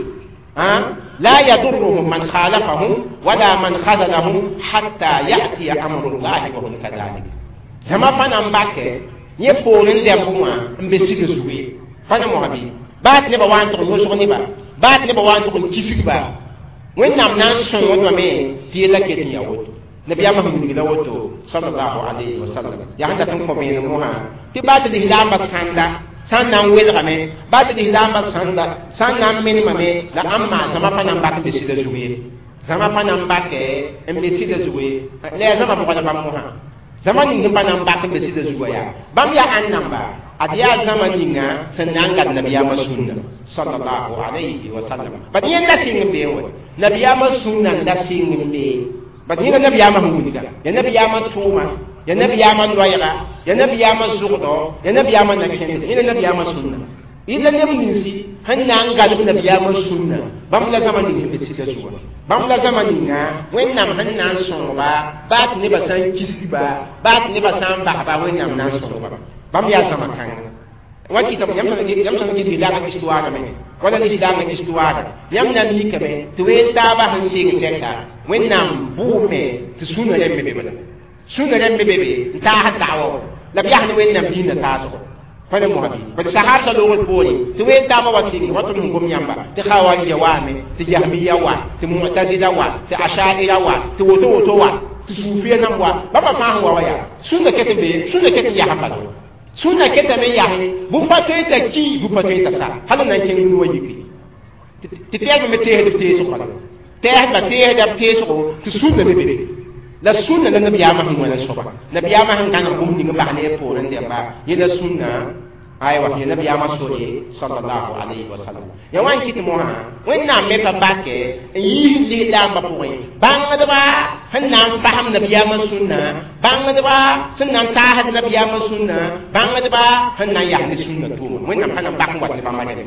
لا يضرهم من خالفهم ولا من خذلهم حتى يأتي أمر الله وهم كذلك زما فانا مباكي yẽ poorẽ dɛmb wã n be sig zugu ye pa ne mosã bɩ baa tɩ nebã wa n tʋg n yõsg neba baa tɩ nebã wa n tʋg n kisg ba Wẽnnaam na n sõngdame tɩ yella ket n yaa woto nabiyaamã sẽn wilg la woto sallallahu alayhi wa sallam yaa sẽn dat n kõ vẽenem mosã tɩ baa tɩ lislaambã sãnda sãn na n welgame baa tɩ lislaambã sãnda sãn na n menemame la ãmb maa zãma pa na n bak n be sɩda zugu ye zãma pa na n bakɛ n be sɩda zugu ye la yaa zãma bʋgda bãmb mosã zãma ning sẽn pa na n bak n be sɩda zugã yaa bãmb yaa ãn namba ad yaa zãma ninga sẽn na n gad nabiyaamã sũnna sallallahu alayhi wa sallam bad yẽnda sɩng n bee wɛ nabiyaamã sũnna n da sɩng n bee bad yẽnda nabiyaamã sẽn wilga ya nabiyaamã tʋʋma ya nabiyaamã loɛɛga ya nabiyaamã zʋgdɔ ya nabiyaamã na-kẽnd yẽnda nabiyaamã sũnna yẽnda neb ninsi sẽn na n galb nabiyaamã sũnna bãmb la zãma ning sẽn be sɩda zugã bãmb la zãma ninga Wẽnnaam sẽn na n sõngba baa tɩ nebã sã n kisg ba baa tɩ nebã sã n basba Wẽnnaam na n sõngba bãmb yaa zãma kãnga wa kɩtame yãmb sẽn kɩt lislaangã histoire me wala lislaangã histoire yãmb na n mikame tɩ ween taabã sẽn sɩng tɛka Wẽnnaam bʋʋme tɩ sũnã rãmb be bala sũnã rãmb be be n taas da'wa la b yaa ne Wẽnnaam dĩinã taasgo pa ne mosã bɩ bad sahabsã loogr poorẽ tɩ ween taabã wa sɩng wa tɩ sẽn gom yãmba tɩ khawarija waame tɩ jahmiya wa tɩ mu'tazila wa tɩ ashaira wa tɩ woto woto wa tɩ suufiya nãmb wa bãmba fãa sẽn wa wa yaa sũnã ket n be sũnã ket n yasem bala sũnã ketame n yase bũmb pa tõe t'a ki bũmb pa tõe t'a sa hal n na n kẽng nu wã yiki tɩ tɛɛsbã me teesd b teesg bala tɛɛsdbã teesda b teesgo tɩ sũnã me be La sunna la nabiyaamã sẽn wẽna soaba nabiyaamã sẽn gãneg bũmb ning n bas ne a poorẽ dẽmba yẽ la sũnna aywa yẽ nabiyaamã sore sallallahu alayhi wa sallam ya wa n kɩt mosã wẽnnaam me pa bakɛ n yiis lislaambã pʋgẽ bãngdba sẽn na n fasem nabiyaamã sũnna bãngdba sẽn na n taasd nabiyaamã sũnna bãngdba sẽn na n yas ne sũnna tʋʋma wẽnnaam pa na n bak n wat ne bãmba dẽme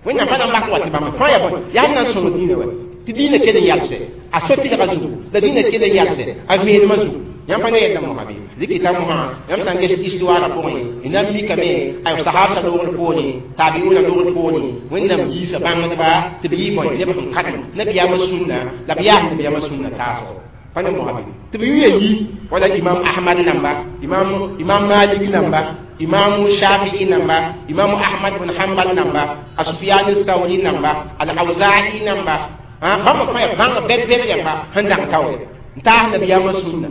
wẽnnaam pa na n bak n wat ne bãmba fãa yaa bõe yaa sẽn na n sõng dĩinã wa tɩ dĩinã kell n yalsɛ a so-tɩlgã zugu la dĩinã kell n yalsɛ a vẽenemã zugu yãmb pa ne yɛla mosã bɩ rɩkɩta mosã yãmb sã n ges histoire pʋgẽ y na n mikame ay sahabsã loogr poorẽ tabiuna loogr poorẽ wẽnnaam yiisa bãngdba tɩ b yɩ bõe neb sẽn karem nabiyaamã sũnna la b yaas nabiyaamã sũnna taasgo pa ne mosã bɩ tɩ b yʋ yi wala imam ahmad namba imam malik namba imam shafi'i namba imam ahmad bin hanbal namba asufyan thawri namba al-awza'i namba bãmb fãa yaa bãng bɛd-bɛd yãmba sẽn dag taoore n taas nabiyaamã sũnna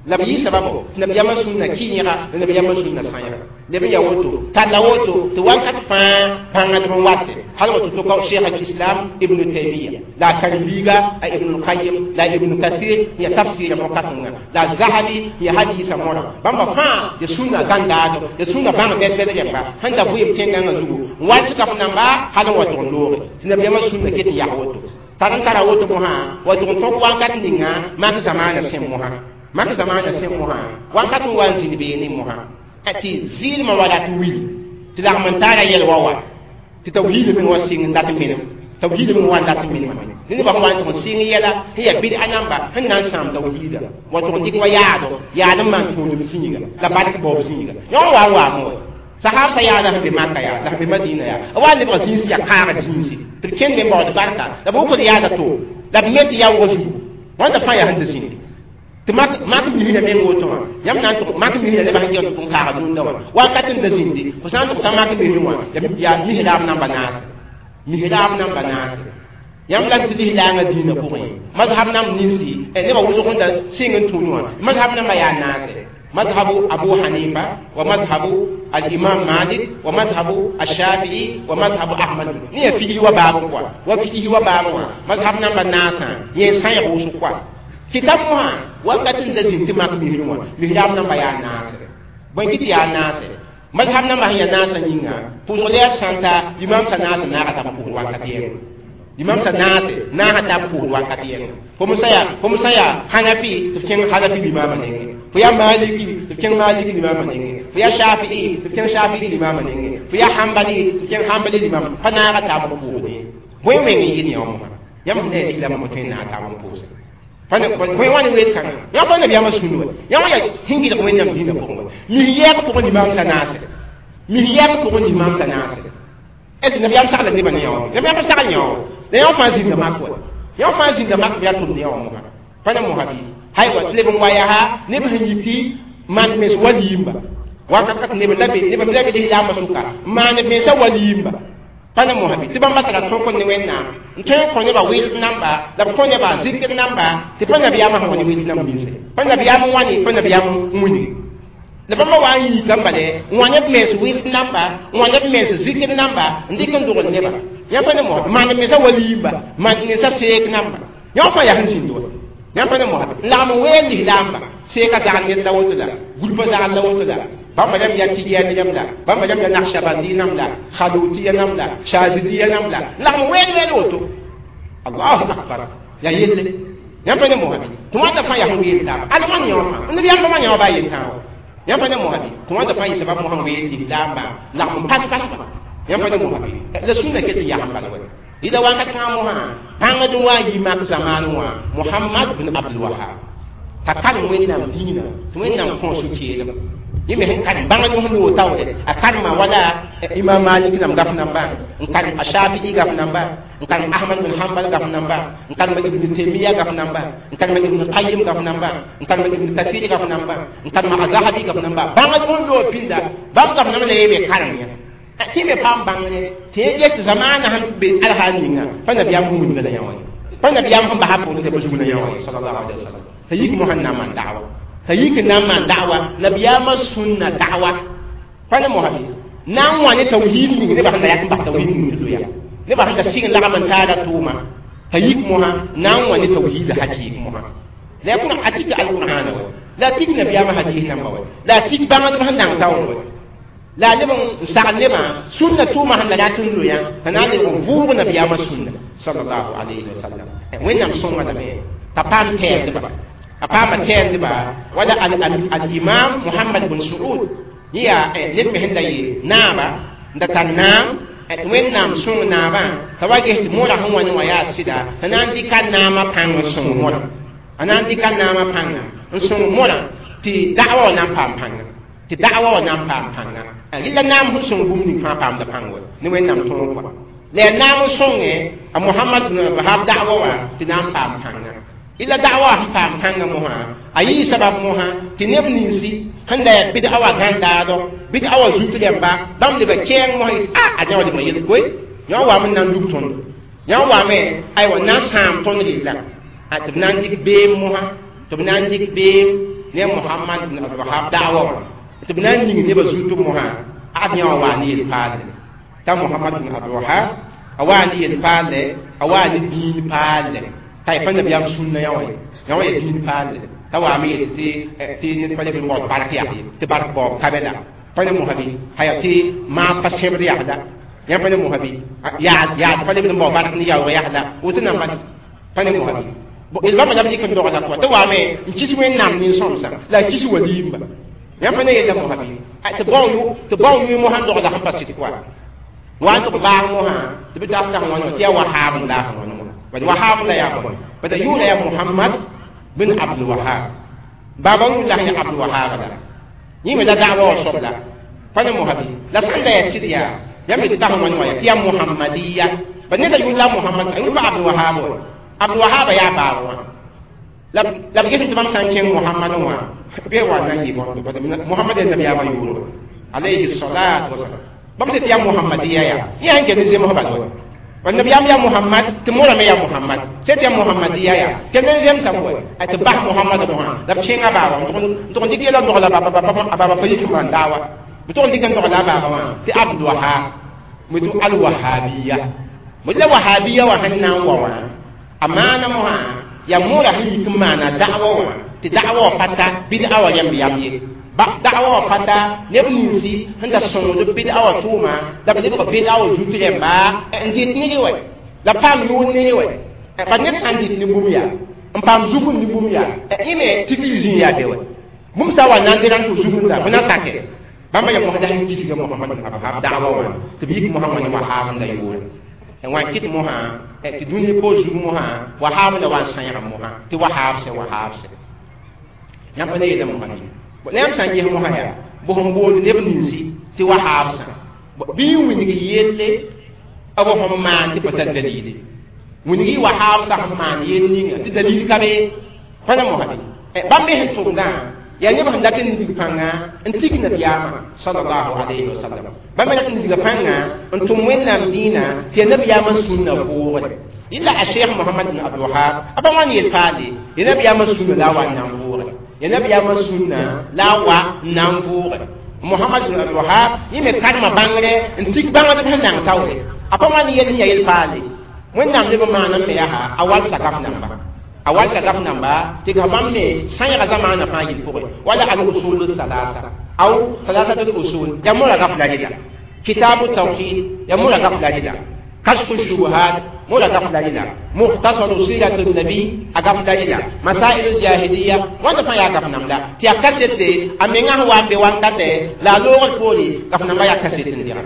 la b yɩ sababo tɩ nabiyaamã sũnna kɩ-yẽga la nabiyaamã sũnna sã-yẽga leb n yaa woto talla woto tɩ wakat fãa bãngdb n wate hal woto tɩ ka cheikh al-islam ibn taymiya la a karen-biiga a ibn al-qayyim la ibn kathir ya tafsira mo-kãsenga la zahabi ya hadisa mõra bãmba fãa ya sũnna gãndaado ya sũnna bãng bɛd-bɛd rẽmba sẽn da vɩɩm tẽngãngã zugu n wat sɩka f namba hal n wa tʋg n looge tɩ nabiyaamã sũnna ket n yaa woto tar n tara woto mosã wa tʋg n tõk wakat ninga mak zamaana sẽ mosã mak zamaana sẽ mosã wakat n wa n zĩnd beene mosã tɩ zɩɩlmã wa rat wil tɩ lagm n taara yɛl wa wa tɩ tawhiid meng wa sɩng n dat menem tawhiid meng wa n dat menemame ne nebã sẽn wa n tʋg n sɩng yɛla sẽn yaa bɩd a namba sẽn na n sãam tawhiida wa tʋg n dɩk wa yaado yaad n maan tũudem zĩiga la bark baoob zĩiga yõ n wa n waame wa sahab sa yaa la sẽn be maka yaa la sẽn be madina yaa a wa n lebg zĩns yaa kãagd zĩnsi tɩ b kẽnd me baood barka la b wʋkd yaada to la b me tɩ yaoogã zugu wãnda fãa yaa sẽn da zĩndi tɩ mak misra meng woto wã yãmb na n tʋg mak misra nebã sẽn ges tɩ n kaagd rũndã wã wakat n da zĩndi fo sã n tʋg t'a mak misr wã yaa misraab namba naase misraab namba naase yãmb la tɩ lislaangã dĩinã pʋgẽ mazhab namb ninsi nebã wʋsg n da sɩng n tũud wã mazhab namba yaa naase مذهب أبو حنيفة ومذهب الإمام مالك ومذهب الشافعي ومذهب أحمد نية فيه وباب وفيه وباب مذهب نمبر ناسا يسان يغوص كوا كتاب مها وقت دزين تماك مهروا مهراب نمبر يا ناس بنكت يا ناس مذهب نمبر يا ناس نينا بوزوليا سانتا إمام سناس ناقة تبقى وقتين imam sa naase naasa tab pʋʋs wakat yẽnga fo sã yaa hanafi tɩ f kẽng hanafi limaamã nengẽ fo yaa maliki tɩ f kẽng maliki limaamã nengẽ fo yaa shafi'i tɩ f kẽng shafi'i limaamã nengẽ fo yaa hambali tɩ f kẽng hambali limaamã pa naaga taab n pʋʋsdẽ bõe wẽng n yɩl yã wã yãmb sẽn yaa lislaamã mo tõe n naag taab n pʋʋse bõe wã ne weet kãngã yã pa nabiyaamã sũnd wa yã wã yaa sẽn gɩlg wẽnnaam dĩinã pʋgẽ wa mis yɛɛg pʋgẽ limaam sa naase mis yɛɛg pʋgẽ limaam sa naase est ce nabiyaam sagla nebã ne yã wã nabiyaam sagl yã wã la yã fãa zĩnda mak wa yã fãa zĩnda mak yaa tʋmd yã wã mosã pa ne mosã bɩ haywa tɩ leb n wa yaa neb sẽn yɩ tɩ maan mens waliimba wakat kat neb la be neb la be lislaambã sʋka n maan mensã waliimba pa ne mosã bɩ tɩ bãmba tara tõk ne wẽnnaam n tõe n kõ nebã wɩlb namba la b kõ nebã zikr namba tɩ pa nabiyaamã sẽn wa ne wɩlb namb ninse pa nabiyaam n wãne pa nabiyaam n wilgi la bãmba wa n yiikã bale n wa neb mens wɩlb namba n wa neb mens zikr namba n dɩk n dogl nebã yãmb pa ne mosã maan mensã waliimba maan mensã seek namba yã fãa yaa sẽn zĩnd wa yãmb pa ne mosã n lagm n weel lislaamba seeka zagl ned la woto la gulpã zagl la woto la bãmba rãmb yaa tɩgiyani rãmb la bãmba rãmb yaa nakshabandi nam la khalutiya nam la shazidiya nam la n lagm n weel weel woto allahu akbar yaa yelle yãmb pa ne mosã tɩ wãnda fãa yaa sẽn weel taaba al wãn yã wã fãa neb yãmba wã yã wã baa yel-tãag yãmb pa ne mosã tɩ wãnda fãa yɩ sabab mosã n weel lislaamba lagm n pas-pasba yãmb pa ne mosã la sũnna ket n yasem bala wa ida wakat kãngã mosã bãngd n wa n yi mak zamaan wã Muhammad bin Abdul Wahab t'a karem wẽnnaam dĩinã tɩ wẽnnaam kõ sũ-keelem yẽ me sẽn karem bãngd sẽn loog taoore a karema wala imam Malik nam gaf namba n karem a Shafi'i gaf namba n karem Ahmad bin Hanbal gaf namba n karem Ibn Taymiya gaf namba n karem Ibn Qayyim gaf namba n karem Ibn Kathir gaf namba n karem Zahabi gaf namba bãngd sẽn loog pĩnda bãmb gaf namba la yẽ me karem yã tɩ me paam bãngre tɩ yẽ get zamaana sẽn be alhaal ninga pa nabiyaam sẽn wilga la yã wã pa nabiyaam sẽn basa pʋʋr tɩ b zug la yã wã sallallahu alaihi wasallam t'a yik mosã n na n maan da'wa t'a yik n na n maan da'wa nabiyaamã sũnna da'wa pa ne mosã na n wã ne tawhiid ning nebã sẽn da yak n bas tawhiid ning tɩ loya nebã sẽn da sɩng lagm n taara tʋʋma t'a yik mosã na n wã ne tawhiid hakɩɩk mosã La kʋra a tik alqur'ana wa la tik nabiyaamã hadis namba wa la tik bãngdb sẽn dãng taoor wa la leb n sagl nebã sũnna tʋʋma sẽn da rat n loyã t'a na n lebg n vʋʋg nabiyaamã sũnna sallallahu alayhi wa sallam. Wẽnnaam sõnga lame t'a paam tɛɛmdba, a paama tɛɛmdba wala al-imam Muhammad bin Suud yẽ yaa ned me sẽn da yɩ naaba n da tar naam tɩ Wẽnnaam sõng naabã t'a wa ges tɩ mõra sẽn wa ne wã yaa sɩda t'a na n dɩka naamã pãng n sõng mõrã, a na n dɩka naamã pãnga n sõng mõrã tɩ da'wa wã na n paam pãnga, tɩ da'wa wã na n paam pãnga. Yella naam sẽn sõng bũmb ning fãa paamda pãng wa ne Wẽnnaam tõog kɔa. La yaa naam n sõnge a Mohamad bin Wahab da'wa wã tɩ na n paam pãnga. Illa da'wa sẽn paam pãnga mosã a yɩɩ sabab mosã tɩ neb ninsi sẽn da yaa bɩd'a wã gãndaadɔ, bɩd'a wã zut rẽmba bãmb leba kɛɛng mosã yetɩ a yã wã lebg yel koe, yã wã waame n na n lub tõndo, yã wã waame aywa n na n sãam tõnd rella tɩ b na n dɩk beem mosã, tɩ b na n dɩk beem ne Mohamad bin Abdulwahab da'wa wã tɩ b na n ning nebã zut mosã ad yã wã waa ne yel-paalle t'a Mohamad bin Abdulwahab a waa ne yel-paalle, a waa ne dĩin paalle t'a y pa nabiyaam sũnna yã wã ye, yã wã yaa dĩin paalle t'a waame yet tɩ ned pa leb n baood bark yag ye tɩ bark baoob ka be la pa ne mosã bɩ haya tɩ maa pa sẽbd yagda yã pa ne mosã bɩ yaad pa leb n bao bark ne yaoog yagda woto namba pa ne mosã bɩ d bãmba la b dɩk n dogla kɔa tɩ waame n kis Wẽnnaam nin-sõmsã la a kis waliimba yã pa ne yella mosã bɩ tɩ bao yʋɩ mosã n dogla sẽn pa sɩd kɔa wa n tɩ b baag mosã tɩ b tas sẽn wãna tɩ yaa Wahab n laas wãna bad Wahab la yaa bõe bad yʋʋra yaa Muhammad bin Abdul Wahab baaba yʋʋr la yaa Abdul Wahab la yẽ me la da'wa wã soab la pa ne mosã bɩ la sãn da yaa sɩd yaa yãmb tɩ tas wãna wã tɩ yaa Muhammadiya bad neda yʋʋr la Muhammad a yʋʋr pa Abdul Wahab wa Abdul Wahab yaa baaba wã la b ges tɩ bãmb sã n kẽng Muhammad wã bɩ wa na n yɩ bõndo bad Muhammad yaa nabiyaamã yʋʋr alayhi salatu wasalam bãmb sẽn tɩ yaa Muhammadiya yaa yẽ sãn kell zemsbã wa bad nabiyaam yaa Muhammad tɩ mõra me yaa Muhammad sẽn tɩ yaa Muhammadiya yaa kell n zemsa bõe tɩ bas Muhammad mosã la b kẽnga baaba n tʋg n dɩk yɛla n dogla a baaba pa yik n maan daawa b tʋg n dɩk n dogla a baaba wã tɩ Abdul Wahab tɩ al-Wahabiya la Wahabiya wã sẽn na n wa wã a maana mosã yaa mõora sẽn yik n maana da'wa wã tɩ da'wa wã pa ta bɩd'a wã yãmb yam ye da'wa wã pa ta neb ninsi sẽn da sõngd bɩd'a wã tʋʋma la b lebg bɩd'a wã zut rẽmba n dɩt ned wɛ la paam yʋʋr ned wɛ pa ned sã n dɩt ne bũmb yaa n paam zugum ne bũmb yaa yẽ me tikr zĩig yaa be wɛ bũmb sã wa na n dɩ rãn tɩ zugumda bɩ na sake bãmba yaa mosã sẽn kisga Mohamad bin Abdulwahab da'wa wã tɩ b yik mosã wã ne Wahab n da yʋʋre n wa n kɩt mosã tɩ dũni poor zug mosã Wahab la wa n sãyg mosã tɩ Wahab sɛ Wahab sɛ yãmb pa ne yeela mosã bɩ la yãmb sã n ges mosã yaa bʋ sẽn boond neb ninsi tɩ Wahab sã bɩ n wilg yelle b sẽn maan tɩ pa tar dalile wilg Wahab sã sẽn maan yell ninga tɩ dalil ka be pa ne mosã bɩ bãmb me sẽn tʋmdã yaa neb sẽn dat n dig pãnga n tig nabiyaamã sallallahu alayhi wa sallam bãmb me dat n diga pãnga n tʋm Wẽnnaam dĩinã tɩ yaa nabiyaamã sũnna vʋʋgre yella a Cheikh Mohamad bin Abdul Wahab a pa wãn yel paale yaa nabiyaamã sũnna la a wa n na n vʋʋgre yaa nabiyaamã sũnna la a wa n na n vʋʋgre Mohamad bin Abdul Wahab yẽ me karema bãngre n tik bãngdb sẽn nang taoore a pa wãn yel sẽn yaa yel paale Wẽnnaam leb n maan n me yaa a wal sakaf namba a wal sakaf namba tɩ ka bãmb me sãyga zamaanã fãa yel pʋgẽ wala al-usul thalatha aw thalathat al-usul yaa mõra gaf la rɩla kitabu tawhid yaa mõra gaf la rɩla kashfu shubuhat mõra gaf la rɩla mukhtasaru siratu nabi a gaf la rɩla masail al-jahiliya wãnda fãa yaa gaf nam la tɩ yaa kasete a menga sẽn wa n be wankatɛ la a loogr poore gaf namba yaa kaset n dɩgra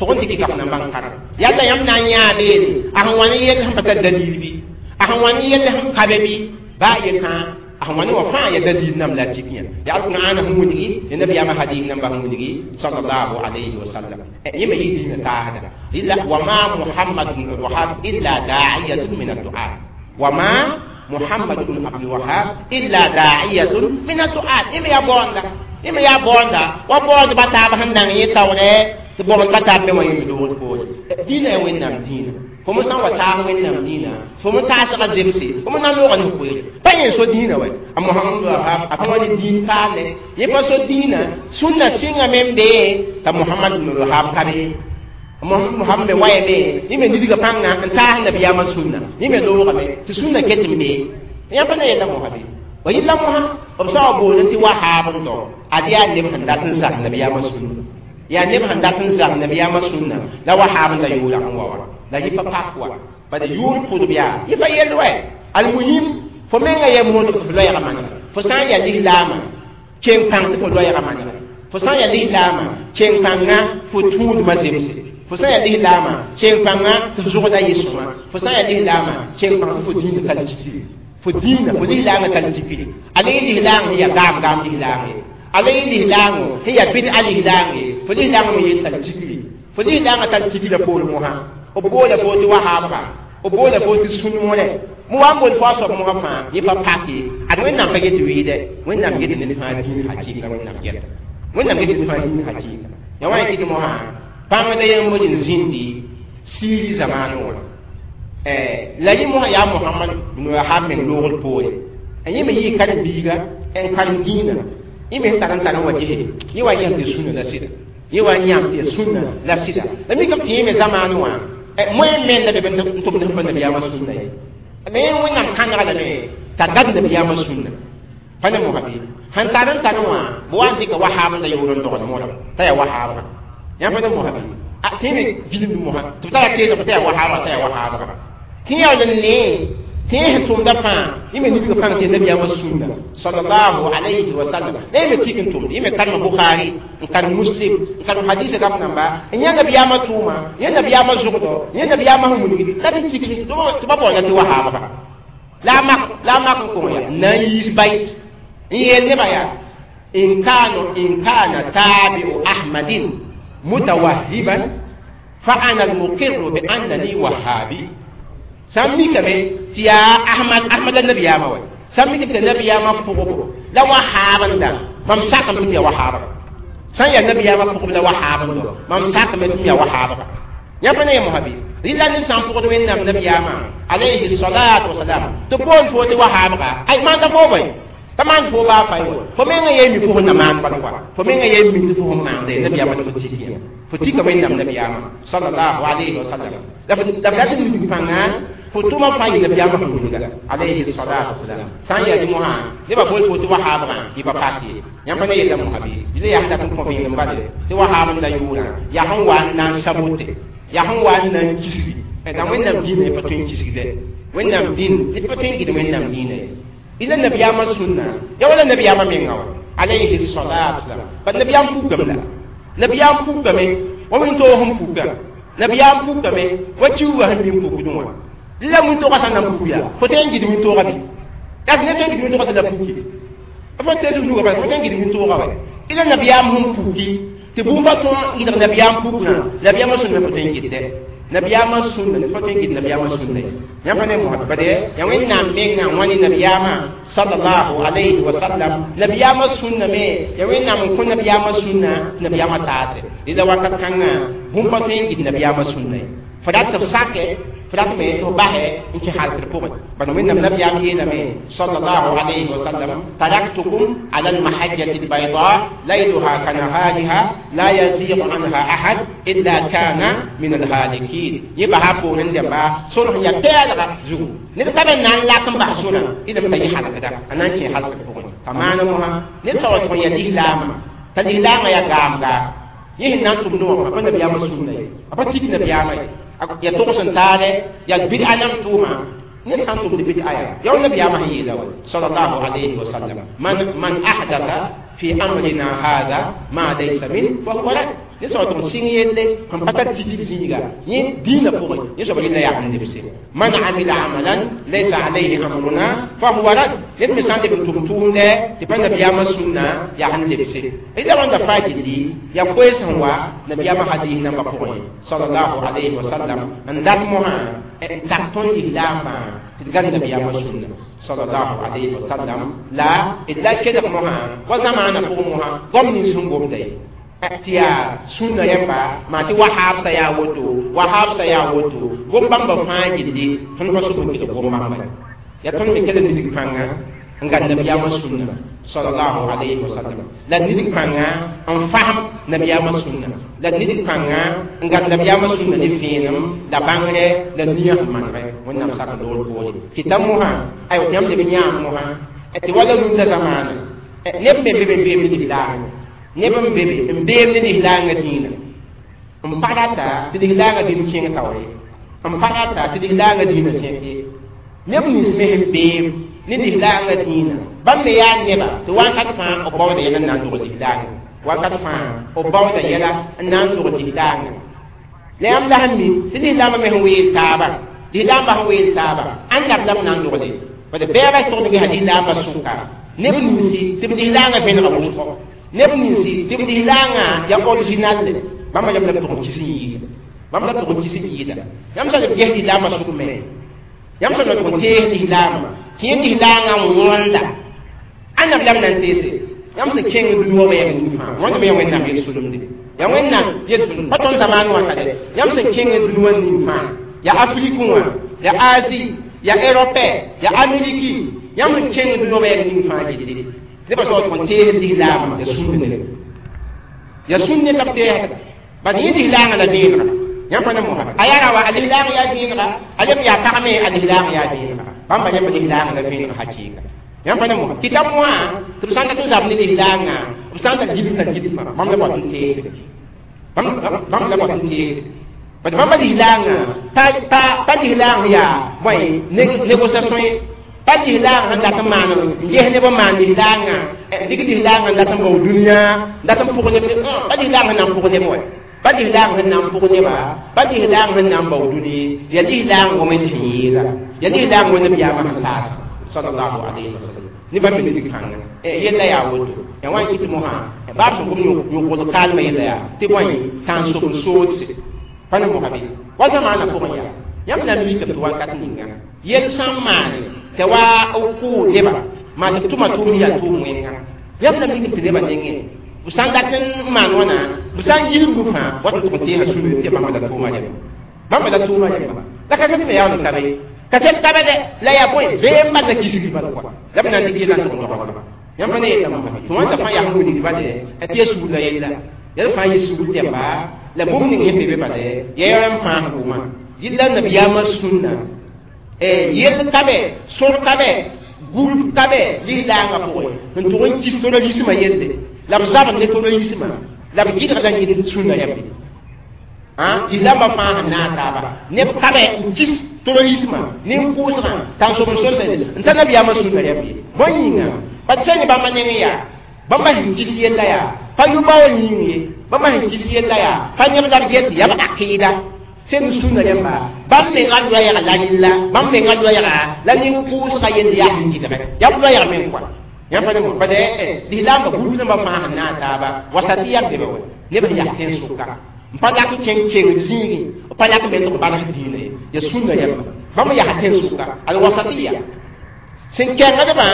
tʋg n dɩk gaf namba n karem yalla yãmb na n yãa beene a sẽn wa ne yell sẽn pa tar dalil bɩ a sẽn wa ne yell sẽn ka be bɩ baa ye kãa a sẽn wa ne wã fãa ya dalil nam la tik yã yaa alqur'ana sẽn wilgi ya nabiyaamã hadis namba sẽn wilgi sallallahu alayhi wa sallam yẽ me yɩ dĩinã taasda illa wa ma Muhammad bin Abdul Wahab illa da'iyatun min ad-du'a wa ma Muhammad bin Abdul Wahab illa da'iyatun min ad-du'a yẽ me yaa baoonda yẽ me yaa baoonda wa baoond ba taab sẽn nang yẽ taoorɛ tɩ baoond ba taab me wã yẽ loogd poore dĩinã yaa Wẽnnaam dĩinã fo me sã n wa taas Wẽnnaam dĩinã fo me taasga zemse fo me na n loogã ne koeere pa yẽ so dĩinã wɛ a Mohamad Wahab a pa wa ne dĩin paale yẽ pa so dĩinã sũnna sɩngame n bee t'a Mohamad Wahab ka be Mohamad me wayame yẽ me nidga pãnga n taas nabiyaamã sũnna yẽ me loogame tɩ sũnna ket n bee Yãmb pa na yella mosã bɩ ba yilla mosã b soaba boolẽ tɩ wahaab n dao ad yaa neb sẽn dat n zak nabiyaamã sũnna yaa neb sẽn dat n zak nabiyaamã sũnna la wahaab n da yʋʋra n wa wa la yɩ pa pak wa bala yʋʋr pʋdb yaa yɩ pa yell wɛ almuhim fo menga yɛ moodg tɩ fo loɛɛga manega fo sã n yaa lislaamã keng pãng tɩ fo loɛɛga manega fo sã n yaa lislaamã keng pãnga fo tũudmã zemse fo sã n yaa lislaamã keng pãnga tɩ f zʋgda yɩ sõma fo sã n yaa lislaamã keng pãng tɩ fo dĩinã tar tikri fo dĩinã fo lislaangã tar tikri ala yẽ lislaang sẽn yaa gaam gaam lislaang ye ala yẽ lislaango sẽn yaa bɩd-a lislaang ye fo lislaangã me yel tar tikri fo lislaangã tar tikrã poor mosã b boola fo tɩ wahaabga b boola fo tɩ sũn mosrɛ mo wa n bool fo a soab mosã fãa yẽ pa pak ye ad wẽnnaam pa get wɩɩdɛ wẽnnaam get ned fãa dĩin hakɩɩka wẽnnaam gɛta wẽnnaam get ned fãa dĩin hakɩɩka ya wa yẽ kɩt mosã pãngda yembr n zĩndi siiri zamaanẽ wã la yẽ mosã yaa Mohamad bn Wahab meng loogr poore yẽ me yɩɩ karen-biiga n karem dĩinã yẽ me sẽn tar n tar n wa gese yẽ wa yãmb tɩ sũnna la sɩda yẽ wa yãmb tɩ sũnna la sɩda la mikame tɩ yẽ me zamaanẽ wã moẽ menda be n tʋmd sẽn pa nabiyaamã sũnna ye la yẽ wẽnnaam kãnega lame t'a gad nabiyaamã sũnna pa ne mosã bɩ sẽn tar n tar wã b wa n dɩka wahaab n da yʋʋr n dogd moda t'a yaa wahaabga yãmb pa ne mosã bɩ tɩ yẽ me bilmd mosã tɩ b tara teesg t'a yaa wahaabga t'a yaa wahaabga tɩ yaool n ne tɩ yẽ sẽn tʋmda fãa yẽ me nidg pãng tɩ nabiyaamã sũnna sallallahu alayhi wa sallam la yẽ me tik n tʋmd yẽ me karem Bukhari n karem Muslim n karem hadisa gam namba n yã nabiyaamã tʋʋma yã nabiyaamã zʋgdɔ yã nabiyaamã sẽn wilgd la tɩ tik tɩ ba baoola tɩ wahaabga la a mak n kõ ya n na n yiis bayt n yeel nebã yaa in kana tabi'u ahmadin mutawahhiban fa ana al-muqirru bi annani wahhabi sãn mikame tɩ yaa Ahmad la nabiyaamã wa sãn mikame tɩ nabiyaamã pʋgbo la wahaab n da mam sakame tɩ m yaa wahaabga sãn yaa nabiyaamã pʋgb la wahaab n do mam sakame tɩ m yaa wahaabga yãmb pa ne yã mosã bɩ rɩla ned sã n pʋgd wẽnnaam nabiyaamã alayhi salatu wasalam tɩ boond fo tɩ wahaabga ay maanda fo bõe pa maan fo baa fay wa fo menga yee mi fo sẽn na maan bala wa fo menga yee mi tɩ fo sẽn maanda ye nabiyaamã tɩ fo tik yã fo tika wẽnnaam nabiyaamã sallallahu alayhi wa sallam la f dat n dig pãnga fo tʋma fãa yɩ nabiyaamã sẽn wilga alayhi salatu wasalam sã n yaa dɩ mosã nebã bool fo tɩ wahaabgã yɩ pa pak ye yãmb pa ne yella mosã bɩ yɩla yaa sẽn dat n kõ vẽenem bale tɩ wahaab n da yʋʋrã yaa sẽn wa n na n sabote yaa sẽn wa n na n kisgi la wẽnnaam dĩinã yẽ pa tõe n kisgdɛ wẽnnaam dĩn ned pa tõe n gɩd wẽnnaam dĩinã ye ila nabiyaamã sũnna ya wala nabiyaamã menga wa alayhi salatu wasalam bat nabiyaam pukame la nabiyaam pukame wa wẽn-toog sẽn puka nabiyaam pukame wa kiuugã sẽn bɩ n pukdẽ wã la wẽn-toogã sã n na n puk yaa fo tõe n gɩd wẽn-toogã bɩ yaa sẽn ne tõe n gɩd wẽn-toogã tɩ la puki fo tees nuga bala fo tõe n gɩd wẽn-toogã wa ila nabiyaam sẽn puki tɩ bũmb pa tõe n gɩdg nabiyaam pukrã nabiyaamã sũnna fo tõe n gɩdde nabiyaamã sũnna fo tõe n gɩd nabiyaamã sũnna ye yãmb pa ne mosã bade yaa wẽnnaam mengã wãni nabiyaamã sallallahu alayhi wa sallam nabiyaamã sũnna me yaa wẽnnaam n kõ nabiyaamã sũnna tɩ nabiyaamã taase rɩla wakat kãngã bũmb pa tõe n gɩd nabiyaamã sũnna ye fo dat tɩ f sake fo dat me tɩ f basɛ n kẽ halkd pʋgẽ bala wẽnnaam nabiyaam yeelame sallallahu alayhi wa sallam taraktukum ala almahajjati albayda layluha kanahariha la yazigu anha ahad illa kana min alhalikin yẽ basa poorẽ dẽmba sor sẽn yaa pɛɛlga zugu ned ka be na n lak n bas sorã ɩdame t'a yẽ halkda a na n kẽ halkd pʋgẽ t'a maana mosã ned sã wa tʋg n yaa lislaamã t'a lislaamã yaa gaamgaa yẽ sẽn na n tʋmdẽ wã pa nabiyaamã sũnna ye a pa tik nabiyaamã ye ya togs n taale ya bɩd-a nam tʋʋma ned sã n tʋmd bɩd-a yaa ya wa nabiyaamã sẽn yeela wa sallallahu alayhi wa sallam man ahdatha fi amrina hada ma laysa min fa huwa rad ned sã wa tʋg n sɩng yelle sẽn pa tar tikr zĩiga yẽ dĩinã pʋgẽ yẽ soab rɩla yaa sẽn lebse man amila amalan laysa alayhi amruna fa huwa rad ned me sã n leb n tʋm tʋʋmdɛ tɩ pa nabiyaamã sũnna yaa sẽn lebse la wãnda faa gilli yaa koees sẽn wa nabiyaamã hadis nambã pʋgẽ sallallahu alayhi wa sallam n dat mosã n tak tõnd lislaambã tɩ d gad nabiyaamã sũnna sallallahu alayhi wa sallam la d la kelg mosã wa zamaanã pʋgẽ mosã goam nins sẽn gomda ye tɩ yaa sũnna yẽmba maa tɩ wahaabsã yaa woto wahaabsã yaa woto gom-bãmbã fãa gilli tõnd pa sʋk n kelg gom-bãmba yaa tõnd me kell n dig pãnga N gad nabiyaamã sũnna sallallahu alayhi wa sallam la nid kãngã n fasem nabiyaamã sũnna la nid kãngã n gad nabiyaamã sũnna ne vẽenem la bãngre la nia sẽn manegɛ Wẽnnaam sak n loor poore tɩ ta mosã aywa tɩ yãmb leb n yãam mosã tɩ wala rũndã zamaana neb me be be n beem ne lislaangã neb n be be n beem ne lislaangã dĩinã n pa rata tɩ lislaangã dĩin kẽng taoore n pa rata tɩ lislaangã dĩinã sẽk ye neb nins me sẽn beem ne lislaangã dĩinã bãmb me yaa neba tɩ wakat fãa b baooda yɛla n na n dog lislaangã wakat fãa b baooda yɛla n na n dog lislaangã la yãmb la sẽn mi tɩ lislaambã me sẽn weel taaba lislaambã sẽn weel taaba ãnda b la b na n dogde bad bɛɛba togd gesa lislaambã sʋka neb ninsi tɩ b lislaangã vẽnega wʋsgo neb ninsi tɩ b lislaangã yaa original bãmba yam la b tʋg n kis n yɩɩda bãmb la b tʋg n kis n yɩɩda yãmb sã b ges lislaambã sʋk me yãmb sã tʋg n tees lislaambã tɩ yẽ lislaangã n wõnda ãnda b la b na n teese yãmb sẽn kẽng dũni wã wɛɛg ning fãa wãnd me ya Wẽnnaam yel-solemde ya Wẽnnaam yel-solem pa tõnd zamaan wã ka dɛ yãmb sẽn kẽng dũni wã ning fãa ya Afrique wã ya Asie ya Europe ya Amérique yãmb sẽn kẽng dũni wã wɛɛg ning fãa gilli nebã soab tʋg n tees lislaambã ya sũnd ne ya sũnd ne t'a b teesda bad yẽ lislaangã la vẽenega yãmb pa ne mosã a yaa ra wa a lislaang yaa vẽenega a leb yaa pag me a lislaang yaa vẽenega bãmba yãmb lislaangã la vẽeneg hakɩɩka yãmb pa ne mosã tɩ ta mosã tɩ b sã n dat n zab ne lislaangã b sã n dat gilsã gilsmã bãmb la bõt n teesde bãmb la bõt n teesde bad bãmba lislaangã pa lislaang yaa bõe négociation ye pa lislaang sẽn dat n maan n ges neb n maan lislaangã dɩk lislaangã n dat n bao dũniyã n dat n pʋg neb pa lislaang sẽn na n pʋg neb wa pa lislaang sẽn na n pʋg neba pa lislaang sẽn na n bao dũni ya lislaang wẽnd sẽn yɩɩda ya lislaang wẽnd nabiyaamã sẽn taasa sallallahu alayhi wa sallam ne bãmb me dig kãnga yella yaa woto ya wã n kɩt mosã baab sẽn gom yõkd kaalmã yella yaa tɩ bõe tãn-sob n soodse pa ne mosã bɩ wa zamaanã pʋgẽ yaa yãmb na n mikame tɩ wakat ninga yel sã n maane tɩ wa b kʋʋ neba maa tɩ b tʋma tʋʋm yaa tʋʋm wẽnga yãmb na n mikame tɩ nebã nengẽ b sã n dat n maan wãna b sã n yis bu fãa wat n tʋg n teesa sũur tɩ bãmba la tʋʋma rẽmba bãmba la tʋʋma rẽmba la kaset me yaa kabe kaset kabe dɛ la yaa bõe beem bala kisgi bala kɔa la b na n dɩk yɛla n tʋg n dogdba yãmb pa ne yella mosã tɩ wãnda fãa yaa sẽn wilg bale tɩ ya sugr la yella yɛl fãa yɩ sugr tɛmba la bũmb ning sẽn be be bale ya yɛl n fãas gʋʋmã yella nabiyaamã sũnna yell kabe sõr kabe gũrb kabe lislaangã pʋgẽ n tʋg n kis terrorismã yelle la b zabd ne terrorismã la b gɩdgda yĩnd sũnna yãmbe lislaambã fãa sẽn naag taaba neb kabe n kis terrorismã nin-kʋʋsgã tãn-sob n solsẽ n ta nabiyaamã sũnna yãmbe bõe yĩnga pa sẽn ne bãmba neng yaa bãmba sẽn kis yella yaa pa yʋ-baoor yĩng ye bãmba sẽn kis yella yaa pa neb la b get yaa b akɩɩda sẽn sũnna rẽmba bãmb menga loɛɛga la yella bãmb menga loɛɛga la nin-kʋʋsgã yell yaa sẽn gɩdgɛ yaa b loɛɛg meng kɔa yãmb pa ne pa dɛ lislaambã gũud rãmbã fãa sẽn naag taaba wasatɩ yaa bebe wa neb sẽn yaa tẽn-sʋka n pa lak n kẽng kengd zĩigẽ b pa lak n be tɩ b balg diinã ye ya sũnna rẽmba bãmb yaa tẽn-sʋka al wasatɩya sẽn kɛngdbã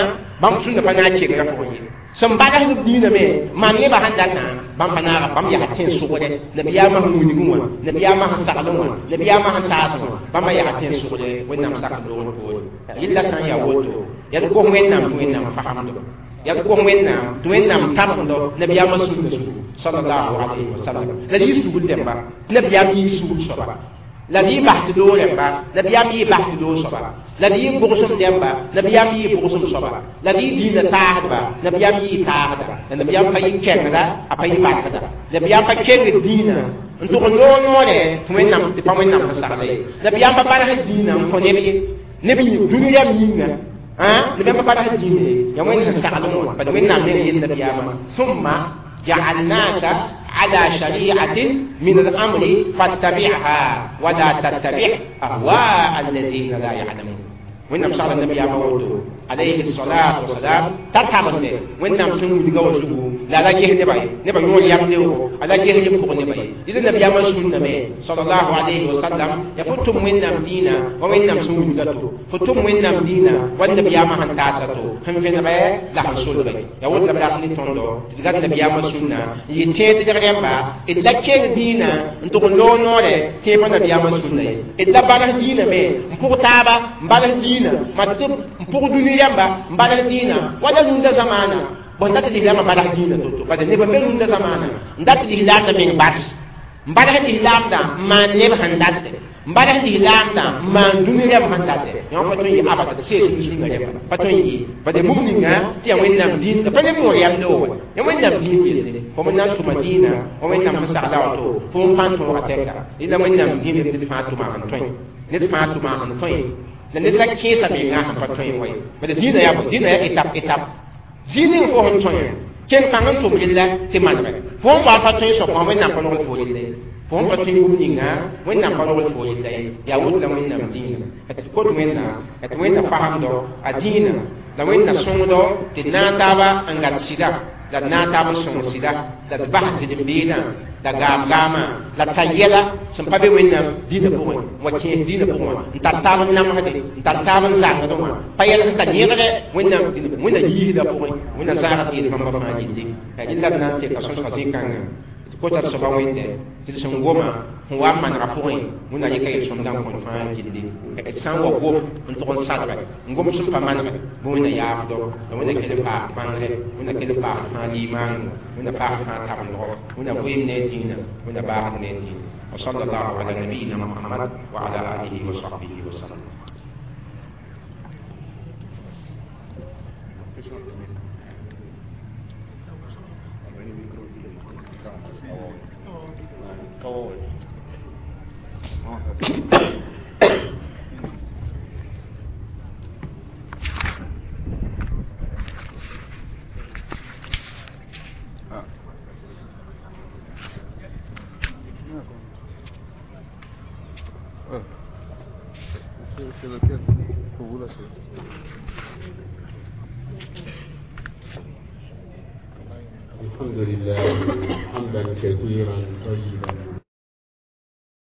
bãmb sũnna pa na n kengrã pʋgẽ ye sẽn bagsd b diinã me maan nebã sẽn datã bãmb pa naaga bãmb yaa tẽn-sʋgdɛ nabiyaamã sẽn wilgẽ wã nabiyaamã sẽn saglẽ wã nabiyaamã sẽn taas wã bãmba yaa tẽn-sʋgdɛ Wẽnnaam sak n loogr poore yella sã n yaa woto yaa d gos Wẽnnaam tɩ Wẽnnaam fasemdo yaa d gos Wẽnnaam tɩ Wẽnnaam tabgdo nabiyaamã sũnna zugu sallallahu alayhi wa sallam la d yɩ sugr dẽmba tɩ nabiyaam yɩ sugr soaba la d yɩ bas tɩ doog rẽmba nabiyaam yɩ bas tɩ doog soaba la d yɩ bʋgsem dẽmba nabiyaam yɩ bʋgsem soaba la d yɩ diinã taasdba nabiyaam yɩ taasda la nabiyaam pa yɩ kɛngda a pa yɩ barkda nabiyaam pa kengd diinã n tʋg n loog noorɛ tɩ Wẽnnaam tɩ pa Wẽnnaam sẽn sagla ye nabiyaam pa barg diinã n kõ neb ye neb dũni yam yĩnga nabiyaam pa barg diinã ye ya Wẽnd sẽn saglẽ wã bad Wẽnnaam meng yel nabiyaamã summa جعلناك على شريعة من الأمر فاتبعها ولا تتبع أهواء الذين لا يعلمون وإنما صلى النبي موته عليه الصلاة والسلام تتعمل وإنما سنو لغو لا لا جه نبي نبي يقول يملو على جه نبي نبي إذا النبي ما سنة مي صلى الله عليه وسلم يفتم وإنما دينا وإنما سنو لغتو فتم وإنما دينا والنبي ما هنتاساتو هم في نبي لا هنسول بي يقول نبي أخني تندو تلقى النبي ما سنة يتيت تريمبا إلا كير دينا انتو لو نوري كيف النبي ما سنة إلا بارح دينا مي مكو تابا مبارح دينا Dĩinã mat tɩ n pʋg dũni yãmba n balg dĩinã wala rũndã zamaana bõn dat lislaamã balg dĩinã to-to bala neb n be rũndã zamaana n dat lislaamdã meng bars n balg lislaamdã n maan neb sẽn datẽ n balg lislaamdã n maan dũni rãmb sẽn datẽ yã pa tõe n yɩ abada tɩ seed sũnga rẽmba pa tõe n yɩ bala bũmb ninga tɩ yaa Wẽnnaam dĩin pa neb noor yamde wa ya Wẽnnaam dĩin yelle fo n na n tʋma dĩinã wa Wẽnnaam sẽn sagla wato fo n pãn tõoga tɛka rẽla Wẽnnaam dĩin ned fãa tʋma sẽn tõe ned fãa tʋma sẽn tõe la ned la kẽesa menga sẽn pa tõe wa ye bala dĩinã yaa bõe dĩinã yaa étape étape zĩig ning fo sẽn tõe ken kãng n tʋm rella tɩ manegɛ fo n wa pa tõe soab wã Wẽnnaam pa rogl fo rella ye fo n pa tõe bũmb ninga Wẽnnaam pa rogl fo rella ye yaa woto la Wẽnnaam dĩinã tɩ kot Wẽnnaam tɩ Wẽnna pasemdɔ a dĩinã la Wẽnna sõngdɔ tɩ d naag taaba n gat sɩda la d naag taab n sõng sɩda la d bas zɩlem-beedã la gaam-gaamã la tar yɛla sẽn pa be Wẽnnaam dĩinã pʋgẽ wa kẽes dĩinã pʋgẽ wã n tar taab n namsde n tar taab n zãngsd wã pa yɛl sẽn tar yẽgdɛ Wẽnnaam dĩinã Wẽnna yiisda pʋgẽ Wẽnna zãagd yel bãmba fãa gilli yaa rẽnd la d na n teka sõsga zĩ-kãngã tɩ kota d soaba Wẽnde tɩ d sẽn goma sẽn wa n manega pʋgẽ Wẽnna rɩka yel-sõmdã n kõt fãa gilli d sã n wa gom n tʋg n sadge n gom sẽn pa manege bɩ Wẽnna yaafdo la Wẽnna kell n paas bãngre Wẽnna kell n paas fãa liimaango Wẽnna paas fãa tabendgo Wẽnna vɩɩm ne a dĩinã Wẽnna baasd ne a dĩinã وصلى الله على نبينا محمد وعلى آله وصحبه وسلم. C'est lequel? Pour vous là, c'est. الحمد لله حمدا كثيرا طيبا.